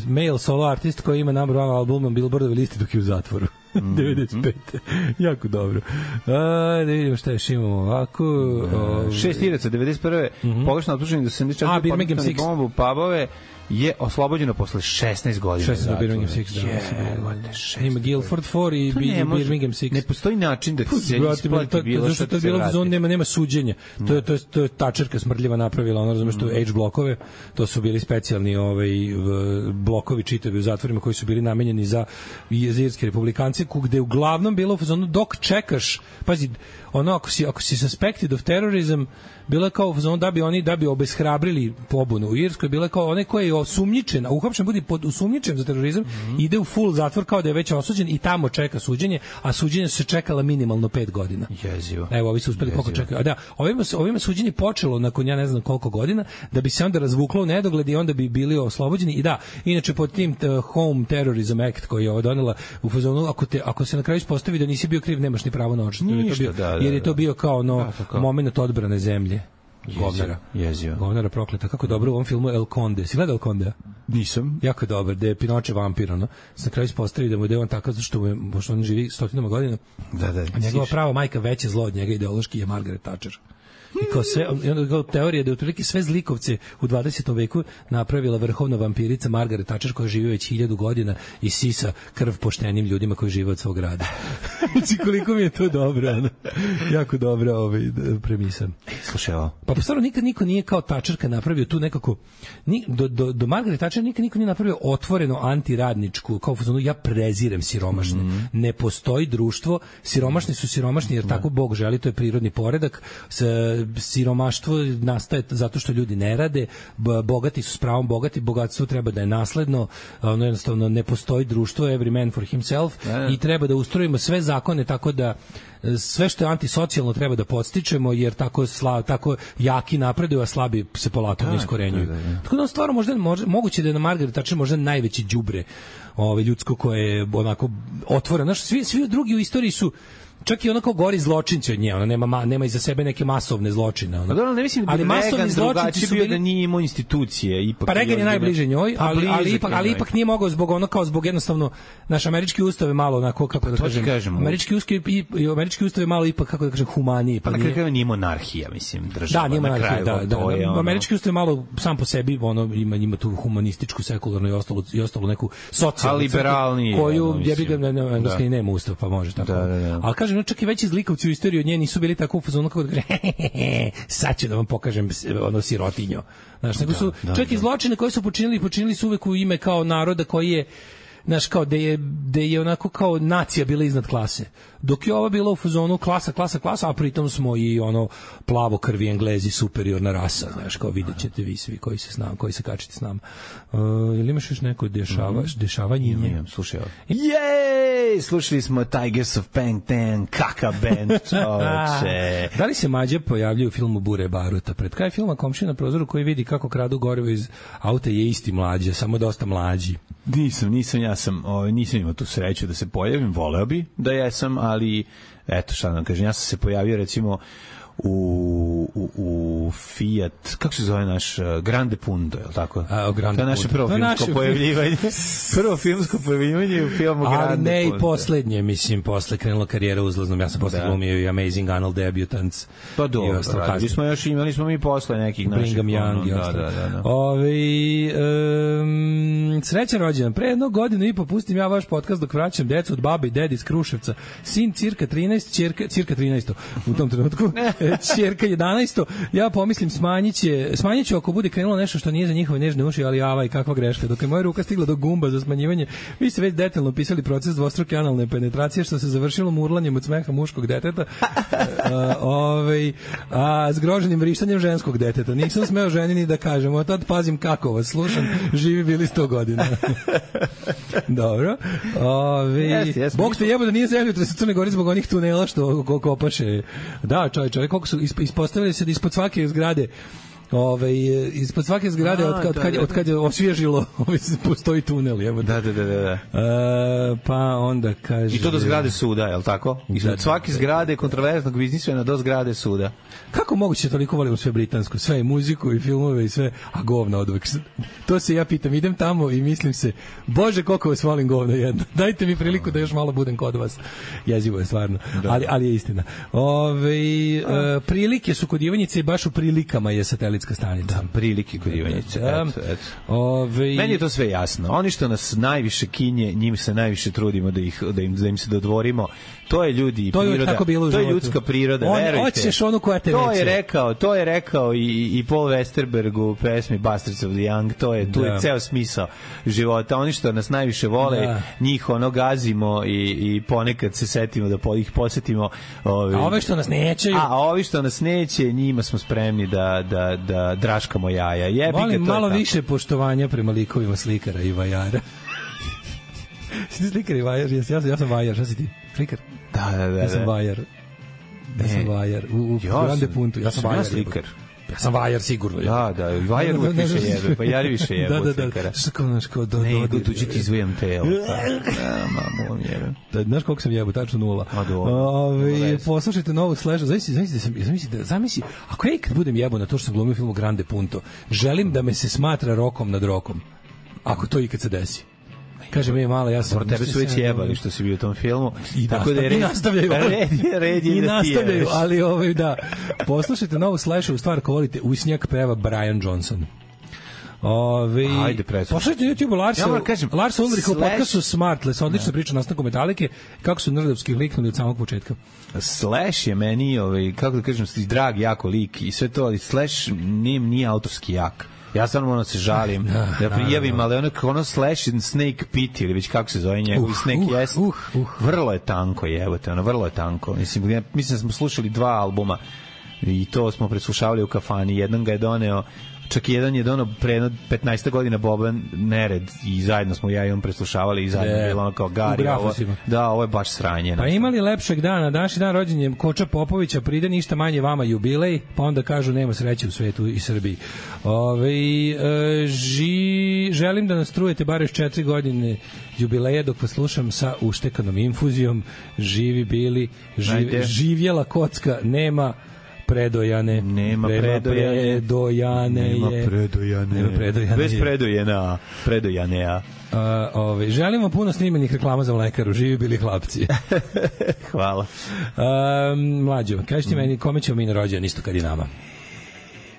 male solo artist koji ima number one album na Billboardovoj listi dok je u zatvoru. Mm-hmm. devedeset pete Jako dobro. A, da vidimo šta još imamo ovako. Uh, šest hiljada devedeset prve Mm-hmm. Pogrešno optuženi do sedamdeset četvrte A, Birmingham Six. Bombu pubove je oslobođeno posle šesnaest godina. šesnaest do Birmingham Six. Da, ima Guildford četiri i Birmingham Six. Ne postoji način da se isplati bilo što to je bilo zon, nema nema suđenja. To je to je to je tačerka smrdljiva napravila, ona razumeš što H blokove, to su bili specijalni ovaj blokovi čitavi u zatvorima koji su bili namenjeni za irske republikance, gde uglavnom bilo u fazonu dok čekaš, pazi, ono ako si ako si suspected of terrorism, bilo kao u fazonu da bi oni da bi obeshrabrili pobunu u Irskoj, bilo kao onaj koji je osumnjičen, a uhapšen bude pod osumnjičen za terorizam, mm-hmm. ide u full zatvor kao da je već osuđen i tamo čeka suđenje, a suđenje se čekala minimalno pet godina. Jezivo. Evo, ovi su uspeli koliko čekaju. A da, ovima ovima suđenje počelo nakon ja ne znam koliko godina, da bi se onda razvuklo u nedogled i onda bi bili oslobođeni. I da, inače pod tim uh, Home Terrorism Act koji je ovo donela u fazonu, ako te ako se na kraju ispostavi da nisi bio kriv, nemaš ni pravo na odštetu, jer je to bio, da, da, jer je to bio kao no da, momenat odbrane zemlje. Govnara. Jezio. Govnara prokleta. Kako dobro u ovom filmu El Conde. Si gledao El Conde? Nisam. Jako dobar, da je Pinoče vampir, ono. Na kraju ispostavi da mu je on takav, zašto mu je, pošto on živi stotinama godina. Da, da. A njegova prava majka veće zlo od njega ideološki je Margaret Thatcher. I kao sve, onda teorija da je otprilike sve zlikovce u dvadesetom veku napravila vrhovna vampirica Margaret Thatcher koja živi već hiljadu godina i sisa krv poštenim ljudima koji žive od svog rada. Znači koliko mi je to dobro, ono. Jako dobra ovaj, premisa. Slušaj ovo. Pa stvarno nikad niko nije kao Tačerka napravio tu nekako ni, do, do, do Margaret Thatcher nikad niko nije napravio otvoreno antiradničku kao fazonu ja prezirem siromašne. Mm-hmm. Ne postoji društvo, siromašni su siromašni jer tako Bog želi, to je prirodni poredak. S, siromaštvo nastaje zato što ljudi ne rade, bogati su s pravom bogati, bogatstvo treba da je nasledno, ono jednostavno ne postoji društvo, every man for himself ne. I treba da ustrojimo sve zakone tako da sve što je antisocijalno treba da podstičemo jer tako sla, tako jaki napreduju, a slabi se polako ne iskorenjuju. Tako da stvarno možda može, moguće da je na Margaret Thatcher možda najveći đubre ovaj ljudsko koje je onako otvoreno. Znaš, svi svi drugi u istoriji su čak i onako gori zločinci od nje, ona nema nema iza sebe neke masovne zločine, ona. Da, ne mislim da ali masovni zločinci su bio da nije imao institucije, ipak. Pa Reagan je najbliže njoj, ali ali ipak ali ipak nije mogao zbog ono kao zbog jednostavno naš američki ustav je malo onako kako da kažem. kažem američki ustav i, i američki ustav je malo ipak kako da kažem humaniji, pa, pa na kraju nije monarhija, mislim, država. Da, nije monarhija, da, da, da, ono... američki ustav je malo sam po sebi, ono ima ima tu humanističku, sekularnu i ostalo i ostalo neku socijalnu liberalni koju je bi ga na engleskom nema ustav, pa može tako. Al kažem, čak i veći zlikovci u istoriji od nje nisu bili tako u fazonu kako da kaže sad ću da vam pokažem ono sirotinjo. Znaš, nego su da, čak da, i zločine koje su počinili, počinili su uvek u ime kao naroda koji je znaš, kao da je, da je onako kao nacija bila iznad klase. Dok je ova bila u fazonu klasa, klasa, klasa, a pritom smo i ono plavo krvi Englezi superiorna rasa, znaš, kao vidjet ćete vi svi koji se s nama, koji se kačite s nama. Uh, ili imaš još neko dešavaš, dešavanje? Imam, imam, slušaj ovo. Jej! Slušali smo Tigers of Pangtan, kaka band, čoveče. Da li se Mađe pojavljaju u filmu Bure Baruta? Pred kraj filma komšija na prozoru koji vidi kako kradu gorivo iz auta je isti mlađe, samo dosta mlađi. Nisam, nisam, ja sam, ovaj, nisam imao tu sreću da se pojavim, voleo bi da jesam, ali eto šta nam kažem, ja sam se pojavio recimo u, u, u Fiat, kako se zove naš uh, Grande Punto, je li tako? A, o Grande to je naše prvo filmsko naše pojavljivanje. Prvo filmsko pojavljivanje u filmu Grande Punto. Ali ne i poslednje, mislim, posle krenula karijera uzlaznom, ja sam posle da. glumio i Amazing Anal Debutants. Pa dobro, radili smo još, imali smo mi posle nekih naših. Brigham Young i ostalo. Da, da, da. Ove, um, srećan rođendan. Pre jednog godinu i po pustim ja vaš podcast dok vraćam decu od babe i dedi iz Kruševca. Sin cirka trinaest, ćerka, cirka trinaest u tom trenutku. Ćerka jedanaest. Ja pomislim smanjiće, smanjiću ako bude krenulo nešto što nije za njihove nežne uši, ali avaj, kakva greška. Dok je moja ruka stigla do gumba za smanjivanje, vi ste već detaljno opisali proces dvostruke analne penetracije što se završilo murlanjem od smeha muškog deteta, a, ovaj, a zgroženim vrištanjem ženskog deteta. Nisam smeo ženi ni da kažem, od tad pazim kako vas slušam, živi bili sto godina. Dobro. Ove, yes, yes, Bog te jebo da nije zemljotres u Crnoj Gori zbog onih tunela što kopaše. Da, čovjek, čovjek, koliko su ispostavili se da ispod svake zgrade Ove, ispod svake zgrade od, od, kad, od kad je osvježilo postoji tunel. Evo. Da, da, da. da. E, pa onda kaže... I to do zgrade suda, je li tako? I da, od svake zgrade kontroverznog biznismena do zgrade suda. Kako moguće toliko volimo sve britansko? Sve i muziku i filmove i sve, a govna od uvek. To se ja pitam, idem tamo i mislim se, Bože, koliko vas volim govno jedno. Dajte mi priliku da još malo budem kod vas. Jezivo je stvarno, ali, ali je istina. Ove, e, prilike su kod Ivanjice i baš u prilikama je satelitska stanica. Da, prilike kod Ivanjice. Da, eto, eto. Ove... Meni je to sve jasno. Oni što nas najviše kinje, njim se najviše trudimo da, ih, da, im, da im se dodvorimo. To je ljudi i to priroda. Je bilo to je ljudska priroda, on, verujte. Hoćeš onu koja te to je rekao, to je rekao i, i Paul Westerberg u pesmi Bastards of the Young, to je, tu da. je ceo smisao života. Oni što nas najviše vole, da. njih ono gazimo i, i ponekad se setimo da po, ih posetimo. Ovi, a ove što nas nećeju. A ovi što nas neće, njima smo spremni da, da, da draškamo jaja. Jebi volim ga, to malo je više poštovanja prema likovima slikara i vajara. Si ti slikar i vajar? Ja, ja, ja sam vajar, šta si ti? Slikar? Da, da, da. Ja sam vajar. Ja sam vajar. U, u ja Grande Puntu. Ja sam vajar. Slikar. Ja sam vajar sigurno. Da, da. Vajar uvijek više jebe. Pa jari više jebe od slikara. Da, da, što kao, znaš, kao do... Ne, do tuđi ti izvijam telo. Da, mamu, jebe. Znaš koliko sam jebo, tačno nula. A do. Ove, poslušajte novog Slasha. Zamisli, zamisli, zamisli, zamisli, ako ja ikad budem jebo na to što sam glumio u filmu Grande Punto, želim da me se smatra rokom nad rokom. Ako to ikad se desi. Kaže mi je mala, ja sam... Por tebe su već jebali što si bio u tom filmu. I, tako da je red, i nastavljaju. Red je, red je I da nastavljaju, ali ovaj, da. Poslušajte novu Slashovu stvar, ko volite, Usnjak peva Brian Johnson. Ove, Ajde, preslušaj. Pošaljite na YouTube Larsa, Ja moram kažem, Larsa Ulricha u Slash- podcastu Smartless, odlična priča o nastanku Metalike, kako su nerdovski liknuli od samog početka. Slash je meni, ovaj, kako da kažem, drag, jako lik i sve to, ali Slash nije, nije autorski jak. Ja stvarno ono se žalim da, da prijavim, ali ono, ono Slash and Snake Pit, ili već kako se zove njegov, uh, Snake uh, Jest, uh, uh. vrlo je tanko, jebote, ono, vrlo je tanko. Mislim, ja, mislim da smo slušali dva albuma i to smo preslušavali u kafani. Jedan ga je doneo, čak i jedan je doneo pre petnaest godina Boban Nered i zajedno smo ja i on preslušavali i zajedno je bilo ono kao Gari, ovo, da, ovo je baš sranje. Pa imali lepšeg dana, današnji dan rođenjem Koča Popovića, pride ništa manje vama jubilej, pa onda kažu nema sreće u svetu i Srbiji. Ove, e, ži, želim da nas trujete bar još četiri godine jubileja dok vas slušam sa uštekanom infuzijom. Živi bili, živ, živjela kocka, nema predojane, nema predojane, predojane nema je, predojane, nema predojane bez je. predojena, predojane. Uh, ove, želimo puno snimenih reklama za mlekaru, živi bili hlapci. Hvala. Um, mlađo, kažeš ti meni kome ćemo mi na rođendan isto kad i nama?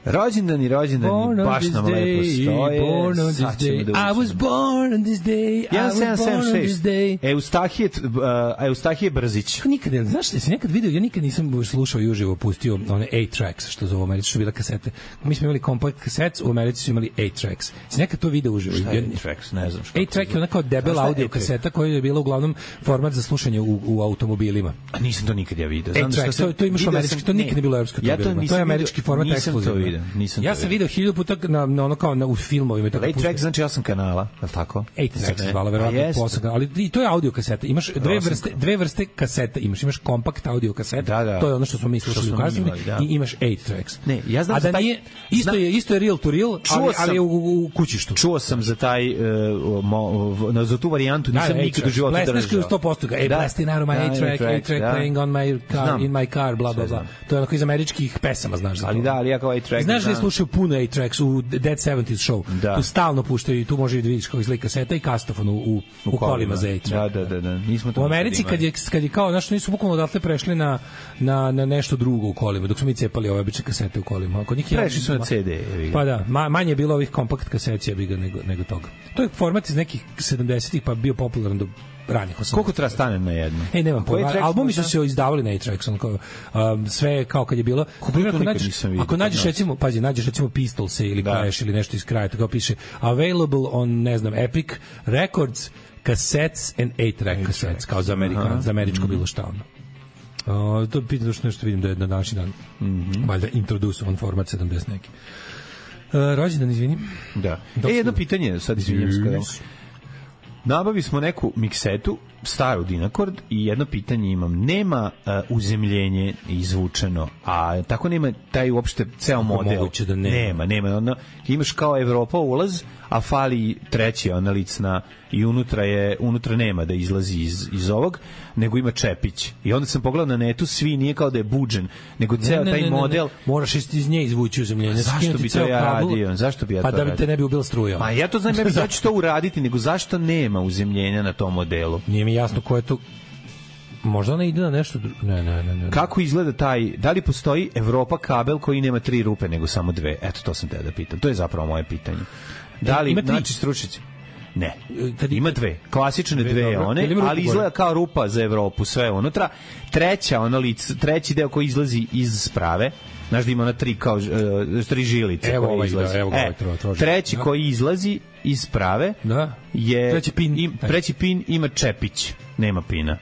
Rođendan i rođendan baš nam lepo stoje. Born on this day. I was born on this day. I was born on this day. Eustahije, uh, Eustahije Brzić. Nikad, znaš šta, si nekad vidio, ja nikad nisam slušao i uživo pustio one eight tracks, što zove u Americi, što bila kasete. Mi smo imali compact cassettes, u Americi su imali eight tracks. Si nekad to video uživo? Šta je eight tracks? Ne znam što. eight track je onako debel audio kaseta koja je bila uglavnom format za slušanje u, u automobilima. A nisam to nikad ja vidio. Znam eight track, to, to imaš u američki, to nikad ne bilo u evropskom. Ja to nisam to je američki format ekskluzivno. Nisam ja sam video hiljadu puta na, na ono kao na, u filmovima. eight track znači osam kanala, je li tako? eight track se zvala, verovatno osam kanala, ali i to je audio kaseta. Imaš dve vrste, dve vrste kaseta, imaš imaš kompakt audio kaseta, da, da. To je ono što smo mi slušali u kaseti, da. I imaš eight tracks. Ne, ja znam a da taj, nije, isto znam, je, isto je real to real, ali, sam, ali u, u kućištu. Čuo sam za taj, uh, mo, za tu varijantu, nisam da, nikad u životu držao. Plesneš sto posto, ej, plesti naravno my eight track, eight track playing on my car, in my car, bla, bla, bla. To je onako iz američkih pesama, znaš. Ali da, ali ja kao eight track. Znaš da slušaju puno eight tracks u Dead seventies Show. Da. Tu stalno puštaju i tu može da vidiš kako izgleda kaseta i kastofon u, u, u kolima za eight track. Da, da, da, da. Nismo to u Americi kad je, kad je kao, znaš, nisu bukvalno odatle prešli na, na, na nešto drugo u kolima, dok smo mi cepali ove obične kasete u kolima. Kod njih prešli su na C D. Pa da, ma, manje je bilo ovih kompakt kasecija bi ga nego, nego toga. To je format iz nekih sedamdesetih pa bio popularan do ranih osamdesetih. Koliko treba stane na jedno? Ej, nemam pojma. Albumi su se izdavali na eight tracks, on kao um, sve kao kad je bilo. Ako nađeš, ako nađeš recimo, pazi, nađeš recimo Pistols ili Clash ili nešto iz kraja, tako piše available on, ne znam, Epic Records cassettes and eight track cassettes, kao za Amerikan, za američko bilo šta ono. Uh, to pitam što nešto vidim da je na današnji dan. Mhm. Valjda introdusovan format sedamdeset neki. Uh, rođendan, izvini. Da. E, jedno pitanje, sad izvinjam se kada. Nabavi smo neku miksetu, staru Dinakord, i jedno pitanje imam. Nema uh, uzemljenje izvučeno, a tako nema taj uopšte ceo model. Da nema. Nema, nema. Ono, imaš kao Evropa ulaz, a fali treći ona licna i unutra je unutra nema da izlazi iz, iz ovog, nego ima čepić. I onda sam pogledao na netu, svi nije kao da je buđen, nego ceo ne, ne, taj ne, model. Ne, ne. Moraš iz nje izvući uzemljenje. Zašto bi to ja radio? Zašto bi ja pa to da bi te ne bi ubila strujom. Ma ja to znam, ja bih da ću to uraditi, nego zašto nema uzemljenja na tom modelu? Nije mi jasno ko je to. Možda ona ide na nešto drugo. Ne, ne, ne, ne. Kako izgleda taj, da li postoji Evropa kabel koji nema tri rupe nego samo dve? Eto, to sam te da pitam. To je zapravo moje pitanje. Da li, znači, stručnjaci? Ne. Kad ima dve. Klasične dve, dve one, ali izgleda kao rupa za Evropu, sve unutra. Treća, ona lic, treći deo koji izlazi iz sprave, znaš da ima ona tri, kao, uh, tri žilice evo koje ovaj, izlazi. Da, evo e, ovaj, trova, trova, treći da. koji izlazi iz sprave da. je... Treći pin. Im, treći pin ima čepić, nema pina.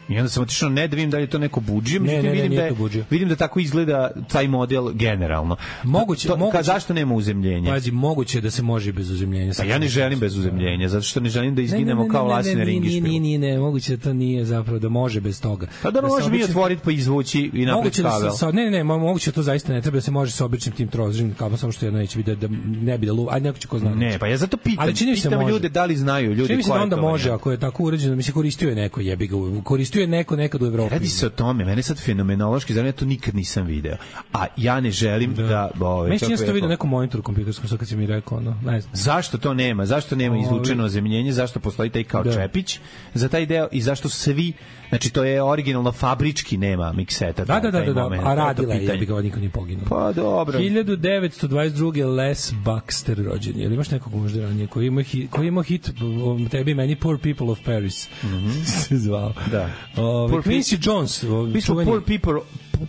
I onda sam otišao ne da vidim da li je to neko budžije, ne, ne, ne, vidim, da je, vidim da tako izgleda taj model generalno. Moguće, to, moguće, ka, zašto nema uzemljenja? Pazi, moguće da se može bez uzemljenja. Pa ja ne želim bez uzemljenja, zato što ne želim da izginemo ne, ne, ne, kao lasine Ne, ringišpilu. ne, ne, ne, moguće da to nije zapravo, da može bez toga. Pa da, da može mi otvoriti pa izvući i napraviti kabel. Da sa, ne, ne, ne, moguće to zaista ne treba da se može sa običnim tim trozdržnim kablom, samo što jedno neće biti da, da ne bi da luva, ajde neko će ko zna. Ne, pa ja zato pitam, pitam ljude da li znaju ljudi. Čini mi se da onda može, ako je tako uređeno, mi se koristio je neko, jebi ga, koristio je neko nekad u Evropi. Radi se o tome, mene sad fenomenološki, znači ja to nikad nisam video. A ja ne želim da, da ove, meni čini se to vidio nekom monitoru kompjuterskom, sad kad si mi rekao, no, ne znam. Zašto to nema? Zašto nema izvučeno ozemljenje? Zašto postoji taj kao da. čepić za taj deo i zašto svi Znači, to je originalno fabrički nema mikseta. Da, da, da, da, da. Moment, a radila je, pitanje. ja bi ga niko nije poginuo. Pa dobro. hiljadu devetsto dvadeset druge. Les Baxter rođen. Jel imaš nekog možda ranije koji ima hit, koji ima hit um, tebi meni Poor People of Paris. Mhm. Se zvao. Da. Ove, Poor Quincy pe- Jones. Mi smo Poor People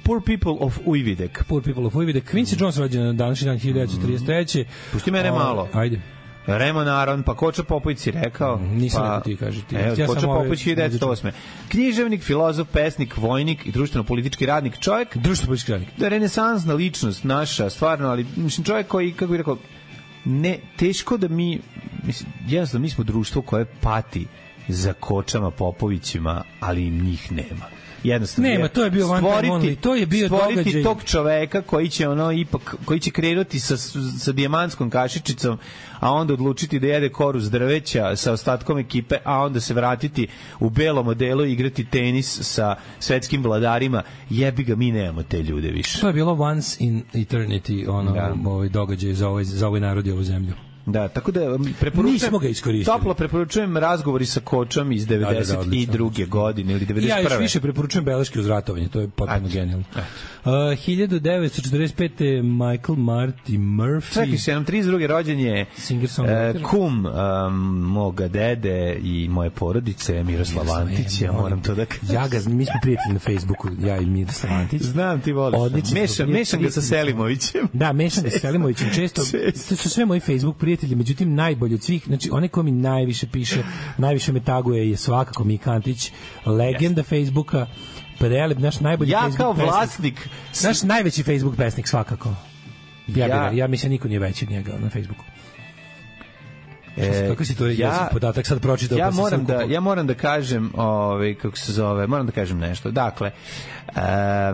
Poor People of Ujvidek. Poor People of Ujvidek. Quincy Jones rođen na današnji dan hiljadu devetsto trideset treće. Pusti mene o, malo. Ajde. Remon Aron, pa Koča Popović si rekao. Mm, nisam pa, rekao ti, kaži ti. Evo, ja Koča Popović hiljadu devetsto osme. Književnik, filozof, pesnik, vojnik i društveno-politički radnik. Čovjek, društveno-politički radnik. Da, renesansna ličnost naša, stvarno, ali mislim, čovjek koji, kako bih rekao, ne, teško da mi, mislim, jednostavno mi smo društvo koje pati za Kočama Popovićima, ali im njih nema. Jednostavno nema, to je bio one time only, to je bio stvoriti događaj. Tog čoveka koji će ono ipak koji će krenuti sa sa dijamantskom kašičicom, a onda odlučiti da jede koru s drveća sa ostatkom ekipe, a onda se vratiti u belom modelu i igrati tenis sa svetskim vladarima. Jebi ga, mi nemamo te ljude više. To je bilo once in eternity, ono, da. ovaj događaj za ovaj za ovaj narod i ovu zemlju. Da, tako da preporučujem. Nismo ga iskoristili. Toplo preporučujem razgovori sa Kočom iz devedeset druge. godine ili devedeset prve. Ja još više preporučujem beleške uz ratovanje, to je potpuno genijalno. Uh, hiljadu devetsto četrdeset pete. Michael Marty Murphy. Čekaj se, nam trideset druge rođen je uh, kum um, moga dede i moje porodice, Miroslav Antić, ja moram to da kažem. Ja ga, mi smo prijatelji na Facebooku, ja i Miroslav Antić. Znam, ti voliš. Mešam, mešam ga sa Selimovićem. Da, mešam ga sa Selimovićem, često. To su sve moji Facebook prijatelji, međutim najbolji od svih, znači onaj ko mi najviše piše, najviše me taguje je svakako Mika Antić, legenda Facebooka, prelep, naš najbolji ja Facebook kao vlasnik, pesnik, naš najveći Facebook pesnik svakako. Ja, ja, ja, ja mislim niko nije veći od njega na Facebooku. E, kako si to ja, podatak sad pročitao? Ja pa moram da kupo. ja moram da kažem, ovaj kako se zove, moram da kažem nešto. Dakle, uh,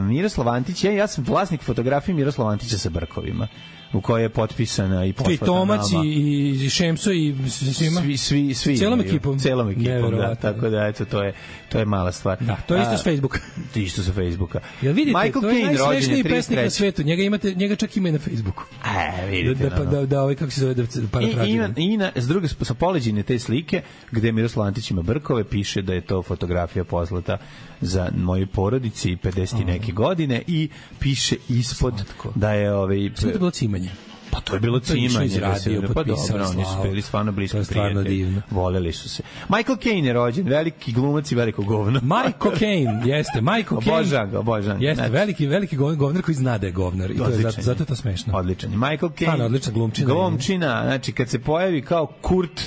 Miroslav Antić, ja, ja sam vlasnik fotografije Miroslava Antića sa brkovima, u kojoj je potpisana i poslata nama. Tomac i, i Šemso i svima? Svi, svi, svi. Celom ekipom? Celom ekipom, da. Tako da, eto, to je, to je mala stvar. Da, to je isto s Facebooka. Isto sa Facebooka. Jel vidite, Michael to je Caine, najsmešniji pesnik na svetu. Njega, imate, njega čak ima i na Facebooku. E, vidite. Da, da, da, da, ovaj, kako se zove, da parafraziram. I, i, na, s druge, sa poleđine te slike, gde Miroslav Antić ima brkove, piše da je to fotografija poslata za moje porodici pedeset neke godine i piše ispod Slatko. Da je ovaj sve to bilo cimanje. Pa to je bilo cimanje, radio, pa dobro, oni su bili stvarno bliski prijatelji. Voleli su se. Michael Caine je rođen, veliki glumac i veliko govno. Michael Caine, jeste, Michael Caine. Obožavam ga, obožavam. Jeste, znači, veliki, veliki govnar koji zna da je govnar. I to je, zato, zato je to smešno. Odličan. Michael Caine. Stvarno, odlična glumčina. Glumčina, znači kad se pojavi kao Kurt,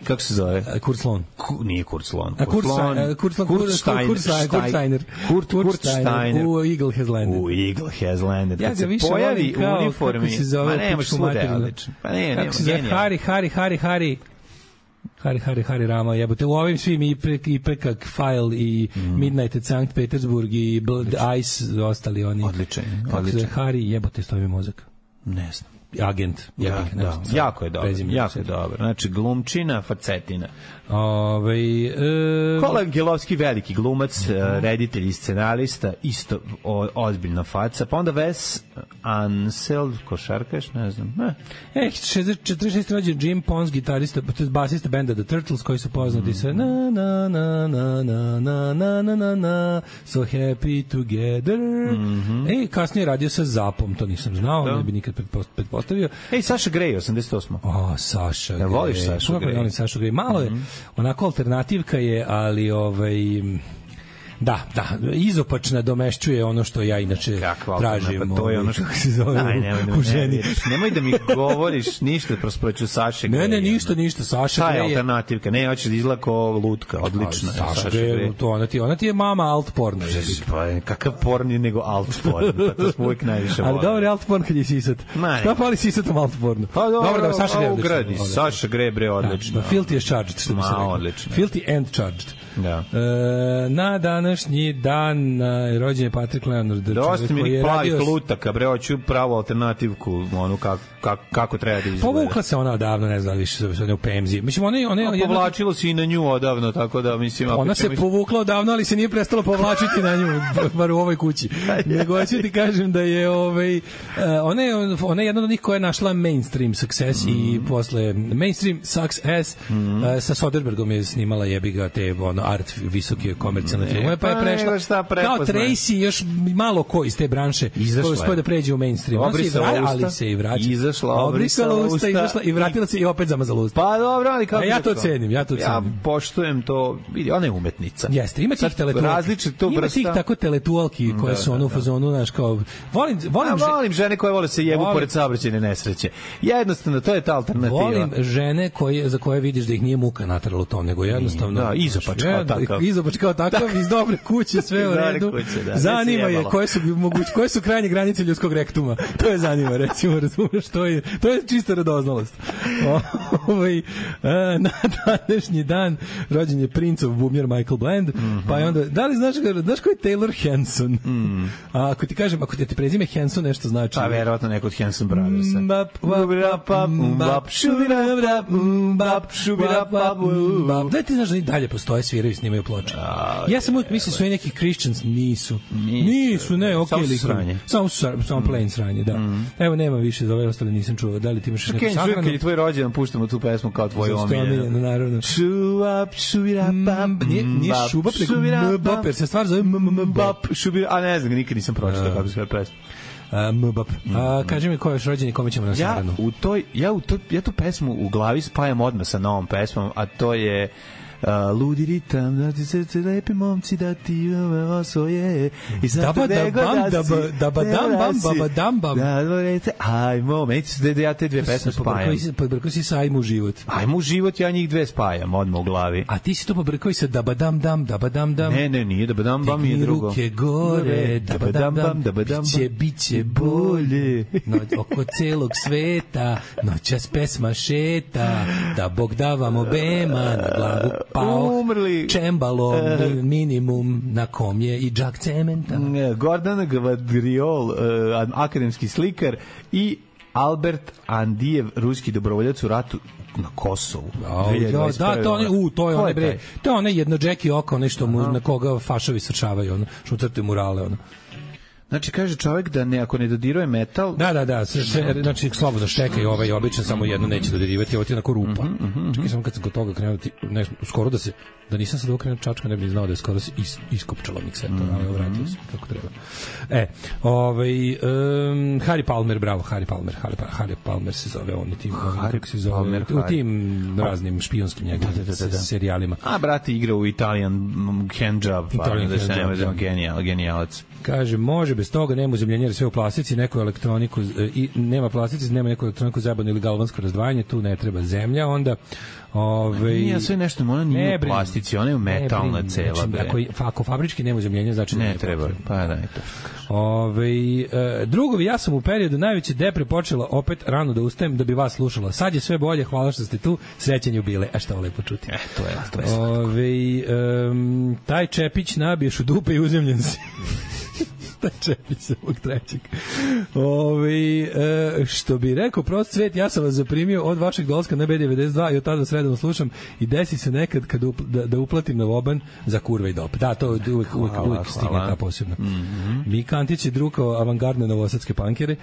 kako se zove? Kurt Sloan. Ku, nije Kurt Sloan. Kurt, Kurt Sloan. Kurt Sloan. Kurt Steiner. Kurt Steiner. Kurt, Kurt Steiner. U Eagle Has Landed. U Eagle Has Landed. Ja ga više volim kao, uniformi, kako se zove, ma ne, možeš svude, odlično. Pa ne, kako se zove, Hari, Hari, Hari, Hari. Hari, Hari, Hari Rama, jebote, u ovim svim i Pekak File i mm. Midnight at Sankt Petersburg i Blood Ice, ostali oni. Odličan, odličan. Hari, jebote, stoji mozak. Ne znam. Agent. Ja, ja, da, da. Jako je dobro. Jako je dobro. Znači, glumčina, facetina. Ove, e... Kola Angelovski, veliki glumac, uh-huh. reditelj i scenarista, isto o, ozbiljna faca. Pa onda Wes Anseld, košarkaš, ne znam. Eh. E, četrdeset šeste rođen Jim Pons, gitarista, basista benda The Turtles, koji su poznati mm-hmm. sa na na na na na na na na na na So Happy Together. Mm-hmm. E, kasnije radio sa Zapom, to nisam znao, da. Ne bi nikad pretpostavio. Ej, Saša Grey, osamdeset osma. O, Saša Grey. Da voliš Saša Grey? Volim Saša Grey. Malo je, mm-hmm. onako alternativka je, ali ovaj... Da, da, izopačna domešćuje ono što ja inače Kakva tražim. Pa to je ono što se zove Aj, nemoj, u, u ženi. Ne, nemoj da mi govoriš ništa prosproću Saše. Ne, ne, ništa, ništa. Saša Grey je alternativka. Ne, hoćeš da izgleda kao lutka, odlična. Saša Grey, to ona ti, ona ti je mama alt porno. Pa kakav porn je nego alt porn. Pa to smo uvijek najviše volili. Ali dobro, alt porn kad je sisat. Šta fali sisatom alt pornu? Pa dobro, da Saša Grey ugradi. Saša Grey bre odlično. Filthy is charged, što bi se rekao. Filthy and charged. Da. E, na današnji dan e, rođen je Patrick Leonard. Dosta mi je plavih lutaka, bre, hoću pravu alternativku, onu kako, kako, kako treba da izgleda. Povukla se ona odavno, ne znam, više se u Pemzi. Mislim, one, one, no, povlačilo se i na nju odavno, tako da, mislim... Ona se mi... povukla odavno, ali se nije prestalo povlačiti na nju, bar u ovoj kući. Nego ću ti kažem da je, ovaj, ona je, ona je jedna od njih koja je našla mainstream success mm. i posle mainstream success mm. uh, sa Soderbergom je snimala jebiga te, ono, art visoke komercijalne filmove, pa je pa prešla nego šta kao prepoznaje. Tracy još malo ko iz te branše Izašla koji uspio da pređe u mainstream. Ona se i Obrisala vra- usta. ali se i vraća. Izašla, obrisala obrisala usta, usta. izašla i vratila se i opet zamazala usta. Pa dobro, ali kako A ja bi to rekao? cenim, ja to Ja cenim. poštujem to, vidi, ona je umetnica. Jeste, ima tih Sad, teletualki. različito Ima vrsta. tih tako teletualki koje Da, su ono da, u fazonu, znaš, kao volim volim A že- volim žene koje vole se jebu Volim- pored saobraćajne nesreće. Jednostavno, to je ta alternativa. volim žene koje za koje vidiš da ih nije muka naterala u to, nego jednostavno Da, izopač kao znaš, takav. izopač kao takav iz dobre kuće, sve u Iz dobre redu. kuće, da, Zanima ne se je jebalo. koje su moguće koje su krajnje granice ljudskog rektuma. To je zanima, recimo, razumeš, to je to je čista radoznalost. Ovaj e, na današnji dan rođen je princov bubnjar Michael Bland, Mhm. pa je onda da li znaš ga, znaš ko je Taylor Hanson? A ako ti kažem, ako ti prezime Hanson nešto znači. Pa verovatno neko od Hanson Brothersa. Mbap, mbap, mbap, šubirap, mbap, šubirap, mbap. Da ti znaš da ni dalje postoje, sviraju i snimaju ploče. Ja sam uvijek mislio su i neki Christians, nisu. Nisu, ne, okej. Samo su likovi. sranje. Samo su sranje, samo plain sranje, da. Evo, nema više, za ove ostale nisam čuo. Da li ti imaš neku Kenji, čujem sahranu? kad je tvoj rođendan, puštamo tu pesmu kao tvoju Zašto je omiljeno, omiljenu. naravno. Šubap, šubirap, Nije, nije šubap, nego mbap, jer se stvar zove mbap. Šubirap, a ne znam, nikad nisam pročitao kako se zove pesma. Mbap. A, kaži mi ko je još rođen i kome ćemo na Ja sahranu? u toj ja u to, ja tu pesmu u glavi spajam odmah sa novom pesmom, a to je Uh, ludi ritam, da ti srce lepi momci, da ti ove osvoje i sad Daba, te nego da, bam, da si, daba, daba, dam, bam, da si, baba, dam, bam. da dvorete, ajmo, meni se da ja te dve pesme spajam. Pobrkao si, pobrkao si sa ajmo u život. Ajmo u život, ja njih dve spajam odmah u glavi. A ti si to pobrkao i sa dabadam dam, dabadam dam. Ne, ne, nije, da badam bam je Digni drugo. ruke gore, dabadam dam, dabadam biće, biće bolje. No, oko celog sveta, noćas pesma šeta, da Bog da vam obema, na glavu pao. Umrli. Čembalo, minimum, na kom je i džak cementa. Gordana Gvadriol, uh, akademski slikar, i Albert Andijev, ruski dobrovoljac u ratu na Kosovu. Ja, da, to je, u, to je onaj bre, taj? to je onaj jedno Jackie oko, nešto mu, na koga fašovi srčavaju, ono, što crte murale, ono. Znači, kaže čovjek da ne, ako ne dodiruje metal... Da, da, da, sve, sve, znači slobodno šteka i ovaj obično samo jedno neće dodirivati, ovo ti je onako rupa. Mm -hmm, mm -hmm. Čekaj, samo kad sam kod toga krenuo, ti, ne, skoro da se, da nisam sad okrenuo čačka, ne bih znao da je skoro se is, iskopčala miksetor, mm -hmm. ali vratio se kako treba. E, ovaj, um, Harry Palmer, bravo, Harry Palmer, Harry, Harry Palmer se zove, on i tim, Harry kako se zove, Palmer, u tim raznim špijonskim njegovim da, da, da, da. serijalima. A, brate, igra u Italian Handjob, pa Italian da se Handjob, nema za da. genijal, genijalac. Kaže, može bez toga, nema uzemljenja, sve u plastici, neku elektroniku, i nema plastici, nema neku elektroniku zabavno ili galvansko razdvajanje, tu ne treba zemlja, onda Ove, nije sve nešto, ona nije ne u plastici, ona je metalna cela. Znači, ako, ako fabrički nema uzemljenja, znači ne, ne treba. potrebno. Pa da, je to. Ove, e, drugovi, ja sam u periodu najveće depre počela opet rano da ustajem da bi vas slušala. Sad je sve bolje, hvala što ste tu, srećan jubilej. A šta ovo lepo čuti. E, to je, to je slatko. Ove, um, taj Čepić nabiješ u dupe i uzemljen si. Taj Čepić sa ovog trećeg. Ove, e, što bi rekao prost svet, ja sam vas zaprimio od vašeg dolaska na B devedeset dva i od tada sredom slušam i desi se nekad kad up, da, da uplatim na voban za kurve i dop. Da, to uvijek, uvijek, uvijek, uvijek stigne ta posebno. Mm -hmm. Mika Antić je drukao avangardne novosadske pankere,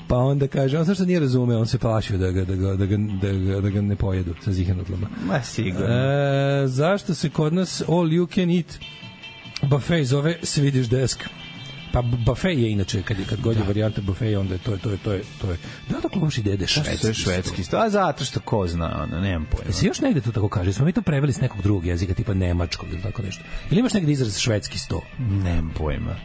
pa onda kaže, on što nije razume, on se plašio da ga, da ga, da ga, da ga, da ga ne pojedu sa zihenutlama. Ma sigurno. E, zašto se kod nas all you can eat buffet zove Swedish desk? Pa buffet je inače kad je kad god je varijanta buffet onda je to je to je to je to je da tako loš ide švedski. To je švedski sto. A zato što ko zna, ono, nemam pojma. Se još negde to tako kaže, smo mi to preveli s nekog drugog jezika tipa nemačkog ili tako nešto. Ili imaš negde izraz švedski sto? Nemam pojma.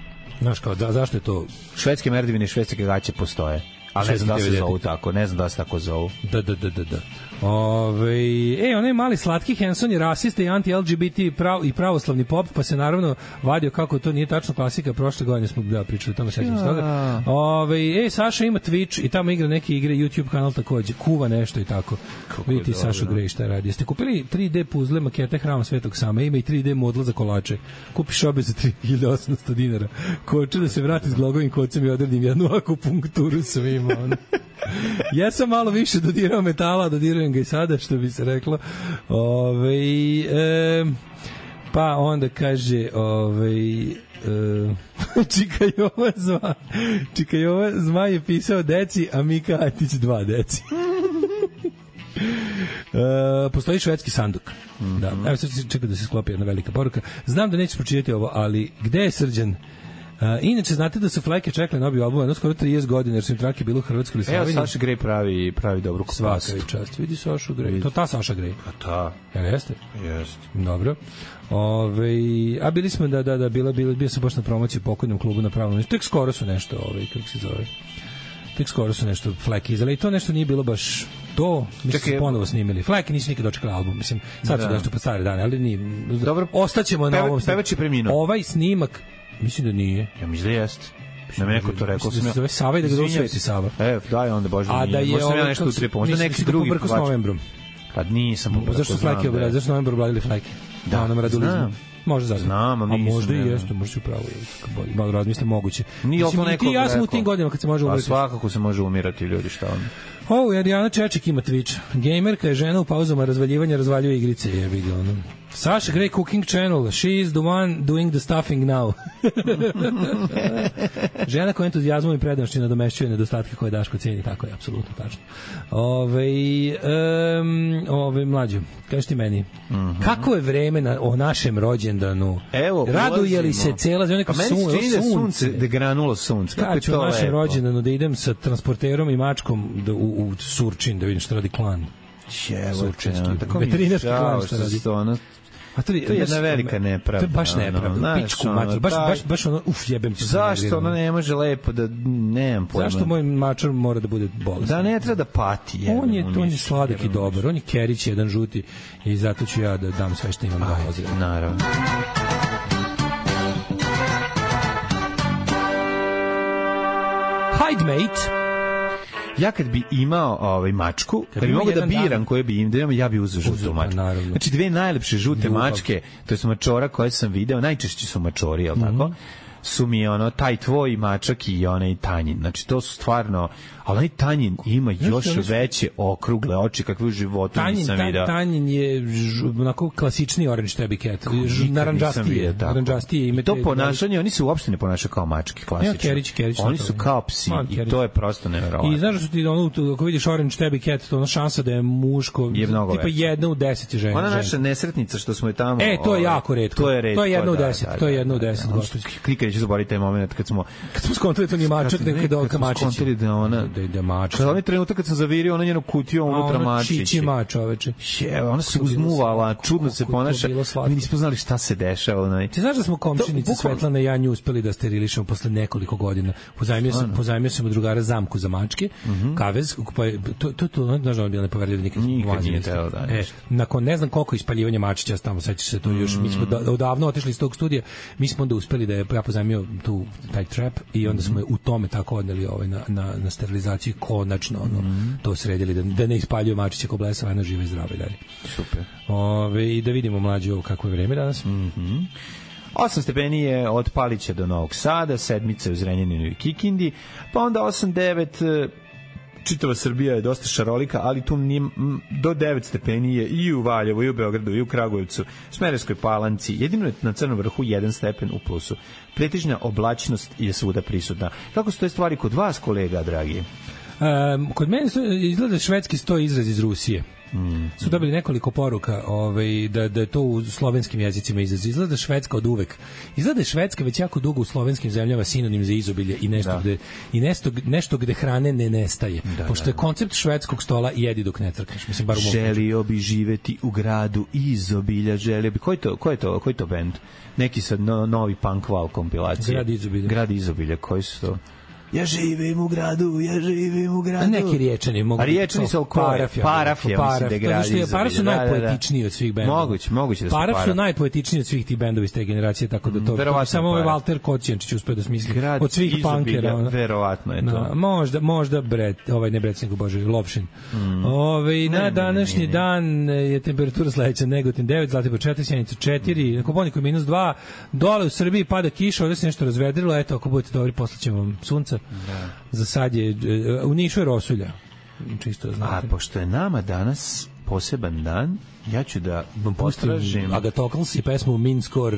Znaš kao, da, zašto je to? Švedske merdevine i švedske gaće postoje. Ali ne znam da se zovu tako, ne znam da se tako zovu. Da, da, da, da, da. Ove, e, onaj mali slatki Hanson je rasista i anti-L G B T prav, i pravoslavni pop, pa se naravno vadio kako to nije tačno klasika. Prošle godine smo da pričali tamo, sećam se toga. Ove, e, Saša ima Twitch i tamo igra neke igre, YouTube kanal takođe, kuva nešto i tako. Vidite Saša Grej šta radi. Jeste kupili tri D puzle makete Hrama Svetog Sama, ima i tri D modla za kolače. Kupiš obe za tri hiljade osamsto dinara. Koče da se vrati s glogovim kocem i odredim jednu akupunkturu svima. Ja sam malo više dodirao metala, dodirujem ga i sada, što bi se reklo. Ove, e, pa onda kaže ove, e, Čika Jova zva Čika Jova zma je pisao deci, a Mika Atić dva deci. e, postoji švedski sanduk. Mm-hmm. Da, evo sad čekam da se sklopi jedna velika poruka. Znam da nećeš pročitati ovo, ali gde je Srđan? Uh, inače, znate da su Fleke čekali na obju album jedno skoro trideset godina, jer su im trake bilo u Hrvatskoj ili Sloveniji. Evo, Saša Grey pravi, pravi dobru kupastu. Svaka čast. Vidi Saša Grey. To ta Saša Grey. A ta. Jel jeste? Jeste. Dobro. Ove, a bili smo da, da, da, bila, bila, bio sam baš na promociji u pokojnom klubu na pravom. Tek skoro su nešto, ove, kako se zove, tek skoro su nešto Fleke izdali i to nešto nije bilo baš to, mislim su ponovo snimili. Fleke nisu nikad dočekali album, mislim, sad su nešto pa stare dane, ali nije. Dobro, ostaćemo na ovom. Pevač je preminuo. Ovaj snimak, mislim da nije. Ja mislim da jeste. Na neko to rekao sam. Da se zove Sava i da ga zove Sveti Sava. E, daj onda, Bože, a da je možda sam ja nešto utripo, možda neki drugi pobrko s novembrom. Pa nisam pobrko. Zašto su Fleke obradili, zašto novembru obradili Fleke? Da, nam radulizmu. Može zato. Znam, a možda i jeste, možda se upravo je. Malo razmislim, moguće. Nije ovo neko. Ti ja sam u tim godinama kad se može umirati. A svakako se može umirati, ljudi, šta on. Ovo, Adriana Čeček ima Twitch. Gamerka je žena u pauzama razvaljivanja, razvaljuje igrice, jebi ga ono. Saša Grey Cooking Channel. She is the one doing the stuffing now. Žena koja entuzijazmom i predanošću nadomešćuje nedostatke koje Daško ceni, tako je, apsolutno tačno. Ove, um, ove mlađe, kažeš ti meni, mm-hmm. kako je vreme na, o našem rođendanu? Evo, raduje li se cela zemlja? Pa meni se čini da sunce, da granulo sunce. Kako ja ću je to o našem lepo? rođendanu da idem sa transporterom i mačkom da, u, u Surčin, da vidim što radi klan. Surčinski, veterinarski klan što radi. Ono, a to, to je jedna velika nepravda. To je baš nepravda. Ono, pičku mačar, baš, baš, baš ono, uf, jebem ti. Zašto ono ne može lepo da, nemam pojma. Zašto moj mačar mora da bude bolestan? Da ne treba da pati. Jebem, on je, on je sladak i dobar, on je Kerić, jedan žuti i zato ću ja da dam sve što imam da ozirem. Naravno. Hide mate. Ja kad bi imao ovaj mačku, kad, kad bi mogu da biram koje bi im da imam, ja bi uzeo žutu mačku. Naravno. Znači dve najlepše žute Ljubav. mačke, to je mačora koje sam video, najčešće su mačori, je li mm-hmm. tako? Su mi ono taj tvoj mačak i onaj Tanjin. Znači to su stvarno, ali onaj Tanjin ima još Znaš, veće okrugle oči kakve u životu tanjin, nisam ta, vidio. Tanjin je ž, onako klasični orange tabby cat. Naranđastije. Naranđastije ime. To ponašanje, oni se uopšte ne ponašaju kao mačke, klasično. Ja, Kerić, Kerić, oni su kao psi Man, i to je prosto neverovatno. I znaš što ti ono, ako vidiš orange tabby cat, to ono šansa da je muško, je mnogo tipa jedna u deset je žena. Ona naša nesretnica što smo je tamo. E, to je jako retko. To je retko. To je jedna u deset, to je jedna u deset. Klikaj ću zaboraviti taj moment kad smo kad smo skontali to ni mačak, nego kad dolka mačić. Kad smo skontali da ona da ide mačak. Onaj trenutak kad sam zavirio, ona njenu kutiju unutra mačić. Čiči mač, čoveče. Je, ona se uzmuvala, čudno se ponaša. Mi nismo znali šta se dešava. Onaj. Ti znaš da smo komšinice Svetlana i ja nju uspeli da sterilišemo posle nekoliko godina. Pozajmio sam, pozajmio sam od drugara zamku za mačke, mm-hmm. kavez, pa to to to znaš da on bio nepoverljiv nikad. Nikad nije teo da. E, nakon ne znam koliko ispaljivanja mačića tamo, sećaš se to još, mi smo da, odavno otišli iz tog studija, mi smo onda uspeli da je ja pozajmio tu taj trap i onda smo je u tome tako odneli ovaj na na na sterilizaciju konačno ono mm-hmm. to sredili da, da ne ispaljuje mačiće ko blesava, na živa i zdrava i dalje. Super. Ove, i da vidimo mlađe ovo kako je vreme danas. Mhm. osam stepeni je od Palića do Novog Sada, sedmica u Zrenjaninu i Kikindi, pa onda osam devet čitava Srbija je dosta šarolika, ali tu nije, do devet stepeni je i u Valjevu, i u Beogradu, i u Kragujevcu, Smederevskoj Palanci, jedino je na Crnom vrhu jedan stepen u plusu. Pretežna oblačnost je svuda prisutna. Kako su te stvari kod vas, kolega, dragi? Um, kod mene izgleda švedski sto izraz iz Rusije. Mm. Su dobili nekoliko poruka ovaj, da, da je to u slovenskim jezicima izraz. Izgleda Švedska od uvek. Izgleda Švedska već jako dugo u slovenskim zemljama sinonim za izobilje i nešto, da. gde, i nešto, nešto gde hrane ne nestaje. Da, Pošto da, da. je koncept švedskog stola jedi dok ne crkneš. Mislim, bar u želio bi živeti u gradu izobilja. Želio bi. Ko je to, ko je to, ko je to band? Neki sad no, novi punk val kompilacije. Grad izobilja. Grad izobilja. Koji su to? Ja živim u gradu, ja živim u gradu. Neki riječani mogu. A riječani su oko Paraf, Paraf je, mislim da gradi izobilje. Paraf su najpoetičniji od svih bendova. Moguće, moguće da su Paraf. Paraf su najpoetičniji od svih tih bendova iz te generacije, tako da to, to samo ovaj Valter Kocijančić uspeo da smisli. Grad od svih punkera. Verovatno je to. No, možda, možda Bret, ovaj ne Bret, nego Bože, Lovšin. Mm. Ove, na današnji ne, ne, ne. dan je temperatura sledeća: Negotin devet, Zlatibor četiri, Sjenica četiri, na Kopaoniku minus dva, dole u Srbiji pada kiša, ovde se nešto razvedrilo, eto, ako budete dobri, poslaćemo vam sunca. Da. Za sad je, u Nišu je rosulja. Čisto znate. A pošto je nama danas poseban dan, Ja ću da pustim potražim Agatocles i pesmu Mean Score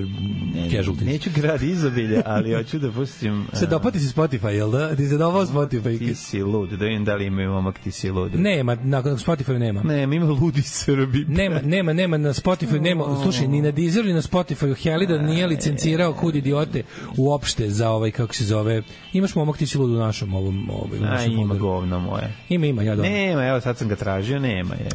Casualties. Neću grad izobilje, ali hoću da pustim... Se dopati si Spotify, jel da? Ti se dopao Spotify? Ti si lud, da vidim da li imaju momak ti si lud. Nema, na Spotify nema. Nema, ima ludi Srbi. Nema, nema, nema na Spotify, nema, slušaj, ni na Deezeru, ni na Spotifyu Helida nije licencirao Kud idiote uopšte za ovaj, kako se zove, imaš momak ti si lud u našom ovom, ovaj, u A, našem ima folderu. Govno moje. Ima, ima, ja dobro. Nema, evo sad sam ga tražio, nema. Je,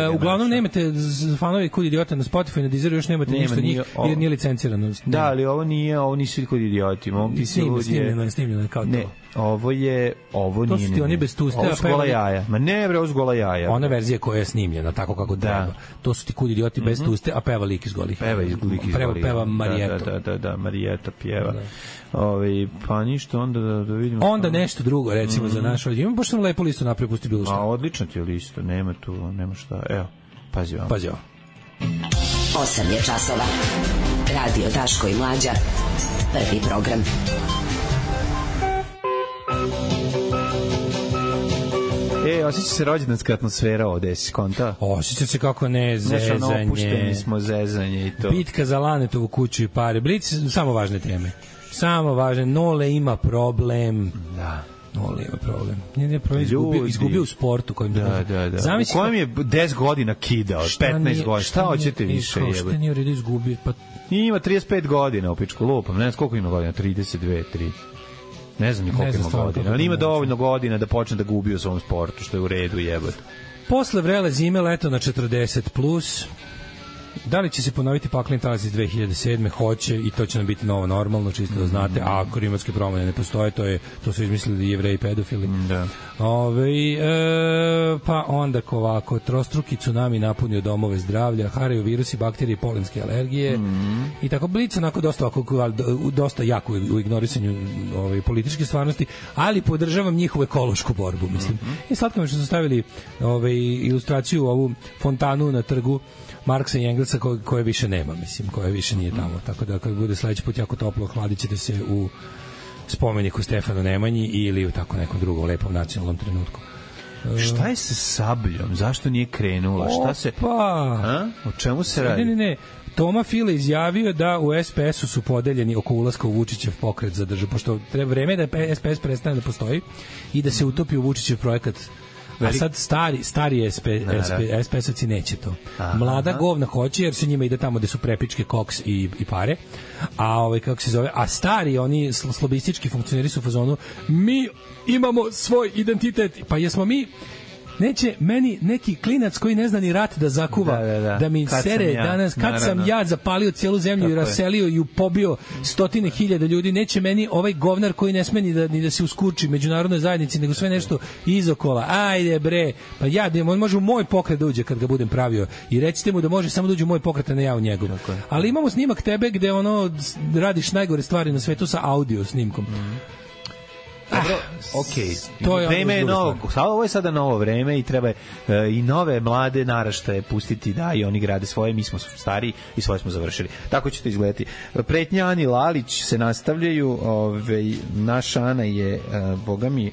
E, uglavnom nemate z- fanovi Kud idiota na Spotify, na Deezeru još nemate Nema, ništa nije njih, ovo. jer nije licencirano. Da, ali ovo nije, ovo nisu kod idioti. Mogu ti si Snimljeno, lud je... snimljeno je, snimljeno je kao Ne, to. ovo je, ovo To nije. su ti ne, oni ne. bez tuste, Ovo a su gola pevali- jaja. Ma ne, bre, ovo su gola jaja. Ona verzija koja je snimljena tako kako treba. To su ti Kud idioti bez tuste, a peva lik iz golih. Peva iz lik iz Peva, golih. peva Marijeto. Da, da, da, da, Marijeta pjeva. Ove, pa ništa, onda da, da vidimo. Onda nešto drugo, recimo, za naš ovdje. Imam baš sam lepu listu napravio, pusti bilo A što. odlično ti je lista, nema tu, nema šta. Evo, pazi vam. Pazi ovo. osam je časova. Radio Daško i Mlađa. Prvi program. E, osjeća se rođendanska atmosfera ovde, si konta? Osjeća se kako ne, Znaš, ono, opušteni zezanje. smo zezanje i to. Bitka za Lanetovu kuću i pare. Blic, samo važne teme. Samo važne. Nole ima problem. Da. Nole ima problem. Nije nije problem, izgubio, Ljudi. izgubio u sportu. Kojim Da, da, da. Zamisli U kojem je deset godina kidao, petnaest godina. Šta hoćete više jebe? Šta jebe? nije u redu izgubio? Pa Ima trideset pet godina u pičku lupam. Ne znam koliko ima godina, trideset dve, tri. Ne znam ni Ne koliko znam ima stvarno godina, koliko ali ima ima dovoljno godina da počne da gubi u svom sportu, što je u redu jebote. posle vrele zime leto na četrdeset plus. Da li će se ponoviti pakleni talas iz dve hiljade sedme? Hoće, i to će nam biti novo normalno, čisto da znate. A ako klimatske promene ne postoje, to je to su izmislili Jevreji pedofili. Da. Ove, e, pa onda ko ovako, trostruki tsunami napunio domove zdravlja, haraju virusi, bakterije, polenske alergije Mm. i tako blic onako dosta, ovako, dosta jako u ignorisanju ove, političke stvarnosti, ali podržavam njihovu ekološku borbu, mislim. Mm-hmm. I slatko mi što su stavili ove, ilustraciju, ovu fontanu na trgu Marksa i Engelsa ko, koje više nema, mislim, koje više nije tamo. Tako da kad bude sledeći put jako toplo, hladit ćete se u spomeniku Stefanu Nemanji ili u tako nekom drugom lepom nacionalnom trenutku. Šta je sa Sabljom? Zašto nije krenula? Šta se... Opa! A? O čemu se Ne, radi? ne, ne. Toma File izjavio da u es pe esu su podeljeni oko ulaska u Vučićev pokret za državu, pošto treba vreme da es pe es prestane da postoji i da se utopi u Vučićev projekat. A sad stari, stari es pe esovci neće to. Mlada govna hoće, jer se njima ide tamo gde su prepičke, koks i, i pare. A ovaj, kako se zove, a stari, oni sl- slobistički funkcioneri su u fazonu, mi imamo svoj identitet. Pa jesmo mi, neće meni neki klinac koji ne zna ni rat da zakuva, Da, da, da. da mi Kad sere sam ja, danas, kad naravno. sam ja zapalio cijelu zemlju Tako i je. raselio i pobio stotine hiljada ljudi, neće meni ovaj govnar koji ne sme ni da, ni da se uskurči međunarodnoj zajednici, nego sve nešto izokola. Ajde bre, pa ja, da on može u moj pokret da uđe kad ga budem pravio i recite mu da može samo da uđe u moj pokret, a ne ja u njegov. Ali imamo snimak tebe gde ono radiš najgore stvari na svetu sa audio snimkom. Dobro, okej. to je Vreme je druga novo. stvar. Ovo je sada novo vreme i treba e, i nove mlade naraštaje pustiti da i oni grade svoje, mi smo stari i svoje smo završili. Tako će to izgledati. Pretnja Ani Lalić se nastavljaju, ovaj naša Ana je, e, boga mi,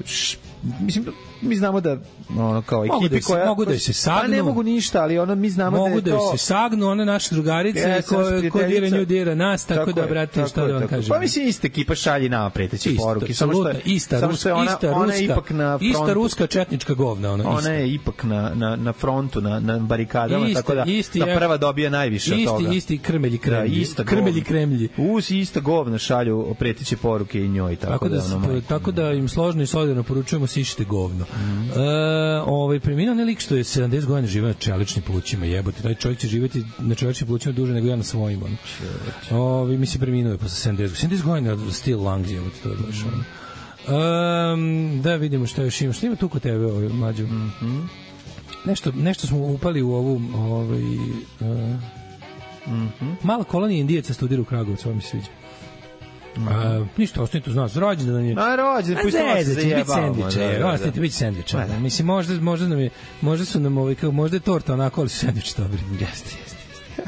š, mislim, mi znamo da ono kao Mogu ekipi da se- koja mogu da se sagnu. Pa ne mogu ništa, ali ono mi znamo Mogu da da je to se sagnu one naše drugarice Ja, ko, sam ko dira prijateljica. nju dira nas, tako, da, je, brate, tako šta je, da vam tako je. kažem. Pa mislim, ista ekipa šalje nama preteće Isto, poruke. Samo što je, apsolutno, ista, samo ruska, što je ona, ista, ona ruska, je ipak na frontu. ista ruska četnička govna. Ona, Ona ista. je ipak na, na, na frontu, na, na barikadama, Isti- tako da, isti da je- prva dobija najviše isti, od toga. Isti krmelji Da, kremlji. ista krmelji govna. kremlji. Uz ista govna šalju preteće poruke i njoj. Tako, Tako da, da, ono, da majke. tako da im složno i solidarno poručujemo sišite govno. Mm. E, ovaj preminuo ne lik što je sedamdeset godina živeo na čeličnim plućima, jebote, taj čovjek će živjeti na čeličnim plućima duže nego ja na svojim. On. Ovaj mi se preminuo je posle sedamdeset. sedamdeset godina still lungs, jebote, to je baš. Mm. Um, da vidimo šta još ima. Šta ima tu kod tebe, ovaj mlađo? Mm -hmm. Nešto, nešto smo upali u ovu ovaj uh, mm -hmm. mala kolonija Indijaca studira u Kragujevcu, ovo mi se sviđa. A, ništa, ostanite uz nas. Rođendan je. A rođendan, pustimo se zezat, će biti zajebavamo, sendviče, da, da, da. ostanite, biti sendviče. Ma da. Mislim, možda, možda, nam je, možda su nam, ovaj, kao, možda je torta onako, ali su sendviče dobri. Jeste, jeste, jeste.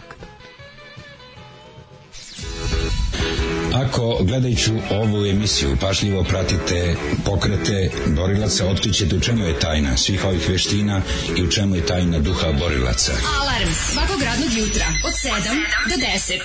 Ako gledajući ovu emisiju pažljivo pratite pokrete borilaca, otkrićete u čemu je tajna svih ovih veština i u čemu je tajna duha borilaca. Alarm svakog radnog jutra od sedam do deset.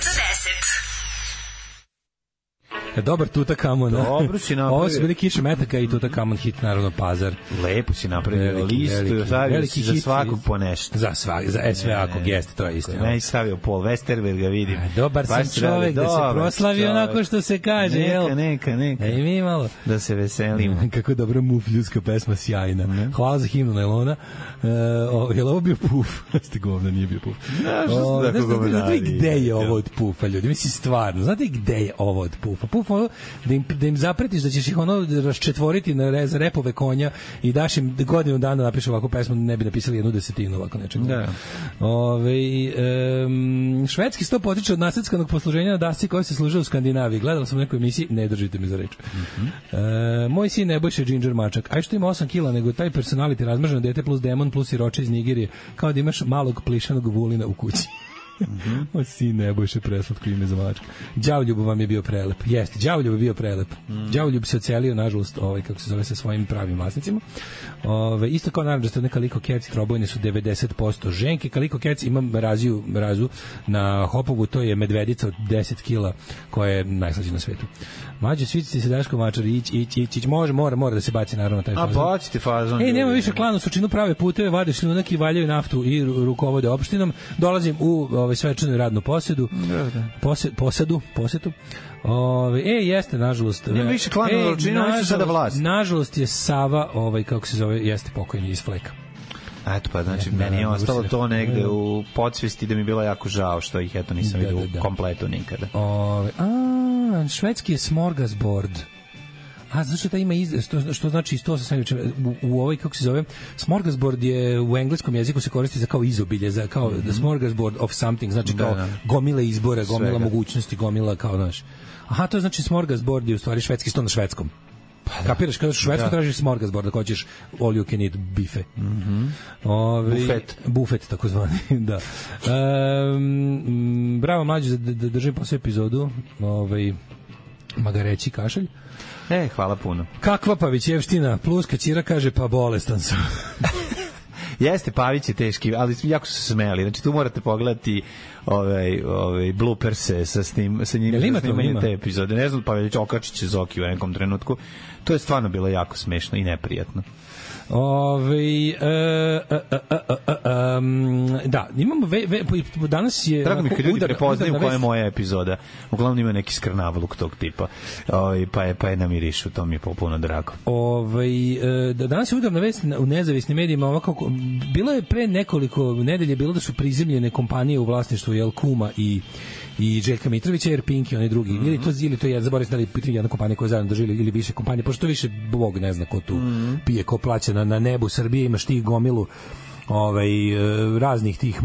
Dobar Tutakamon. Dobro si napravio. Ovo su bili Kiše metaka i Tutakamon hit, naravno Pazar. Lepo si napravio veliki, listu, veliki, stavio veliki si za hit, svakog po nešto. Za svak, za sve ako geste, to je isto. Ne i stavio Paul Westerberga, vidim. A, dobar sam čovek da se proslavi onako što se kaže, neka, jel? Neka, neka, neka. E, mi malo. Da se veselimo. Kako dobra mufljuska pesma, sjajna. Mm. Hvala za himnu Nailona. Uh, o, je li ovo bio Puf? Ste govna, nije bio Puf. Znaš, o, da, znate, znate gde je ovo od Pufa, ljudi? Mislim, stvarno, znate gde je ovo od Pufa? Puf, ono, da im, da im zapretiš da ćeš ih ono raščetvoriti na rez, repove konja i daš im godinu dana napišu ovakvu pesmu, ne bi napisali jednu desetinu ovako nečeg. Da. Ove, um, švedski sto potiče od nasledskanog posluženja na dasci koja se služe u Skandinaviji. Gledala sam u nekoj emisiji, ne držite me za reč. Mm-hmm. E, moj sin Nebojša Ginger Mačak. Aj što ima osam kila, nego taj personality razmrženo dete plus demon plus siroče iz Nigerije, kao da imaš malog plišanog vulina u kući. Mm-hmm. O sin Nebojše, preslatko ime za mačka. Đavoljub vam je bio prelep. Jeste, Đavoljub je bio prelep. Mm. Đavoljub se ocelio, nažalost, ovaj, kako se zove, sa svojim pravim vlasnicima. Ove, isto kao naravno da ste Kaliko Cats, trobojne su devedeset posto ženke. Kaliko Cats imam raziju, razu na Hopovu, to je medvedica od deset kila koja je najslađa na svetu. Mađo, svici se Daško Mačar, ić, ić, ić, ić, može, mora, mora da se baci naravno taj fazon. A bacite fazon. Ej, nema više klanu, sučinu prave puteve, vade šljunak i valjaju naftu i rukovode opštinom. Dolazim u ovaj svečanu radnu posjedu. Posed, posadu, posetu. Ove, e, jeste, nažalost. Nema više klana, e, ročinu, oni su sada vlast. Nažalost je Sava, ovaj, kako se zove, jeste pokojni iz Fleka. Eto pa, znači, meni je ostalo to negde u podsvesti da mi je bilo jako žao što ih, eto, nisam vidio u kompletu nikada. Ove, a, švedski je smorgasbord. A, znaš što ta ima iz, što, što znači isto sa samim u, u ovoj, kako se zove, smorgasbord je u engleskom jeziku se koristi za kao izobilje, za kao mm-hmm. the smorgasbord of something, znači kao da, da. gomila izbora, gomila Svega. mogućnosti, gomila kao, znaš. Aha, to znači smorgasbord je u stvari švedski sto na švedskom. Pa, da. Kapiraš, kada u Švedsku da. tražiš smorgasbord, da hoćeš all you can eat bife. Mm-hmm. Ove, bufet. Bufet, takozvani, da. Um, bravo, mlađe, da, da držim po sve epizodu, ovaj, magareći kašalj. E, hvala puno. Kakva Pavićevština, pluska Ćira kaže, pa bolestan sam. Jeste, Pavić je teški, ali jako su se smejali. Znači, tu morate pogledati ovaj, ovaj blooperse sa, snim, sa njim, sa snimanjem te epizode. Ne znam, Pavić okačiće Zoki u nekom trenutku. To je stvarno bilo jako smešno i neprijatno. Ove, e, e, e, e, e, um, da, imamo ve, ve, danas je drago mi kad ljudi prepoznaju koja je moja epizoda. Uglavnom ima neki skrnavluk tog tipa. Ove, pa je pa je namirišu, to mi je popuno drago. Ove, e, danas je udarna vest u nezavisnim medijima, ovako bilo je pre nekoliko nedelje bilo da su prizemljene kompanije u vlasništvu Jel Kuma i i Željka Mitrovića, jer Pinki, oni drugi, mm-hmm. ili to, ili to je, zaboravim da li jedna kompanija koja zajedno drži, ili više kompanije, pošto više Bog ne zna ko tu mm-hmm. pije, ko plaća na, na nebu Srbije, imaš tih gomilu ovaj, raznih tih,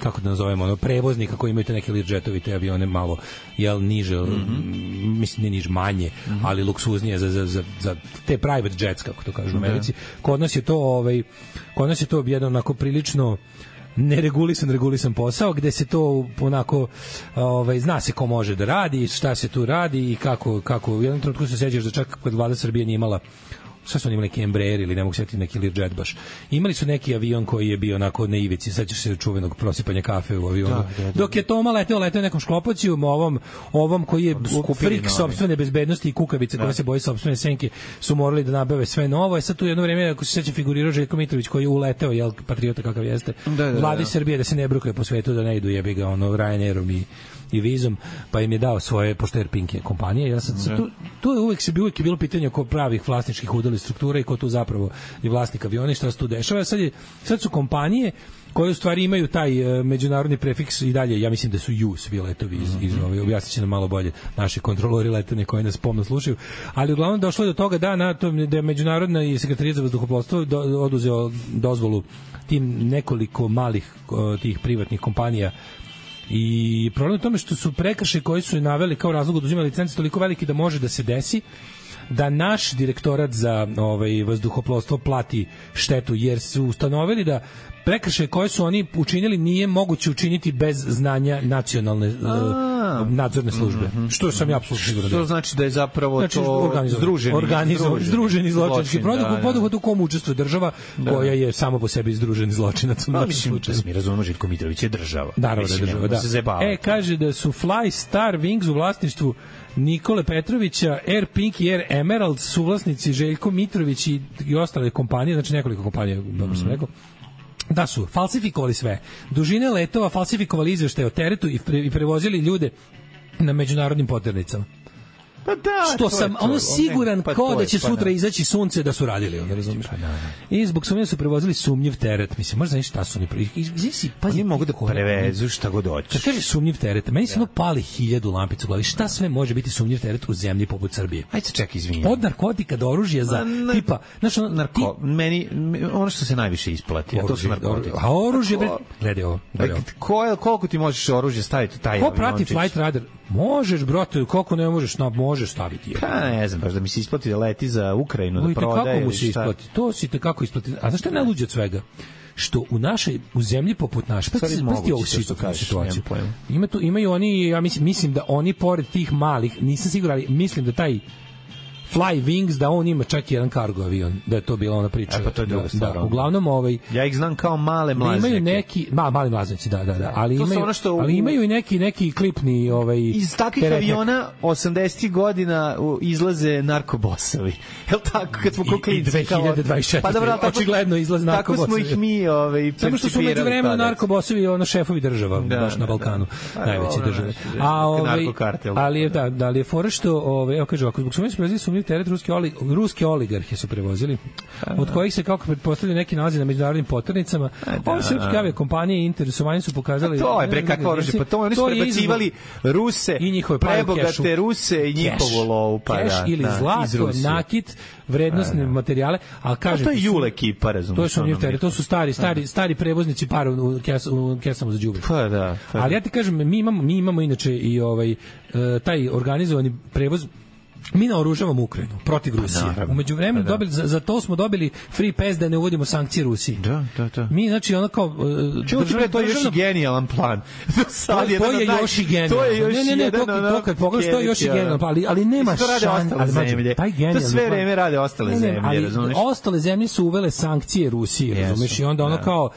kako da nazovemo, ono, prevoznika koji imaju te neke Learjetovi, te avione malo, jel, niže, mm-hmm. mislim, ne niže, manje, mm-hmm. ali luksuznije za, za, za, za te private jets, kako to kažu u Americi. Kod nas je to, ovaj, kod nas je to jedno onako prilično neregulisan, regulisan posao, gde se to onako, ovaj, zna se ko može da radi, šta se tu radi i kako, kako u jednom trenutku se sećaš da čak kod vlada Srbije nije imala, šta su oni imali, neki Embraer ili ne mogu setiti neki Learjet baš. Imali su neki avion koji je bio onako na ivici, sećaš se čuvenog prosipanja kafe u avionu. Da, da, da. Dok je Toma leteo, leteo nekom šklopocijom, ovom, ovom koji je frik sopstvene bezbednosti i kukavice koja se boji sopstvene senke, su morali da nabave sve novo. Je sad tu jedno vreme, ako se seća, figurirao Željko Mitrović koji je uleteo, jel, patriota kakav jeste, da, da, vladi da. Srbije da se ne brukaju po svetu, da ne idu jebi ga ono Ryanairom i i Vizom, pa im je dao svoje, pošto Air Pink je kompanija. Ja sad, sad, tu, tu je uvek, se, uvek je bilo pitanje oko pravih vlasničkih udjela struktura i ko tu zapravo je vlasnik aviona i šta se tu dešava. Sad, je, sad su kompanije koje u stvari imaju taj uh, međunarodni prefiks i dalje, ja mislim da su ju svi letovi iz, iz ove, objasnit će nam malo bolje naši kontrolori letenja koji nas pomno slušaju, ali uglavnom došlo je do toga da, na to, da je međunarodna i sekretarijat za vazduhoplovstvo do, oduzeo dozvolu tim nekoliko malih uh, tih privatnih kompanija. I problem je u tome što su prekršaji koji su naveli kao razlog oduzimanja licence toliko veliki da može da se desi da naš direktorat za ovaj vazduhoplovstvo plati štetu, jer su ustanovili da prekršaje koje su oni učinili nije moguće učiniti bez znanja nacionalne uh, Da. nadzorne službe. Mm -hmm. Što sam ja apsolutno siguran. Što znači da je zapravo znači, to združeni, organizovan, združeni zločinački zločin, produkt, da, poduhvat u kom učestvuje država da. koja je samo po sebi združeni zločinac. Pa mislim da mi razumemo, Željko Mitrović je država. Naravno da je država, da. E, kaže da su Fly Star Wings u vlasništvu Nikole Petrovića, Air Pink i Air Emerald suvlasnici Željko Mitrović i, i ostale kompanije, znači nekoliko kompanija, dobro sam rekao, da su falsifikovali sve. Dužine letova falsifikovali izveštaje o teretu i, pre, i prevozili ljude na međunarodnim poternicama. Pa da, što sam ono siguran pa kao da će pa sutra da. izaći sunce da su radili, onda razumiješ. Pa da. I zbog sumnje su prevozili sumnjiv teret. Mislim, možda znaš šta su oni izvisi, pazi, oni mogu da prevezu šta god hoće. Kad kaže sumnjiv teret, meni se ono pali hiljadu lampica u glavi. Šta sve može biti sumnjiv teret u zemlji poput Srbije? Ajde čekaj, izvini. Od narkotika do oružja za na, tipa, znači ono, narko, ti, meni ono što se najviše isplati, a to su narkotici. A oružje, gledaj ovo. Ko, koliko ti možeš oružje staviti taj Ko prati Flight Radar? Možeš, brate, koliko ne možeš, no, možeš staviti. Pa ne znam, baš da mi se isplati da leti za Ukrajinu, da prodaje. Kako mu se isplati? To si te kako isplati. A zašto je najluđe od svega? Što u našoj u zemlji poput naše, pa ti pa ovu situaciju. Ima tu, imaju oni, ja mislim, mislim da oni pored tih malih, nisam siguran, ali mislim da taj Fly Wings, da on ima čak jedan kargo avion, da je to bila ona priča. E, pa to je da, da, uglavnom ovaj ja ih znam kao male mlaznike. Imaju neki, ma, mali mlaznici, da, da, da, ali to imaju ono što u, ali imaju i neki neki klipni ovaj iz takvih teretnek. Aviona osamdesetih godina izlaze narkobosovi. Jel tako kad smo klinci dve hiljade dvadeset četvrte. Pa dobro, očigledno izlaze narkobosovi. Tako smo ih mi ovaj samo što su među vremenu narkobosovi ono šefovi država da, baš na Balkanu, da, najveće da, države. A ovaj ali je da, da li je fora što ovaj evo kaže ako zbog sumnje sprezi sumnjiv teret ruski oli, ruske oligarhe su prevozili, od kojih se kako pretpostavljaju neki nalazi na međunarodnim poternicama. Ove srpske aviokompanije interesovanje su pokazali. A to je bre kakvo oružje, pa to oni su prebacivali Ruse, i njihove prebogate Ruse i njihovu lovu, pa da. Ili zlato, nakit, vrednosne materijale, al kaže to je Jule ekipa, razumiješ. To su oni, to su stari, stari, stari prevoznici para u kesama za đubre. Pa da. Ali ja ti kažem, mi imamo, mi imamo inače i ovaj taj organizovani prevoz. Mi naoružavamo Ukrajinu protiv Rusije. U međuvremenu dobili za, za to smo dobili free pass da ne uvodimo sankcije Rusiji. Da, da, da. Mi znači ono kao državno to je još i genijalan plan. Sad je to je još i genijalan. To je još ne, ne, ne, to, to kad pogledaš to je još i genijalan, ali ali nema šanse. To sve vreme rade ostale zemlje, razumeš? Ostale zemlje su uvele sankcije Rusiji, razumeš? I onda ono kao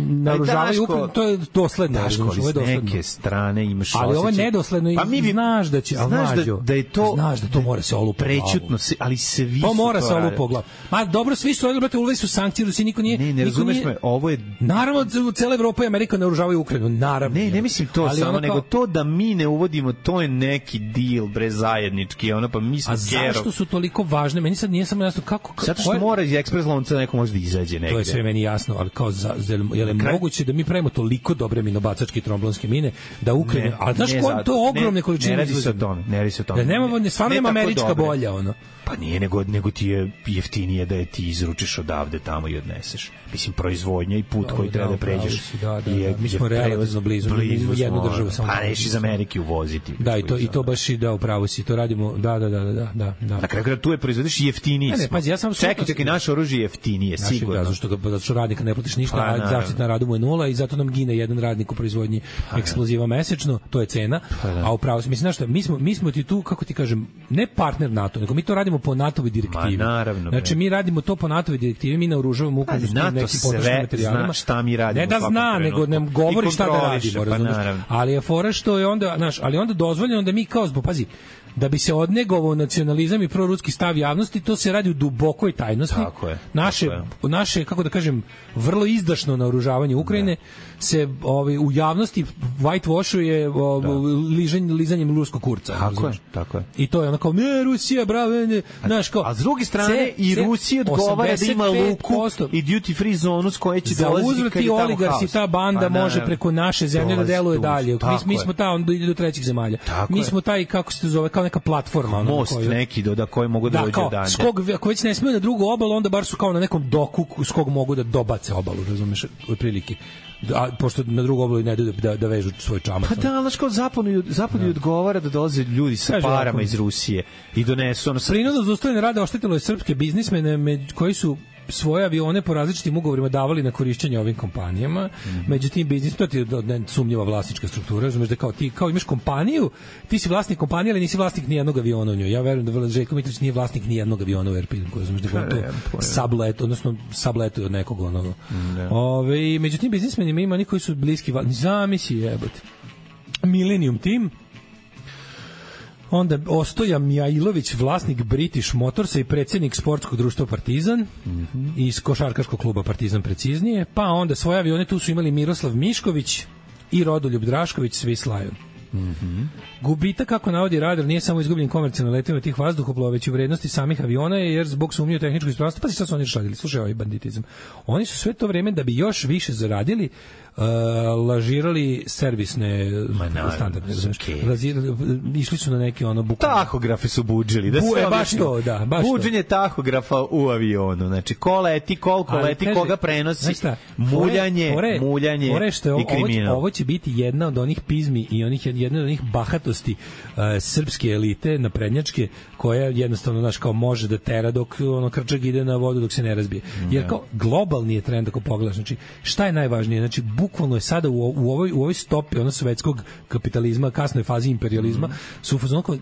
naoružavaju Ukrajinu, to je dosledno, razumeš? Ovo je dosledno. Neke strane imaš ali ovo je nedosledno i znaš da će, znaš da je to znaš da to mora se olupa prećutno se, ali se vi to mora se olupa u glavu. Ma dobro, svi su radili, brate, uveli su sankcije, Rusiji niko nije. Ne, ne razumeš me, ovo je naravno cela Evropa i Amerika naoružavaju Ukrajinu, naravno. Ne, ne mislim to ali samo, nego kao to da mi ne uvodimo, to je neki deal bre zajednički, ono pa mi smo kerov. A zašto su toliko važne? Meni sad nije samo jasno kako zato što mora iz ekspres lonca neko može da izađe negde. To je sve meni jasno, ali kao za, je li moguće da mi pravimo toliko dobre minobacačke tromblonske mine da Ukrajina, a znaš ko to ogromne količine ne radi se o tome, ne radi se o tome. Nemamo, stvarno nema američka bolja ono. Pa nije, nego, nego ti je jeftinije da je ti izručiš odavde tamo i odneseš. Mislim, proizvodnja i put koji treba da pređeš. Da, da, je, mi smo relativno blizu, blizu jednu državu samo. Pa neš iz Amerike uvoziti. Da, i to, i to baš i da, upravo si, to radimo, da, da, da, da, da. da. Na kraju kada tu je proizvodiš jeftiniji. Ne, ne, pazi, ja sam čekaj, čekaj, naše oružje jeftinije, sigurno. Da, zašto, zato što radnika ne platiš ništa, a zaštitna radu mu je nula i zato nam gine jedan radnik u proizvodnji eksploziva mesečno, to je cena. A upravo si, mislim, znaš šta, mi smo, mi smo ti tu, kako ti kažem, ne partner NATO, nego mi to radimo po NATO-voj direktivi. Naravno. Znači mi radimo to po NATO-voj direktivi, mi naoružavamo Ukrajinu s nekim potrošnim materijalima. Zna šta mi radimo. Ne da zna, nego nam govori šta da radimo, razumiješ? Ali je fora što je onda, znaš, ali onda dozvoljeno da mi kao zbog, pazi, da bi se odnegovao nacionalizam i proruski stav javnosti, to se radi u dubokoj tajnosti. Tako je. Naše, tako je. naše, kako da kažem, vrlo izdašno naoružavanje Ukrajine da. se ovaj, u javnosti whitewashuje ližanjem, lizanjem ruskog kurca. Tako je, tako je. I to je ono kao, ne, Rusija, bravo, ne, znaš kao. A s druge strane, ce, i Rusija odgovara da ima luku i duty free zonu s koje će dolaziti kad je tamo haos. Oligarsi, ta banda pa, može preko naše zemlje da deluje dalje. Mi, mi smo ta, on ide do trećih zemalja. Tako mi smo taj, kako se zove, kao neka platforma, ono, most koju, neki do da koji mogu da, da dođu dalje. Skog, ako već ne smiju na drugu obalu, onda bar su kao na nekom doku s kog mogu da dobace obalu, razumeš, otprilike. A pošto na drugu obalu ne idu da, da vežu svoj čamac. Pa da, znaš kao zapadu, zapadu da. odgovara da dolaze ljudi sa Kaže, parama ako, iz Rusije i donesu ono... Prinudno zaustavljanje rada oštetilo je srpske biznismene koji su svoje avione po različitim ugovorima davali na korišćenje ovim kompanijama. Mm-hmm. Međutim, biznis, to ti je sumnjiva vlasnička struktura, razumeš da kao ti kao imaš kompaniju, ti si vlasnik kompanije, ali nisi vlasnik ni jednog aviona u njoj. Ja verujem da Željko Mitrović nije vlasnik ni jednog aviona u Air Pinku, razumeš da je to sublet, odnosno sublet od nekog onoga. Mm, Ove, međutim, biznismenima ima oni koji su bliski, zamisli jebote. Millennium Team, onda Ostoja Mijailović, vlasnik British Motorsa i predsjednik sportskog društva Partizan, mm-hmm. iz košarkaškog kluba Partizan preciznije, pa onda svoje avione tu su imali Miroslav Mišković i Rodoljub Drašković, Swiss Lion. Mm-hmm. Gubitak, kako navodi radar, nije samo izgubljen komercijalno letenje tih vazduhoplova, već i u vrednosti samih aviona, jer zbog sumnje u tehničku ispravnost, pa šta su oni radili? Slušaj, ovaj banditizam. Oni su sve to vreme, da bi još više zaradili, Uh, lažirali servisne standarde. Okay. Išli su na neke ono bukvalno. Tahografe su budžili. Da Bu, e, baš to, da. Baš buđenje to. Tahografa u avionu. Znači, ko leti, koliko ali, leti, kaže, koga prenosi. Šta, muljanje, fore, muljanje fore što je, i kriminal. Ovo, ovo će biti jedna od onih pizmi i onih, jedna od onih bahatosti uh, srpske elite, naprednjačke, koja jednostavno, znaš, kao može da tera dok ono krčak ide na vodu dok se ne razbije. Jer kao globalni je trend ako pogledaš. Znači, šta je najvažnije? Znači, bukvalno je sada u, u ovoj u ovoj stopi ono svetskog kapitalizma, kasnoj fazi imperializma, mm. su u fazonu uh,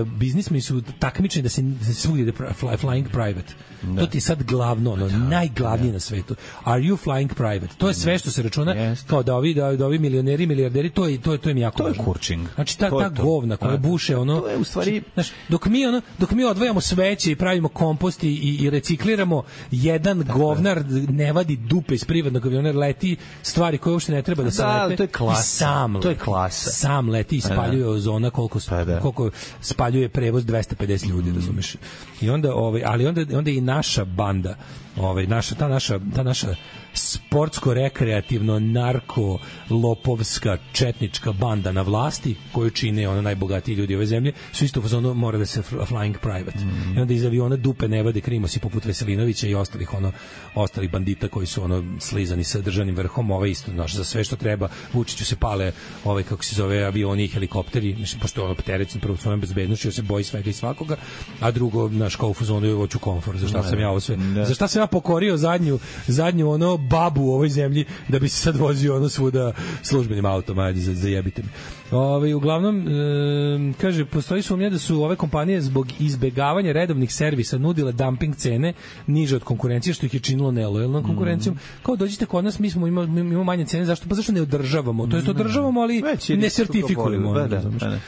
biznismeni su takmičeni da se, da se svugdje ide fly, flying private. Da. To ti je sad glavno, ono, da, najglavnije da. na svetu. Are you flying private? To je sve što se računa yes. kao da ovi, da, da ovi milioneri, milijarderi, to je, to je, to je jako to važno. To je kurčing. Znači, ta, ta govna koja buše, ono, to je u stvari... Znaš, dok mi, ono, dok mi odvajamo sveće i pravimo kompost i, i, i recikliramo, jedan da, govnar ne vadi dupe iz privatnog aviona, leti stvari koje uopšte ne treba da se da, lete. To je klasa. Sam to je klasa. Sam leti i spaljuje ozona koliko, da. koliko spaljuje prevoz dvesta pedeset ljudi, mm. razumeš. I onda, ovaj, ali onda, onda i naša banda, ovaj, naša, ta naša, ta naša sportsko-rekreativno narko lopovska četnička banda na vlasti koju čine ono najbogatiji ljudi ove zemlje su isto ono mora da se flying private mm. i onda iz aviona dupe ne vade krimosi poput Veselinovića i ostalih ono ostalih bandita koji su ono slizani sa državnim vrhom. Ovaj isto naš za sve što treba Vučiću se pale ovaj kako se zove avioni i helikopteri, mislim pošto ono terećen prvo svojom bezbednošću se boji svega i svakoga, a drugo naš kao u fazonu hoću komfor. Za šta sam ja ovo sve za šta sam ja pokorio zadnju zadnju ono babu u ovoj zemlji da bi se sad vozio ono svuda službenim autom, ajde za, zajebite mi. Ove, uglavnom, e, kaže, postoji sumnja da su ove kompanije zbog izbegavanja redovnih servisa nudile dumping cene niže od konkurencije, što ih je činilo nelojalnom konkurencijom. Mm. Kao dođite kod nas, mi smo imamo, imamo manje cene, zašto? Pa zašto ne održavamo? To jest održavamo, ali ne sertifikujemo. Da, da, da, da. E,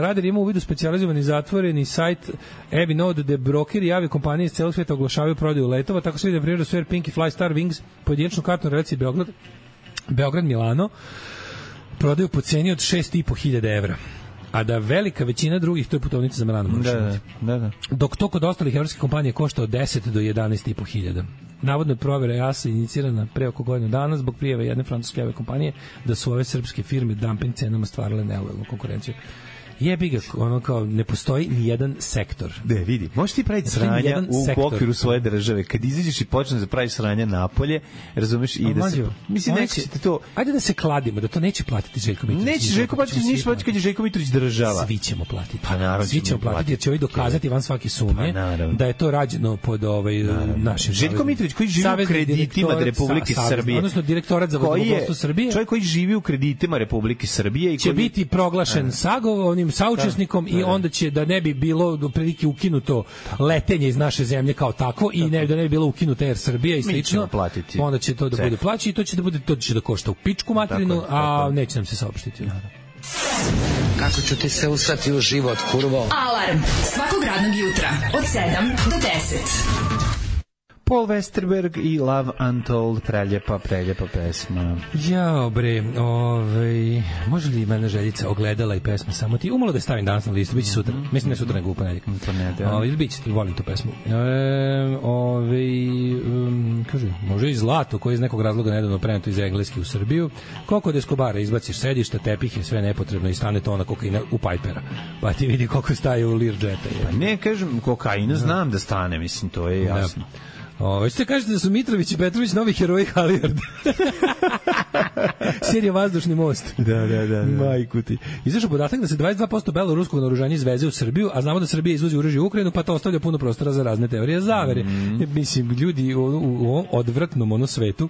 Radar ima u vidu specijalizovani zatvoreni sajt Avi Node, gde brokeri i aviokompanije iz celog sveta oglašavaju prodaju letova, tako se vidi da primjer da su Air Pink i Fly Star Wings pojedinačnu kartu na relaciji Beograd, Beograd Milano prodaju po ceni od šest i po hiljada evra. A da velika većina drugih, to je putovnica za Milano. Da, da, da, da. Dok to kod ostalih evropskih kompanija košta od deset do jedanaest i po hiljada. Navodno je provjera E A S A inicirana pre oko godinu dana zbog prijave jedne francuske aviokompanije da su ove srpske firme dumping cenama stvarale nelojalnu konkurenciju. Jebi ga, ono kao, ne postoji ni jedan sektor. Ne, vidi, možeš ti praviti sranja u okviru svoje države. Kad izađeš i počneš da praviš sranja napolje, razumeš, i da se... Mislim, neće to... Ajde da se kladimo, da to neće platiti Željko Mitrović. Neće Željko platiti, ništa platiti kad je Željko Mitrović država. Svi ćemo platiti. Pa naravno Svi ćemo platiti, jer će ovi dokazati van svake sumnje da je to rađeno pod ovaj našim... Željko Mitrović koji živi u kreditima Republike Srbije. Odnosno direktorat za vazduhoplovstvo Srbije. Čovjek koji živi u kreditima Republike Srbije i će biti proglašen sagovornim saučesnikom i onda će da ne bi bilo do prilike ukinuto letenje iz naše zemlje kao takvo i ne da ne bi bilo ukinuto Air Srbija i slično. Onda će to da bude plaći i to će da bude to će da košta u pičku materinu, a neće nam se saopštiti. Kako ću ti se usrati u život, kurvo? Alarm svakog radnog jutra od sedam do deset. Paul Westerberg i Love Untold, preljepa, preljepa pesma. Jao bre, ovaj, može li mene željica ogledala i pesma samo ti? Umalo da je stavim danas na listu, bit će sutra. Mislim ne sutra nego u ponedjeljak. To ne da. Ovaj, bit će, volim tu pesmu. E, ovaj, um, kaže, može i zlato koje iz nekog razloga nedavno preneto iz Engleske u Srbiju. Koliko od Escobara izbaciš sedišta, tepihe, sve nepotrebno i stane tona kokaina u Pipera. Pa ti vidi koliko staje u Learjeta. Pa ne, kažem, kokaina znam da stane, mislim, to je jasno. Ovo, ste kažete da su Mitrović i Petrović novi heroji Halijard. Serija Vazdušni most. Da, da, da. da. Majku ti. Izašao podatak da se dvadeset dva posto beloruskog naoružanja izveze u Srbiju, a znamo da Srbija izvozi oružje u Ukrajinu, pa to ostavlja puno prostora za razne teorije zavere. Mm. Mislim, ljudi u, u, u odvratnom ono svetu,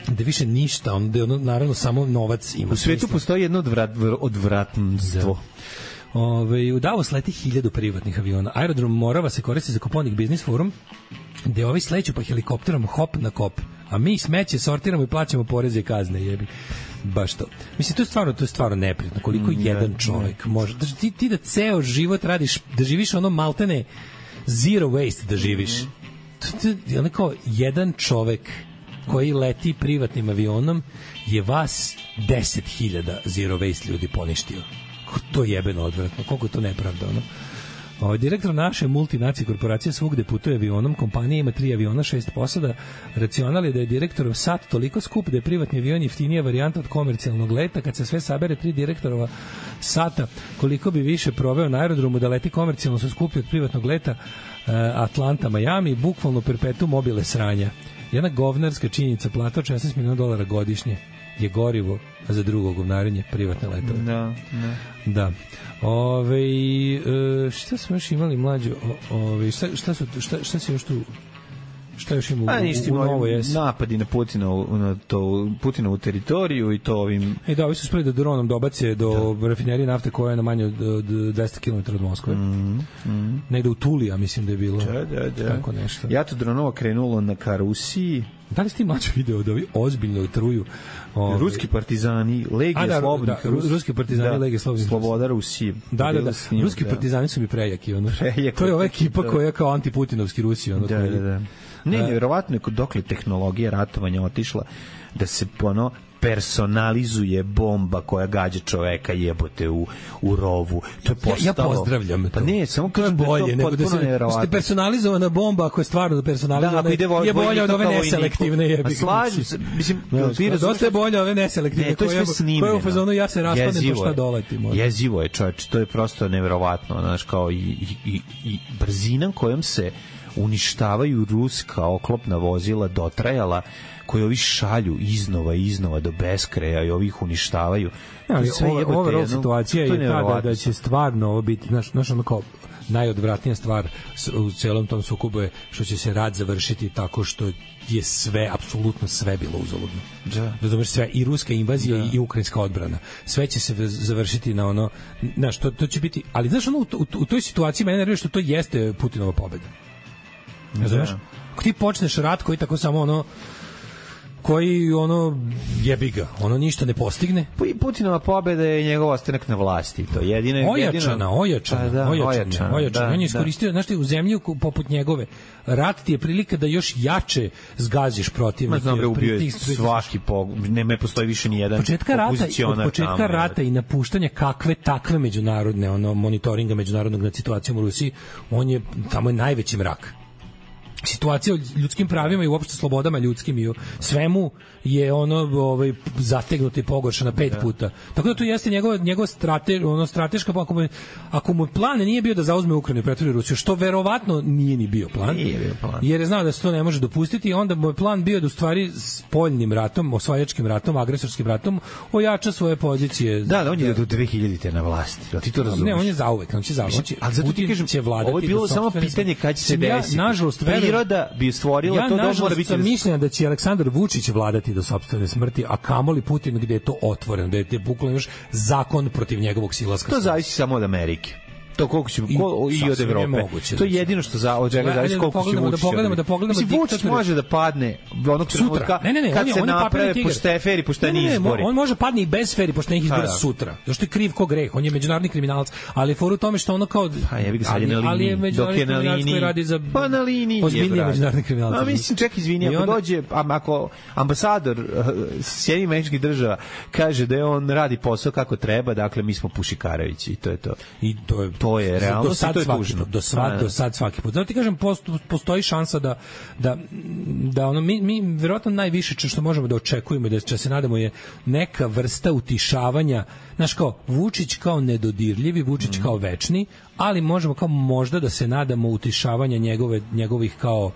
da više ništa, onda je ono, naravno, samo novac ima. U svetu smisla. Postoji jedno odvrat, odvratnstvo. Ove, u Davos leti hiljadu privatnih aviona. Aerodrom Morava se koristi za Koponik Biznis Forum, gde ovi sleću pa helikopterom hop na kop, a mi smeće sortiramo i plaćamo poreze i kazne, jebi. Baš to. Mislim, to je stvarno, to je stvarno neprijatno. Koliko mm, jedan čovjek ne. može... Da, ti, ti da ceo život radiš, da živiš ono maltene zero waste da živiš. Mm. To, to je onako jedan čovjek koji leti privatnim avionom je vas deset hiljada zero waste ljudi poništio. To je jebeno odvratno. Koliko je to nepravda, ono? O, direktor naše multinacije korporacije svugde putuje avionom, kompanija ima tri aviona, šest posada. Racional je da je direktorov sat toliko skup da je privatni avion jeftinija varijanta od komercijalnog leta. Kad se sve sabere, tri direktorova sata, koliko bi više proveo na aerodromu da leti komercijalno, su skuplji od privatnog leta. Atlanta, Miami, bukvalno perpetuum mobile sranja. Jedna govnarska činjenica, plata od šesnaest miliona dolara godišnje je gorivo za drugo govnarenje privatne letove. Da, da. Da. Ove, šta smo još imali mlađe? Ove, šta, šta, su, šta, šta se još tu... Šta još ima u, u, u novoj jesi? Napadi na Putina na to, Putinovu teritoriju i to ovim... E da, ovi su spredi da dronom dobace do da. rafinerije nafte koja je na manje od, od dvesta kilometara od Moskve. Mm, mm. Negde u Tulija, mislim da je bilo. Da, da, da. Tako nešto. Ja to dronova krenulo na ka Rusiji. Da li ste mlađe video da ovi ozbiljno truju? Ove... Ruski partizani, Legija da, slobodnih da, Rus... Ruski partizani, da, Legija slobodnih Sloboda Rusije. Da, da, da. Snimam, Ruski da. partizani su mi prejaki. Ono. Prejaki. To je ova ekipa da. koja je kao antiputinovski Rusi. Ono, da, da, da. Ne, nevjerovatno je dokle tehnologija ratovanja otišla da se ono personalizuje bomba koja gađa čoveka jebote u, u rovu. To je postalo... Ja, ja pozdravljam to. Pa ne, samo to je bolje nego da se ste personalizovana bomba ako je stvarno personalizovana da, vo, je bolje od ove neselektivne jebi. Slažem se, mislim, no, ti dosta je bolje ove neselektivne ne, to je sve koje u fazonu ja se raspadnem pa šta doleti. Možda. Jezivo je, čoveče, to je prosto nevjerovatno, znaš, kao i, i, i, i brzina kojom se uništavaju ruska oklopna vozila dotrajala koji ovi šalju iznova iznova do beskraja i ovih uništavaju. Ja, ova ova situacija je, je tada da će stvarno ovo biti, znaš, znaš ono kao najodvratnija stvar u celom tom sukobu je što će se rat završiti tako što je sve, apsolutno sve bilo uzaludno. Da. Razumeš, sve, i ruska invazija da. i ukrajinska odbrana. Sve će se završiti na ono, znaš, to, to će biti, ali znaš ono, u, u, u toj situaciji mene nervira što to jeste Putinova pobeda. Razumeš? Da. Ako ti počneš rat koji tako samo ono koji ono jebi ga, ono ništa ne postigne. Putinova pobeda je njegov ostanak na vlasti, to je jedino ojačana, jedino... ojačana, da, ojačana, ojačana, ojačana. Da, on je iskoristio, znaš ti, u zemlji poput njegove, rat ti je prilika da još jače zgaziš protivnika. Znam, ubio je svaki pog... ne me postoji više ni jedan početka rata, od početka tamo, rata i napuštanja kakve takve međunarodne, ono, monitoringa međunarodnog nad situacijom u Rusiji, on je, tamo je najveći mrak. Situacija o ljudskim pravima i uopšte slobodama ljudskim i o svemu je ono ovaj zategnuto i pogoršano pet yeah. puta. Tako da to jeste njegova njegova strate, ono strateška ako mu, ako mu plan nije bio da zauzme Ukrajinu i pretvori Rusiju, što verovatno nije ni bio plan. Nije bio plan. Jer je znao da se to ne može dopustiti i onda mu je plan bio da u stvari spoljnim ratom, osvajačkim ratom, agresorskim ratom ojača svoje pozicije. Da, da on je do dve hiljade na vlasti. Da ti to razumeš? Ne, on je zauvek, on će zauvek. Ali zato ti kažem, će vladati. Ovo je bilo samo pitanje kad će se desiti. Ja, nažalost, priroda bi stvorila ja, to da mora biti. Ja mišljenja da će Aleksandar Vučić vladati do sopstvene smrti, a kamoli Putin gde je to otvoreno, da je bukvalno još zakon protiv njegovog silaska. To zavisi samo od Amerike. To koliko će ko, i, i od Evrope. Moguće, to je jedino što za od čega zavisi koliko će Vučić. Da pogledamo, da pogledamo, mislim, Vučić može da padne onog trenutka ne, ne, ne, kad on je, se on naprave pošteni fer i pošteni izbori. On može padne i bez fer i poštenih izbora da, da. sutra. Zašto je kriv ko greh? On je međunarodni kriminalac, ali foru u tome što ono kao pa jebi ga sad na liniji. Ali je međunarodni kriminalac koji radi za pa na liniji ozbiljnije međunarodni kriminalac. A mislim, ček, izvini, ako dođe, ako ambasador Sjedinjenih Američkih Država kaže da on radi posao kako treba, dakle mi smo Pušikarevići i to je to. I to je to je realno. To je tužno. Do sad, do sad svaki put. Zato ti kažem, postoji šansa da, da, da ono, mi, mi vjerojatno najviše što možemo da očekujemo i da će se nadamo je neka vrsta utišavanja, znaš kao, Vučić kao nedodirljivi, Vučić mm. kao večni, ali možemo kao možda da se nadamo utišavanja njegove, njegovih kao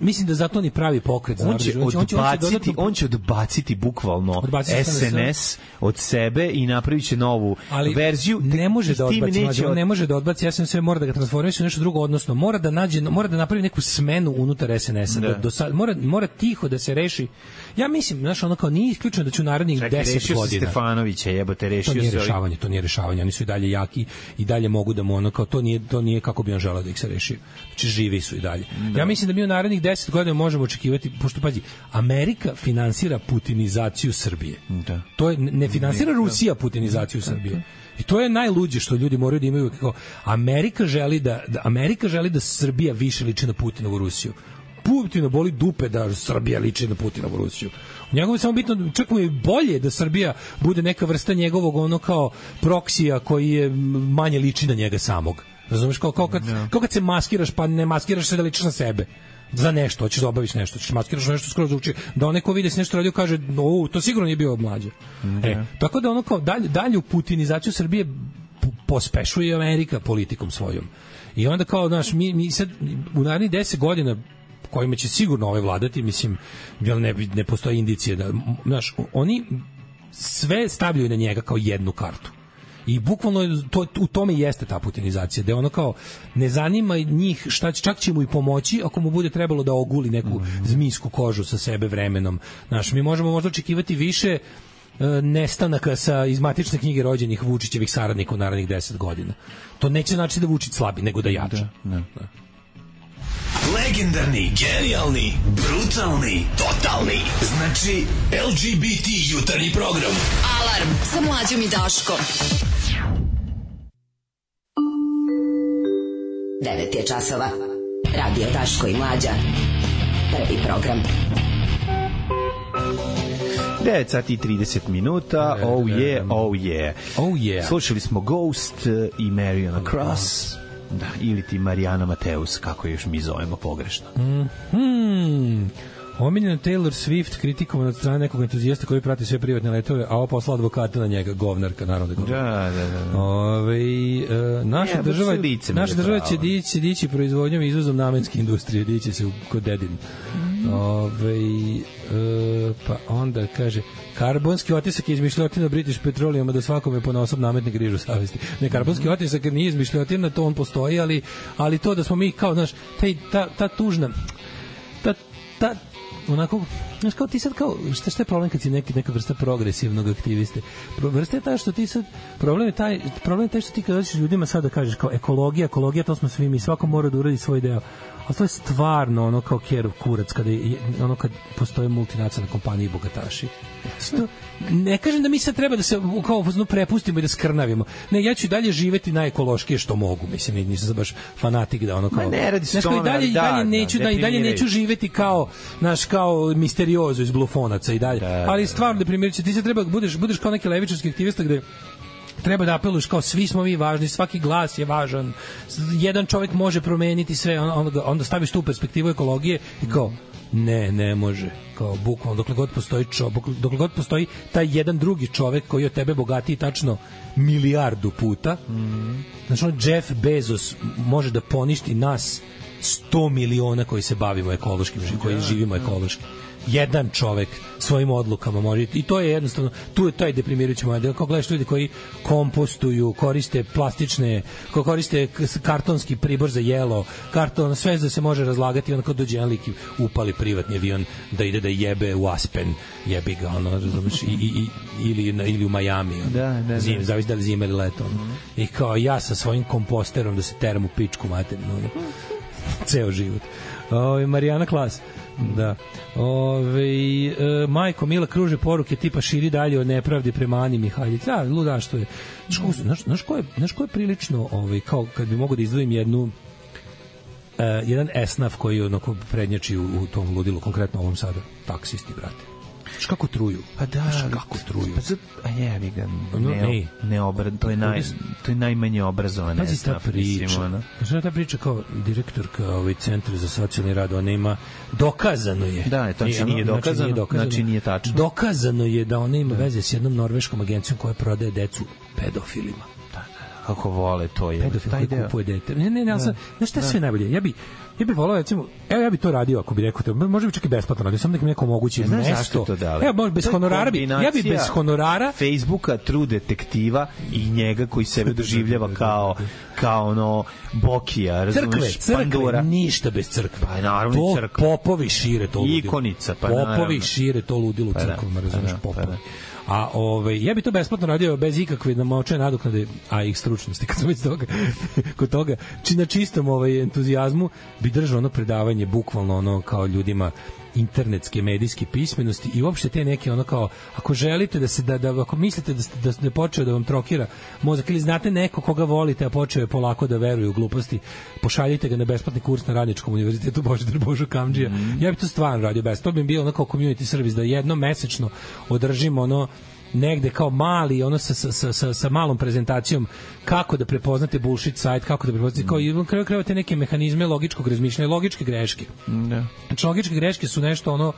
mislim da zato ni pravi pokret. On će, on će, odbaciti, on će, dodatno... on će odbaciti bukvalno odbaciti S N S od sebe i napravit će novu ali verziju. Ne može da odbaci, neće od... ne može da odbaci, ja sam sve mora da ga transformiše u nešto drugo, odnosno mora da nađe, mora da napravi neku smenu unutar S N S-a. Da. Do sad, mora, mora tiho da se reši. Ja mislim, znaš, ono kao nije isključeno da će u narednih deset godina. Stefanovića, jebote, rešio to nije se rešavanje, to nije rešavanje, oni su i dalje jaki i dalje mogu da mu ono kao to nije to nije kako bi on želeo da ih se reši. Znači živi su i dalje. Da. Ja mislim da mi u narednih deset godina možemo očekivati, pošto pazi, Amerika finansira putinizaciju Srbije. Da. To je ne finansira Rusija putinizaciju Srbije. I to je najluđe što ljudi moraju da imaju kako Amerika želi da, da Amerika želi da Srbija više liči na Putinovu Rusiju. Putina boli dupe da Srbija liči na Putinovu Rusiju. U njegovu je samo bitno, čak mu je bolje da Srbija bude neka vrsta njegovog ono kao proksija koji je manje liči na njega samog. Razumeš, kao, kao, kad, no. kao kad se maskiraš, pa ne maskiraš se da ličiš na sebe. Za nešto, hoćeš da obaviš nešto, hoćeš maskiraš nešto skoro zvuči, da onaj ko vidi se nešto radio kaže, o, to sigurno nije bio mlađe. Mm, e, tako da ono kao dalje, dalju putinizaciju Srbije pospešuje Amerika politikom svojom. I onda kao, znaš, mi, mi sad u narednih deset godina kojima će sigurno ovaj vladati, mislim, ne, ne postoji indicije da, znaš, oni sve stavljaju na njega kao jednu kartu. I bukvalno to, u tome jeste ta putinizacija, da je ono kao ne zanima njih šta će, čak će mu i pomoći ako mu bude trebalo da oguli neku mm. zmijsku kožu sa sebe vremenom. Znaš, mi možemo možda očekivati više e, nestanaka sa iz matične knjige rođenih Vučićevih saradnika u narednih deset godina. To neće znači da Vučić slabi, nego da jača. Da, da. Da. Legendarni, genijalni, brutalni, totalni. Znači, L G B T jutarnji program. Alarm sa Mlađom i Daškom. devet je časova. Radio Daško i Mlađa. Prvi program. devet sati i trideset minuta. Oh yeah, oh yeah. Oh yeah. Slušali smo Ghost i Mariana Cross. Da, ili ti Marijana Mateus, kako još mi zovemo pogrešno. Mhm. Omiljena Taylor Swift kritikovana od strane nekog entuzijasta koji prati sve privatne letove, a ovo poslala advokata na njega, govnarka, naravno da govnar. Da, da, da. Ove, e, naša ne, država, naša država će dići, dići proizvodnjom i izvozom namenske industrije, dići se u, kod dedin. Mm. Ove, e, pa onda kaže, karbonski otisak je izmišljotina British Petroleum, da svakome ponaosob nametne grižu savesti. Ne, karbonski otisak nije izmišljotina, to on postoji, ali, ali to da smo mi kao, znaš, taj, ta, ta tužna, ta, ta onako, znaš, kao ti sad kao, šta, šta je problem kad si neki, neka vrsta progresivnog aktiviste? Vrsta je taj što ti sad, problem je taj, problem je taj što ti kad dođeš ljudima sad da kažeš kao ekologija, ekologija, to smo svi mi, svako mora da uradi svoj deo. Ali to je stvarno ono kao kerov kurac, kada je, ono kad postoje multinacionalne kompanije i bogataši. Sto, ne kažem da mi sad treba da se kao no, prepustimo i da skrnavimo. Ne, ja ću i dalje živeti najekološkije što mogu. Mislim, nisam baš fanatik da ono kao... Ma ne radi se tome, i dalje, da, dalje neću, da, da, i dalje neću živeti kao, naš, kao misteriozo iz Blufonaca i dalje. Da, ali stvarno deprimirujuće, ti se treba, budeš, budeš kao neki levičarski aktivista gde treba da apeluješ kao svi smo mi važni, svaki glas je važan, jedan čovjek može promeniti sve, onda, onda staviš tu perspektivu ekologije i kao, ne, ne može, kao bukvalno, dokle god postoji čovjek, dokle god postoji taj jedan drugi čovjek koji od tebe bogatiji tačno milijardu puta, mm. znači on Jeff Bezos može da poništi nas sto miliona koji se bavimo ekološkim, koji živimo ekološki. Jedan čovek svojim odlukama može, i to je jednostavno, tu je taj deprimirajući model. Kao gledaš ljudi koji kompostuju, koriste plastične, ko koriste kartonski pribor za jelo, karton, sve da se može razlagati, onda kao dođe jedan lik i upali privatni avion da ide da jebe u Aspen, jebi ga, ono, razumiješ, i, i, i, ili, ili u Miami, ono, da, da, zim, zavisi da li zima ili leto, ono. Mm. I kao ja sa svojim komposterom da se teram u pičku materinu, ono, ceo život. O, Marijana Klas. Da. Ove, e, majko Mila kruže poruke tipa širi dalje od nepravdi prema Ani Mihaljić. Da, luda što je. Znaš, znaš, ko je, znaš ko je prilično, ovaj, kao kad bi mogo da izdvojim jednu uh, jedan esnaf koji onako prednjači u, u tom ludilu, konkretno ovom sada, taksisti, brate. Znaš kako truju? Pa da, znaš kako truju? Pa zat, a jebi ga, ne, ne, ne obra, to je naj, to je najmanje obrazovana esnaf. Ta priča, znaš ta priča kao direktorka ovaj centra za socijalni rad, ona ima, dokazano je. Da, to znači nije dokazano, znači nije, dokazano, znači nije tačno. Dokazano je da ona ima da. veze s jednom norveškom agencijom koja prodaje decu pedofilima. kako vole to je. Pedofil taj koji deo. kupuje dete. Ne, ne, ne, ali sam, znaš šta je Da. sve najbolje? Ja bi, ja bi volao, recimo, evo ja bi to radio ako bi rekao to, može bi čak i besplatno radio, samo da mi neko omogući Ne znaš mesto. zašto to dali? Evo, može bez To je honorara bi, ja bi kombinacija bez honorara Facebooka, True detektiva i njega koji sebe doživljava kao kao ono Bokija, razumeš, crkve, crkve, Pandura. ništa bez crkve. Pa naravno to i crkva. popovi šire to ludilo. Ikonica, pa popovi naravno. šire to ludilo u Pa da, crkvama, pa razumeš, da, pa popovi. da. A ovaj ja bi to besplatno radio bez ikakve namočene nadoknade, a i stručnosti kad smo već toga kod toga či na čistom ovaj entuzijazmu bi držao ono predavanje bukvalno ono kao ljudima internetske medijske pismenosti i uopšte te neke ono kao ako želite da se da, da ako mislite da ste, da ste počeo da vam trokira mozak ili znate neko koga volite a počeo je polako da veruje u gluposti, pošaljite ga na besplatni kurs na Radničkom univerzitetu Božidar Božo Kamdžija. Mm. Ja bih to stvarno radio bez. To bi bio ono kao community service da jednom mesečno održimo ono negde kao mali ono sa, sa, sa, sa malom prezentacijom kako da prepoznate bullshit sajt, kako da prepoznate kao i kraju krajeva te neke mehanizme logičkog razmišljanja, logičke greške. Da. Znači logičke greške su nešto ono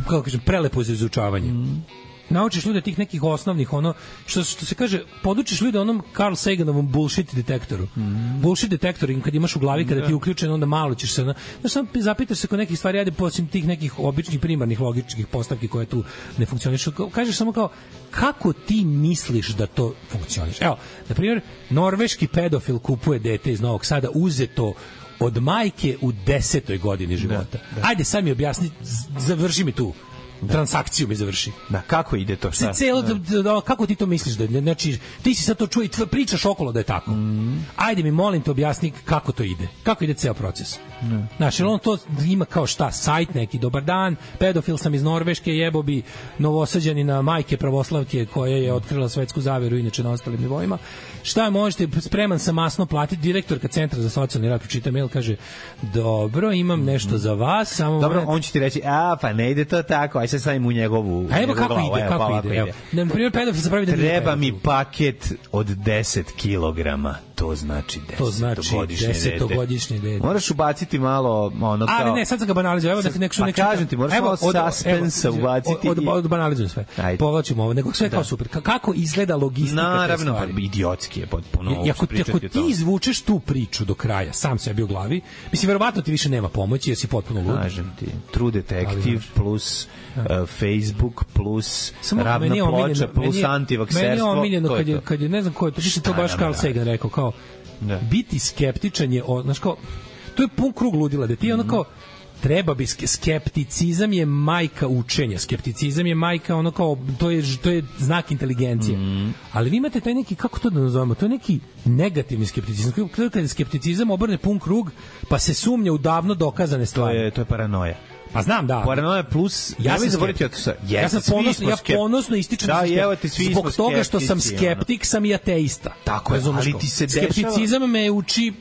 kako kažem prelepo za izučavanje. Mm. Naučiš ljude tih nekih osnovnih ono što što se kaže podučiš ljude onom Carl Saganovom bullshit detektoru. Mm. Bullshit detektor kad imaš u glavi kada ti je uključen onda malo ćeš se znači samo zapitaš se kod nekih stvari ajde posim tih nekih običnih primarnih logičkih postavki koje tu ne funkcionišu. Kažeš samo kao kako ti misliš da to funkcioniše. Evo, na primjer, norveški pedofil kupuje dete iz Novog Sada uzeto od majke u desetoj godini života. Da, da. Ajde sad mi objasni, završi mi tu da. Transakciju mi završi. Da, kako ide to? Šta? Celo, da. Da, kako ti to misliš? Da, znači, ti si sad to čuo i pričaš okolo da je tako. Mm. Ajde mi, molim te, objasni kako to ide. Kako ide ceo proces. Mm. Znači, on to ima kao šta? Sajt neki, dobar dan, pedofil sam iz Norveške, jebo bi novosađanina majke pravoslavke koja je otkrila svetsku zaveru, inače na ostalim nivoima. Šta možete, spreman sam masno platiti, direktorka Centra za socijalni rad pročita mail, kaže, dobro, imam nešto za vas, samo... Dobro, on će ti reći, a, pa ne ide to tako, aj se stavim u njegovu... A evo kako glavu, ide, evo, kako pa ide, evo. Na primjer, pedofil se pravi da nije treba mi paket od deset kilograma, to znači desetogodišnje dete. Moraš ubaciti malo ono kao... Ali ne, sad sam ga banalizuo, evo da ti neko... Pa kažem ti, moraš malo suspensa ubaciti. Od, od, od banalizujem sve. Povlačimo ovo, nego sve kao super. Kako izgleda logistika te stvari? Naravno, idiotski je potpuno ovo što pričati o tome. Ako ti izvučeš tu priču do kraja, sam sebi u glavi, mislim, verovatno ti više nema pomoći, jer si potpuno lud. Kažem ti, True Detective plus uh, Facebook plus ravna ploča plus antivakserstvo. Meni je omiljeno kad je, kad je, ne znam ko je, to to baš Carl Sagan rekao, kao, da. Biti skeptičan je, znaš kao, to je pun krug ludila, da ti je ono kao, treba bi skepticizam je majka učenja, skepticizam je majka ono kao to je to je znak inteligencije. Mm. Ali vi imate taj neki, kako to da nazovemo, to je neki negativni skepticizam. Kada je skepticizam obrne pun krug, pa se sumnja u davno dokazane stvari. To je to je paranoja. Pa znam, da. Paranoja plus ja sam zaboravio to sa. Ja sam ponosno, ja ponosno ističem da, evo ti svi zbog toga što sam skeptik, sam i ateista. Tako je, ali ti se dešava. Skepticizam me uči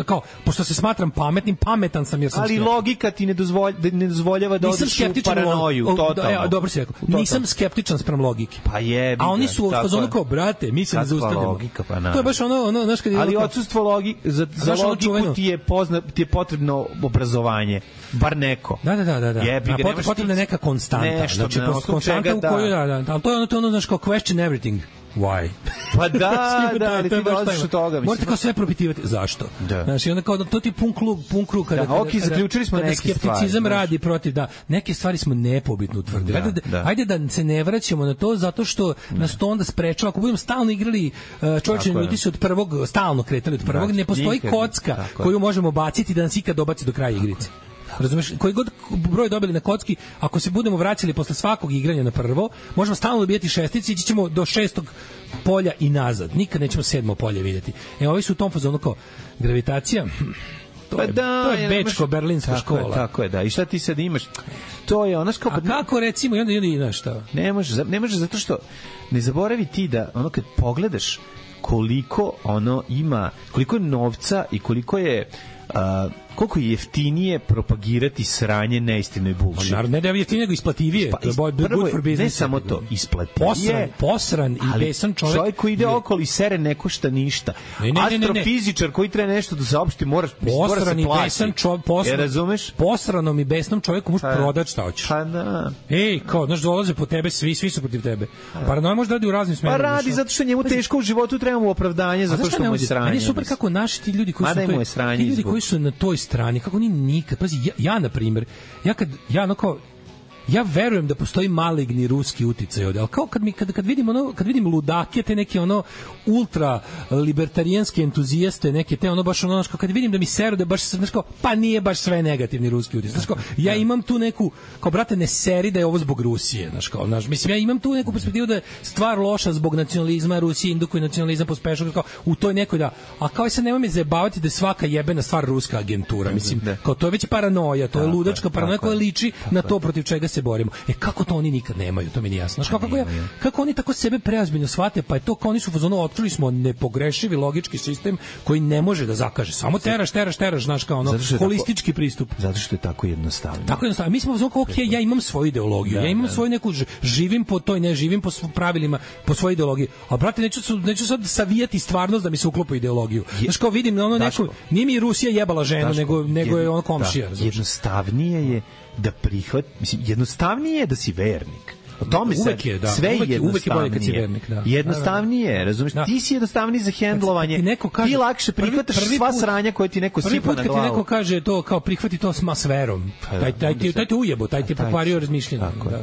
kao, pošto se smatram pametnim, pametan sam jer sam ali skeptik. Logika ti ne, dozvolj, ne dozvoljava da odeš u paranoju, o, totalno. E, dobro si rekao, nisam skeptičan sprem logike. Pa jebi. A oni su u fazonu kao, brate, mi se ne zaustavljamo. Logika, pa na. To je baš ono, ono, znaš kad je... Ali odsustvo logike, za, za logiku ono ti je, pozna, ti je potrebno obrazovanje. Bar neko. Da, da, da, da. da. Jebi, a pot, potrebna je neka konstanta. Nešto, znači, konstanta u kojoj, da, da, ali to je ono, to je ono, znaš, kao question everything. Why? Pa da, da, ali ti dolaziš od toga. Morate kao sve propitivati. Zašto? Da. Znači, onda kao, to ti pun krug, pun krug kada, da, ok, zaključili smo neke stvari. Skepticizam radi protiv, da, neke stvari smo nepobitno utvrdili. Da, ajde, da. ajde da se ne vraćamo na to, zato što da. nas to onda sprečava. Ako budemo stalno igrali, uh, čovječe, ljudi su od prvog, stalno kretali od prvog, da, ne postoji nikad, kocka koju možemo baciti da nas ikad dobaci do kraja igrice. Razumeš, koji god broj dobili na kocki, ako se budemo vraćali posle svakog igranja na prvo, možemo stalno dobijati šestice i ići ćemo do šestog polja i nazad. Nikad nećemo sedmo polje vidjeti. E, ovi su u tom fazonu kao gravitacija, to pa je, da, to je bečko-berlinska tako škola. Je, tako je, da. I šta ti sad imaš? To je ono kao... A kako recimo, i onda, i onda, i znaš šta? Ne može, ne može zato što ne zaboravi ti da ono kad pogledaš koliko ono ima, koliko je novca i koliko je a, koliko je jeftinije propagirati sranje neistinu i bullshit. Naravno, ne da je jeftinije, nego isplativije. Pa, To je bo- prvo good for je, business. ne samo to, isplativije. Posran, posran i ali besan čovjek. Čovjek koji ide okolo i sere ne košta ništa. Ne, ne, ne, ne, ne. Astrofizičar koji treba nešto da saopšti, moraš, mora se Posran i plati. besan čovjek, posran, Je, razumeš? posranom i besnom čovjeku možeš prodati šta hoćeš. Pa da. Ej, kao, znaš, dolaze po tebe, svi, svi su protiv tebe. Paranoja može da radi u raznim Pa smerovima. radi zato što njemu teško u životu, treba mu opravdanje A zato znaš šta što me mu je ovdje- sranje. Meni je super mislim. kako naši ti ljudi koji Mada su i na mu je toj, sranje ti ljudi izbog. koji su na toj strani, kako oni nikad, pazi, ja, ja na primjer, ja kad, ja ono kao, ja verujem da postoji maligni ruski uticaj ovde, ali kao kad mi kad kad vidim ono kad vidim ludake, te neke ono ultra libertarijanske entuzijaste, neke te ono baš ono znaš, kao kad vidim da mi seru da baš znaš kao pa nije baš sve negativni ruski uticaj. Znaš kao ja imam tu neku kao brate ne seri da je ovo zbog Rusije, znaš kao znaš, mislim ja imam tu neku perspektivu da je stvar loša zbog nacionalizma, Rusija indukuje nacionalizam pospešuje kao u toj nekoj da a kao sad nema me zajebavati da je svaka jebena stvar ruska agentura, mislim kao to je već paranoja, to je ludačka paranoja koja liči na to protiv čega se borimo. E kako to oni nikad nemaju, to mi nije jasno. Znaš, kako, kako, ja, kako oni tako sebe preozbiljno shvate, pa je to kao oni su u fazonu otkrili smo nepogrešivi logički sistem koji ne može da zakaže. Samo teraš, teraš, teraš, znaš kao ono holistički tako, pristup. Zato što je tako jednostavno. Tako jednostavno. Mi smo u fazonu kao, ok, ja imam svoju ideologiju, da, ja imam da. svoju neku, živim po toj, ne živim po pravilima, po svojoj ideologiji. A brate, neću, neću sad savijati stvarnost da mi se uklopi ideologiju. Znaš kao vidim, ono neko, nije mi Rusija jebala ženu, Daško, nego, nego je ono komšija. Da, jednostavnije je da prihvat, mislim, jednostavnije je da si vernik. O tome se uvek je, da. sve uvek, je uvek je bolje kad si vernik, da. Jednostavnije je, razumiješ? Da. Ti si jednostavniji za hendlovanje. Ti, kaže, ti lakše prihvataš prvi, prvi sva put, sranja koje ti neko sipa na glavu. Prvi put kad ti neko kaže to, kao prihvati to s verom, pa, taj, taj, taj, taj te ujebo, taj ti je pokvario razmišljanje. Tako da.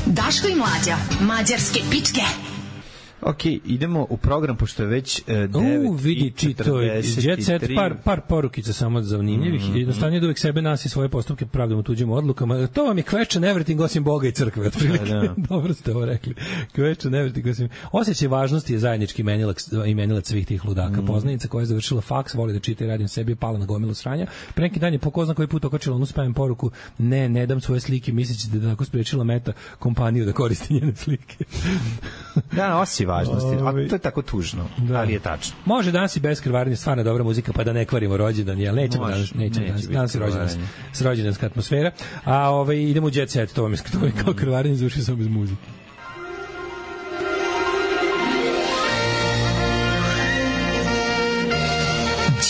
Daško i Mlađa, mađarske pičke. Ok, idemo u program, pošto je već uh, devet U, vidi, čito je Jet Set, par, par porukica samo zanimljivih. Mm -hmm. Jednostavnije da uvijek sebe nas i svoje postupke pravdamo tuđim odlukama. To vam je question everything osim Boga i crkve. Otprilike. Da. Dobro ste ovo rekli. Question everything osim... Osjećaj važnosti je zajednički imenilac, imenilac svih tih ludaka. Mm. Poznanica koja je završila faks, voli da čita i radim sebi, je pala na gomilu sranja. Pre neki dan je po ko zna koji put okačila onu spavim poruku, ne, ne dam svoje slike, misleći da je tako sprečila Meta kompaniju da koristi njene slike. Da, osi važnosti, a to je tako tužno, da. Ali je tačno. Može danas i bez krvarenja, stvarno dobra muzika, pa da ne kvarimo rođendan, jel nećemo Može, danas, nećemo danas, danas je rođendanska rođendanska atmosfera, a ovaj, idemo u Jet Set, to vam je, to je kao krvarenje, završio sam bez muzike.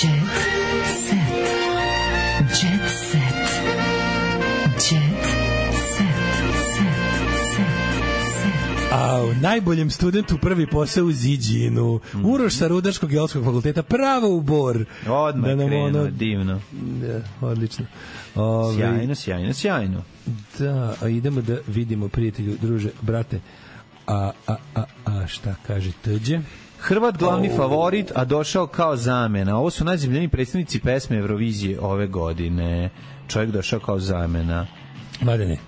Jet Set, Jet Set, Jet A u najboljem studentu prvi posao u Ziđinu. Mm. Uroš sa Rudarskog geološkog fakulteta, pravo u Bor. Odmah da krenuo, ono, divno. Da, odlično. Ove, sjajno, sjajno, sjajno. Da, a idemo da vidimo, prijatelju, druže, brate, a, a, a, a šta kaže Tđe? Hrvat glavni oh. favorit, a došao kao zamena. Ovo su najzemljeni predstavnici pesme Eurovizije ove godine. Čovjek došao kao zamena. Mladene,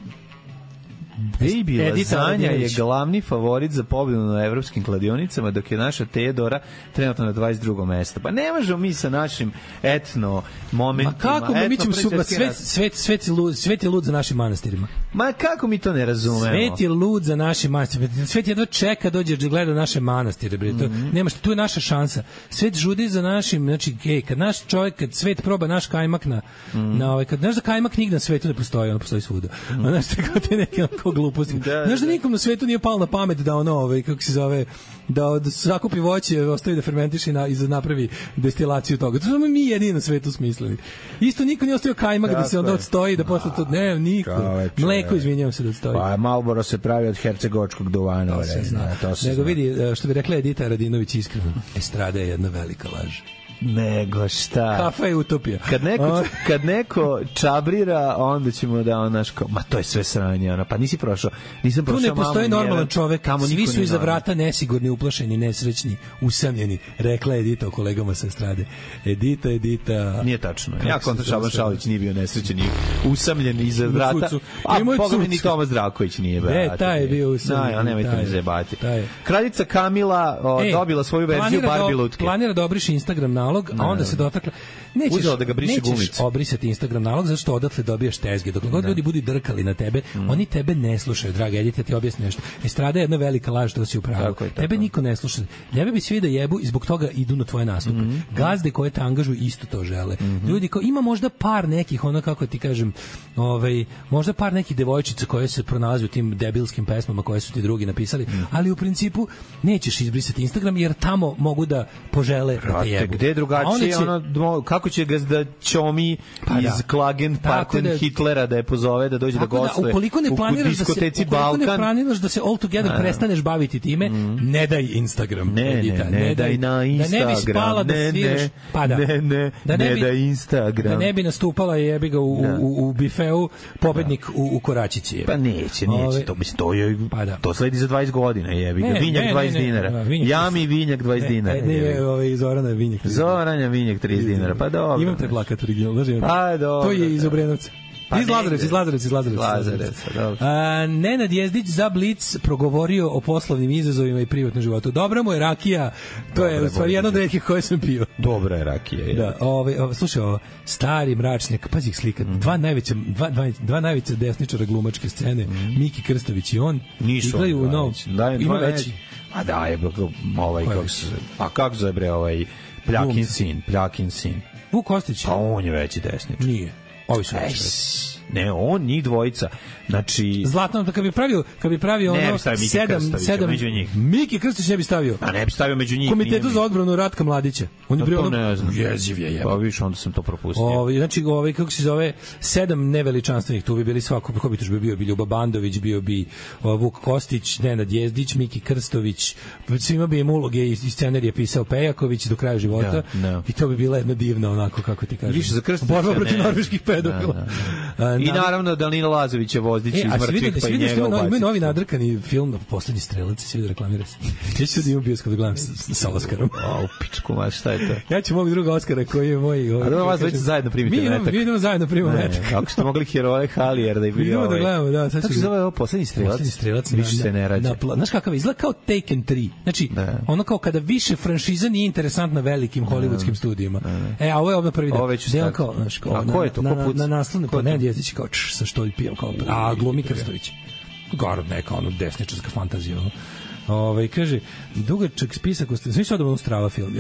Baby Lazanja je glavni favorit za pobedu na evropskim kladionicama, dok je naša Teodora trenutno na dvadeset drugom mestu. Pa ne možemo mi sa našim etno momentima. Ma kako mi, mi ćemo su, svet, svet, svet, je lud, svet je lud za našim manastirima. Ma kako mi to ne razumemo? Svet je lud za naše manastire. Svet jedva čeka dođe da gleda naše manastire. Bre. To, mm-hmm. nema što, tu je naša šansa. Svet žudi za našim, znači, ej, kad naš čovjek, kad svet proba naš kajmak na, mm-hmm. na ovaj, kad znaš da kajmak nigde na svetu ne postoji, ono postoji svuda. Mm-hmm. A znaš tako te neke onako gluposti. Da, znaš da nikom na svetu nije palo na pamet da ono, ovaj, kako se zove, da, da sakupi voće, ostavi da fermentiše i, na, i da napravi destilaciju toga. To smo mi jedini na svetu smislili. Isto niko nije ostavio kajmak da se onda odstoji, da posle to, ne, niko. Čoveče, mleko, izvinjavam se da odstoji. Pa Marlboro se pravi od hercegovačkog duvana. To se zna. To se Nego zna. Vidi, što bi rekla Edita Radinović iskreno, estrada je jedna velika laž. Nego šta? Kafa je utopija. Kad neko, kad neko čabrira, onda ćemo da on naš kao, ma to je sve sranje, ona, pa nisi prošao, nisam prošao. Tu ne postoji normalan čovek, svi su iza vrata nesigurni, uplašeni, nesrećni, usamljeni, rekla Edita o kolegama sa estrade. Edita, Edita... Nije tačno. Ja kontra Šaban Šalić nije bio nesrećen i usamljen iza vrata, a Boga mi ni Toma Zdravković nije. Ne, taj je bio usamljen. Da, nemojte mi zajebati. Kraljica Kamila dobila svoju verziju Barbie lutke. Planira da obriši Instagram na nalog, a onda se dotakla nećeš, uzela da ga briše nećeš gumica. obrisati Instagram nalog zato što odatle dobijaš tezge. Dok god ljudi budu drkali na tebe, mm. oni tebe ne slušaju, dragi Edita, ti objasni nešto. Estrada je jedna velika laž, to si u pravu. Tako je, tako. Tebe niko ne sluša. Tebe bi svi da jebu i zbog toga idu na tvoje nastupe. Mm. Gazde koje te angažuju isto to žele. Mm. Ljudi kao ima možda par nekih, ono kako ti kažem, ovaj možda par nekih devojčica koje se pronalaze u tim debilskim pesmama koje su ti drugi napisali, mm. ali u principu nećeš izbrisati Instagram jer tamo mogu da požele da te jebu. Gde drugačije, će... ono, kako će ga da ćomi pa iz da. Klagenparten da, Hitlera da je pozove da dođe da gostuje da, ukoliko ne planiraš da se, ukoliko Balkan, ne planiraš da se all together a, prestaneš baviti time, mm. ne daj Instagram. Ne, Edita, ne, ne, ne daj na Instagram. Da ne bi spala da ne, sviraš, ne, pa da. Ne, ne, da ne, ne bi, daj Instagram. Da ne bi nastupala jebi ga u, da. u, u bifeu pobednik da. u, u Koračici. Pa neće, neće. Ove, to, mislim, to, je, pa da. to sledi za dvadeset godina, jebi ga. Vinjak ne, dvadeset ne, ne, dinara. Ne, vinjak Jami Vinjak dvadeset dinara. Ne, ne, ovaj Zorana Vinjak. Zorana Vinjak trideset dinara. Pa dobro. Imam te plakat original, znači. Pa dobro. To je iz Obrenovca. Pa iz Lazarevca, iz Lazarevca, iz Lazarevca. Lazarevca, dobro. A, Nenad Jezdić za Blic progovorio o poslovnim izazovima i privatnom životu. Dobra mu je rakija, to Dobre, je u stvari jedna od retkih koje sam pio. Dobra je rakija. Je. Da, ovaj, ovaj, slušaj, ovo, stari mračnjak, pazi ih slika, mm. dva najveća, dva, dva, dva najveća desničara glumačke scene, mm. Miki Krstović i on, nisu igraju u nov, ima veći. A da, je ovaj, kako se, a kako se bre ovaj Pljakin sin, Pljakin sin. Vuk Kostić. Pa on je veći desničar. Nije. Ovi su veći. Ne, on, njih dvojica. Znači Zlatno, da kad bi pravio, kad bi pravio ne, ono sedam sedam među njih. Miki Krstić ne bi stavio. A ne bi stavio među njih. Komitetu za odbranu Ratka Mladića. On je bio ono jeziv je. Pa više onda sam to propustio. Ovaj znači ovaj kako se zove sedam neveličanstvenih, tu bi bili svako, kako bi tu bio bi Ljuba Bandović, bio bi Vuk Kostić, Nenad Jezdić, Miki Krstović, svima bi im uloge i scenarije pisao Pejaković do kraja života. Da, da. I to bi bila jedna divna onako kako ti kažeš. Više za Krstića. Borba protiv norveških pedofila. Da, da. I naravno Danilo Lazović je Vozdić iz mrtvih pa i njega ubaciti. Ima novi nadrkani film Poslednji strelac, svi da reklamira se. Ja ću da imam bioskop da gledam sa Oskarom. A, u pičku, ma šta je to? Ja ću mog druga Oskara koji je moj... A da vas već zajedno primite metak. Mi idemo zajedno primimo metak. Ako ste mogli heroje Halijer da je bio idemo da gledamo, da. Kako se zove ovo Poslednji strelac? Poslednji strelac. Više se ne rađe. Znaš kakav izgleda kao Taken tri. Znači, ono kao kada više franšiza nije interesantna velikim hollywoodskim studijima. E, a ovo je ovdje prvi deo. Deo kao, znaš, kao... A ko je to? Na naslovne, kao Nenad Jezdić kao sa štoljpijom, kao... A, glumi Krstović. Garod neka, ono, desničarska fantazija. Ovaj kaže, dugačak spisak, svi su odavno strava film.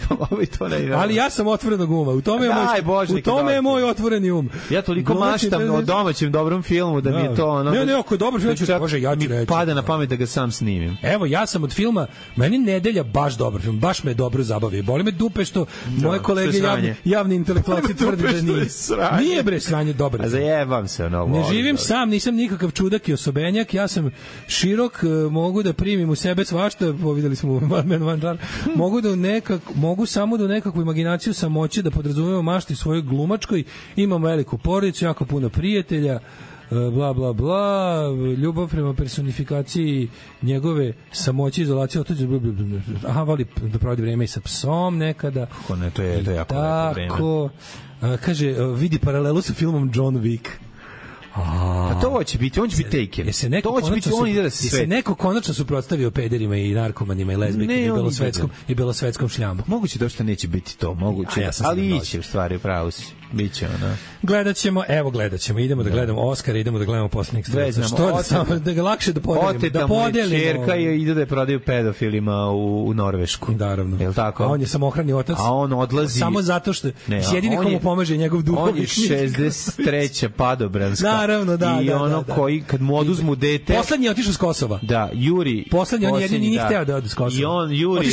Ovaj to ne ide. Ali ja sam otvorenog uma. U tome je moj, Bože, u tome je moj otvoreni um. Ja toliko maštam o domaćem dobrom filmu da mi je to ono. Ne, ne, ako je dobar film, ću Bože, ja ću reći. Pada na pamet da ga sam snimim. Evo, ja sam od filma, meni Nedelja baš dobar film, baš me dobro zabavio. Boli me dupe što moje kolege javni, javni intelektualci tvrde da nije. Nije bre sranje dobar. A zajebam se ono. Ne živim sam, nisam nikakav čudak i osobenjak, ja sam širok, mogu da primim u sebe svašta, videli smo mogu da nekak, mogu samo da nekakvu imaginaciju samoće da podrazumevam mašti svojoj glumačkoj, imam veliku porodicu, jako puno prijatelja, bla bla bla, ljubav prema personifikaciji njegove samoće, izolacije, otuđe, aha, voli da provodi vreme i sa psom nekada. Kako ne, to je, to je jako lepo vreme. Tako, kaže, vidi paralelu sa filmom John Wick. A to će biti, on će biti Taken. To će biti on ide da se se neko konačno suprotstavio pederima i narkomanima i lezbijkama i belosvetskom i belosvetskom šljambu. Moguće da što neće biti to, moguće. Ja ali iće u stvari pravo si. Biće ona. Gledaćemo, evo gledaćemo, idemo da gledamo Oskara, idemo da gledamo Poslednjeg strelca. Što da samo da ga lakše da podelimo, da podelimo. Ćerka je ide da je prodaju pedofilima u, u Norvešku. Naravno. Jel tako? A on je samohrani otac. A on odlazi samo zato što jedini komu pomaže njegov duhovni. On je šezdeset treća padobranska. Naravno, da, i da, ono da, da. koji kad mu oduzmu dete. Poslednji je otišao s Kosova. Da, Juri. Poslednji on jedini nije hteo da ode s Kosova. I on Juri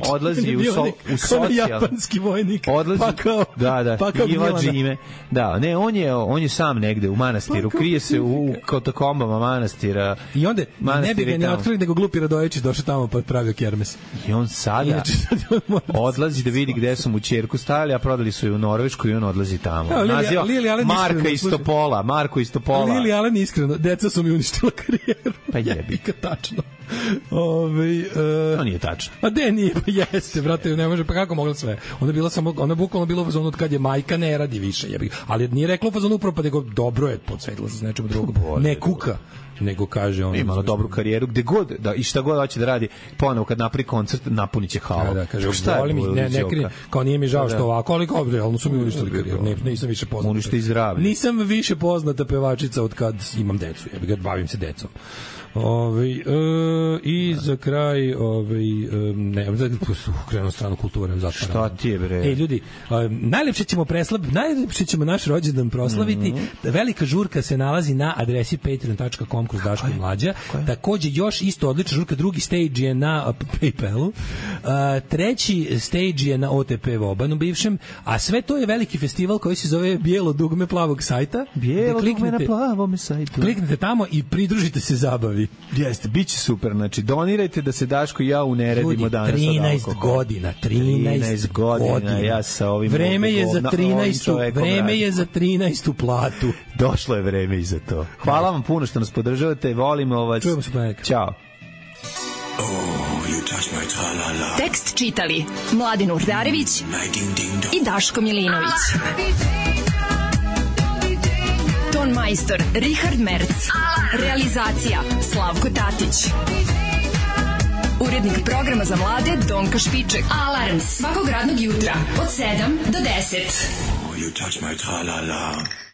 odlazi u so, u socijal. Japanski vojnik. Odlazi. Pa kao, da, da. Pa kao Iva Džime. Da, ne, on je on je sam negde u manastiru, krije se u katakombama manastira. I onda ne bi ga ni otkrili nego glupi Radojević došao tamo pa pravio kermes. I on sada odlazi da vidi gde su mu ćerku stavili, a prodali su je u Norvešku i on odlazi tamo. Naziva Marka Istopola, Marko Istopola. Lili Alen iskreno, deca su mi uništila karijeru. Pa jebi. Tačno. Ove, uh, to nije tačno. A de nije, pa jeste, brate, ne može, pa kako mogla sve? Ona je bila samo, ona je bukvalno bila u fazonu od kad je majka ne radi više, jebi. Ali nije rekla u fazonu upravo, pa nego dobro je, podsvetila se s nečemu drugom. Ne kuka. nego kaže on imala dobru karijeru gde god da i šta god hoće da radi, ponovo kad napravi koncert napuniće halu. Da, da, kaže volim ne ne krije, kao nije mi žao što ovako, ali kao realno su mi uništili karijeru. Ne, nisam više poznata. Uništi zdravlje. Nisam više poznata pevačica od kad imam decu. Ja bih ga bavim se decom. Ovaj e, i za kraj ovaj e, ne za krenu stranu kulture zato. Šta ti je bre? Ej ljudi, e, najlepše ćemo preslaviti, najlepše ćemo naš rođendan proslaviti. Mm -hmm. Velika žurka se nalazi na adresi patreon dot com kroz Daško i Mlađa. Takođe još isto odlična žurka, drugi stage je na PayPalu. E, treći stage je na O T P Vobanu bivšem, a sve to je veliki festival koji se zove Bijelo dugme plavog sajta. Bijelo dugme na plavom sajtu. Kliknite tamo i pridružite se zabavi. Jeste, biće super. Znači, donirajte da se Daško i ja uneredimo danas. trinaest godina, trinaest godina. Ja sa ovim vreme je za trinaestu, vreme je za trinaestu platu. Došlo je vreme i za to. Hvala vam puno što nas podržavate. Volimo vas. Čujemo se ponedjeljka. Ćao. Tekst čitali Mladin Urdarević i Daško Milinović. Ton majstor Richard Merc. Realizacija Slavko Tatić. Urednik programa za mlade Donka Špiček. Alarms svakog radnog jutra od sedam do deset. Oh, you touch my tra-la-la.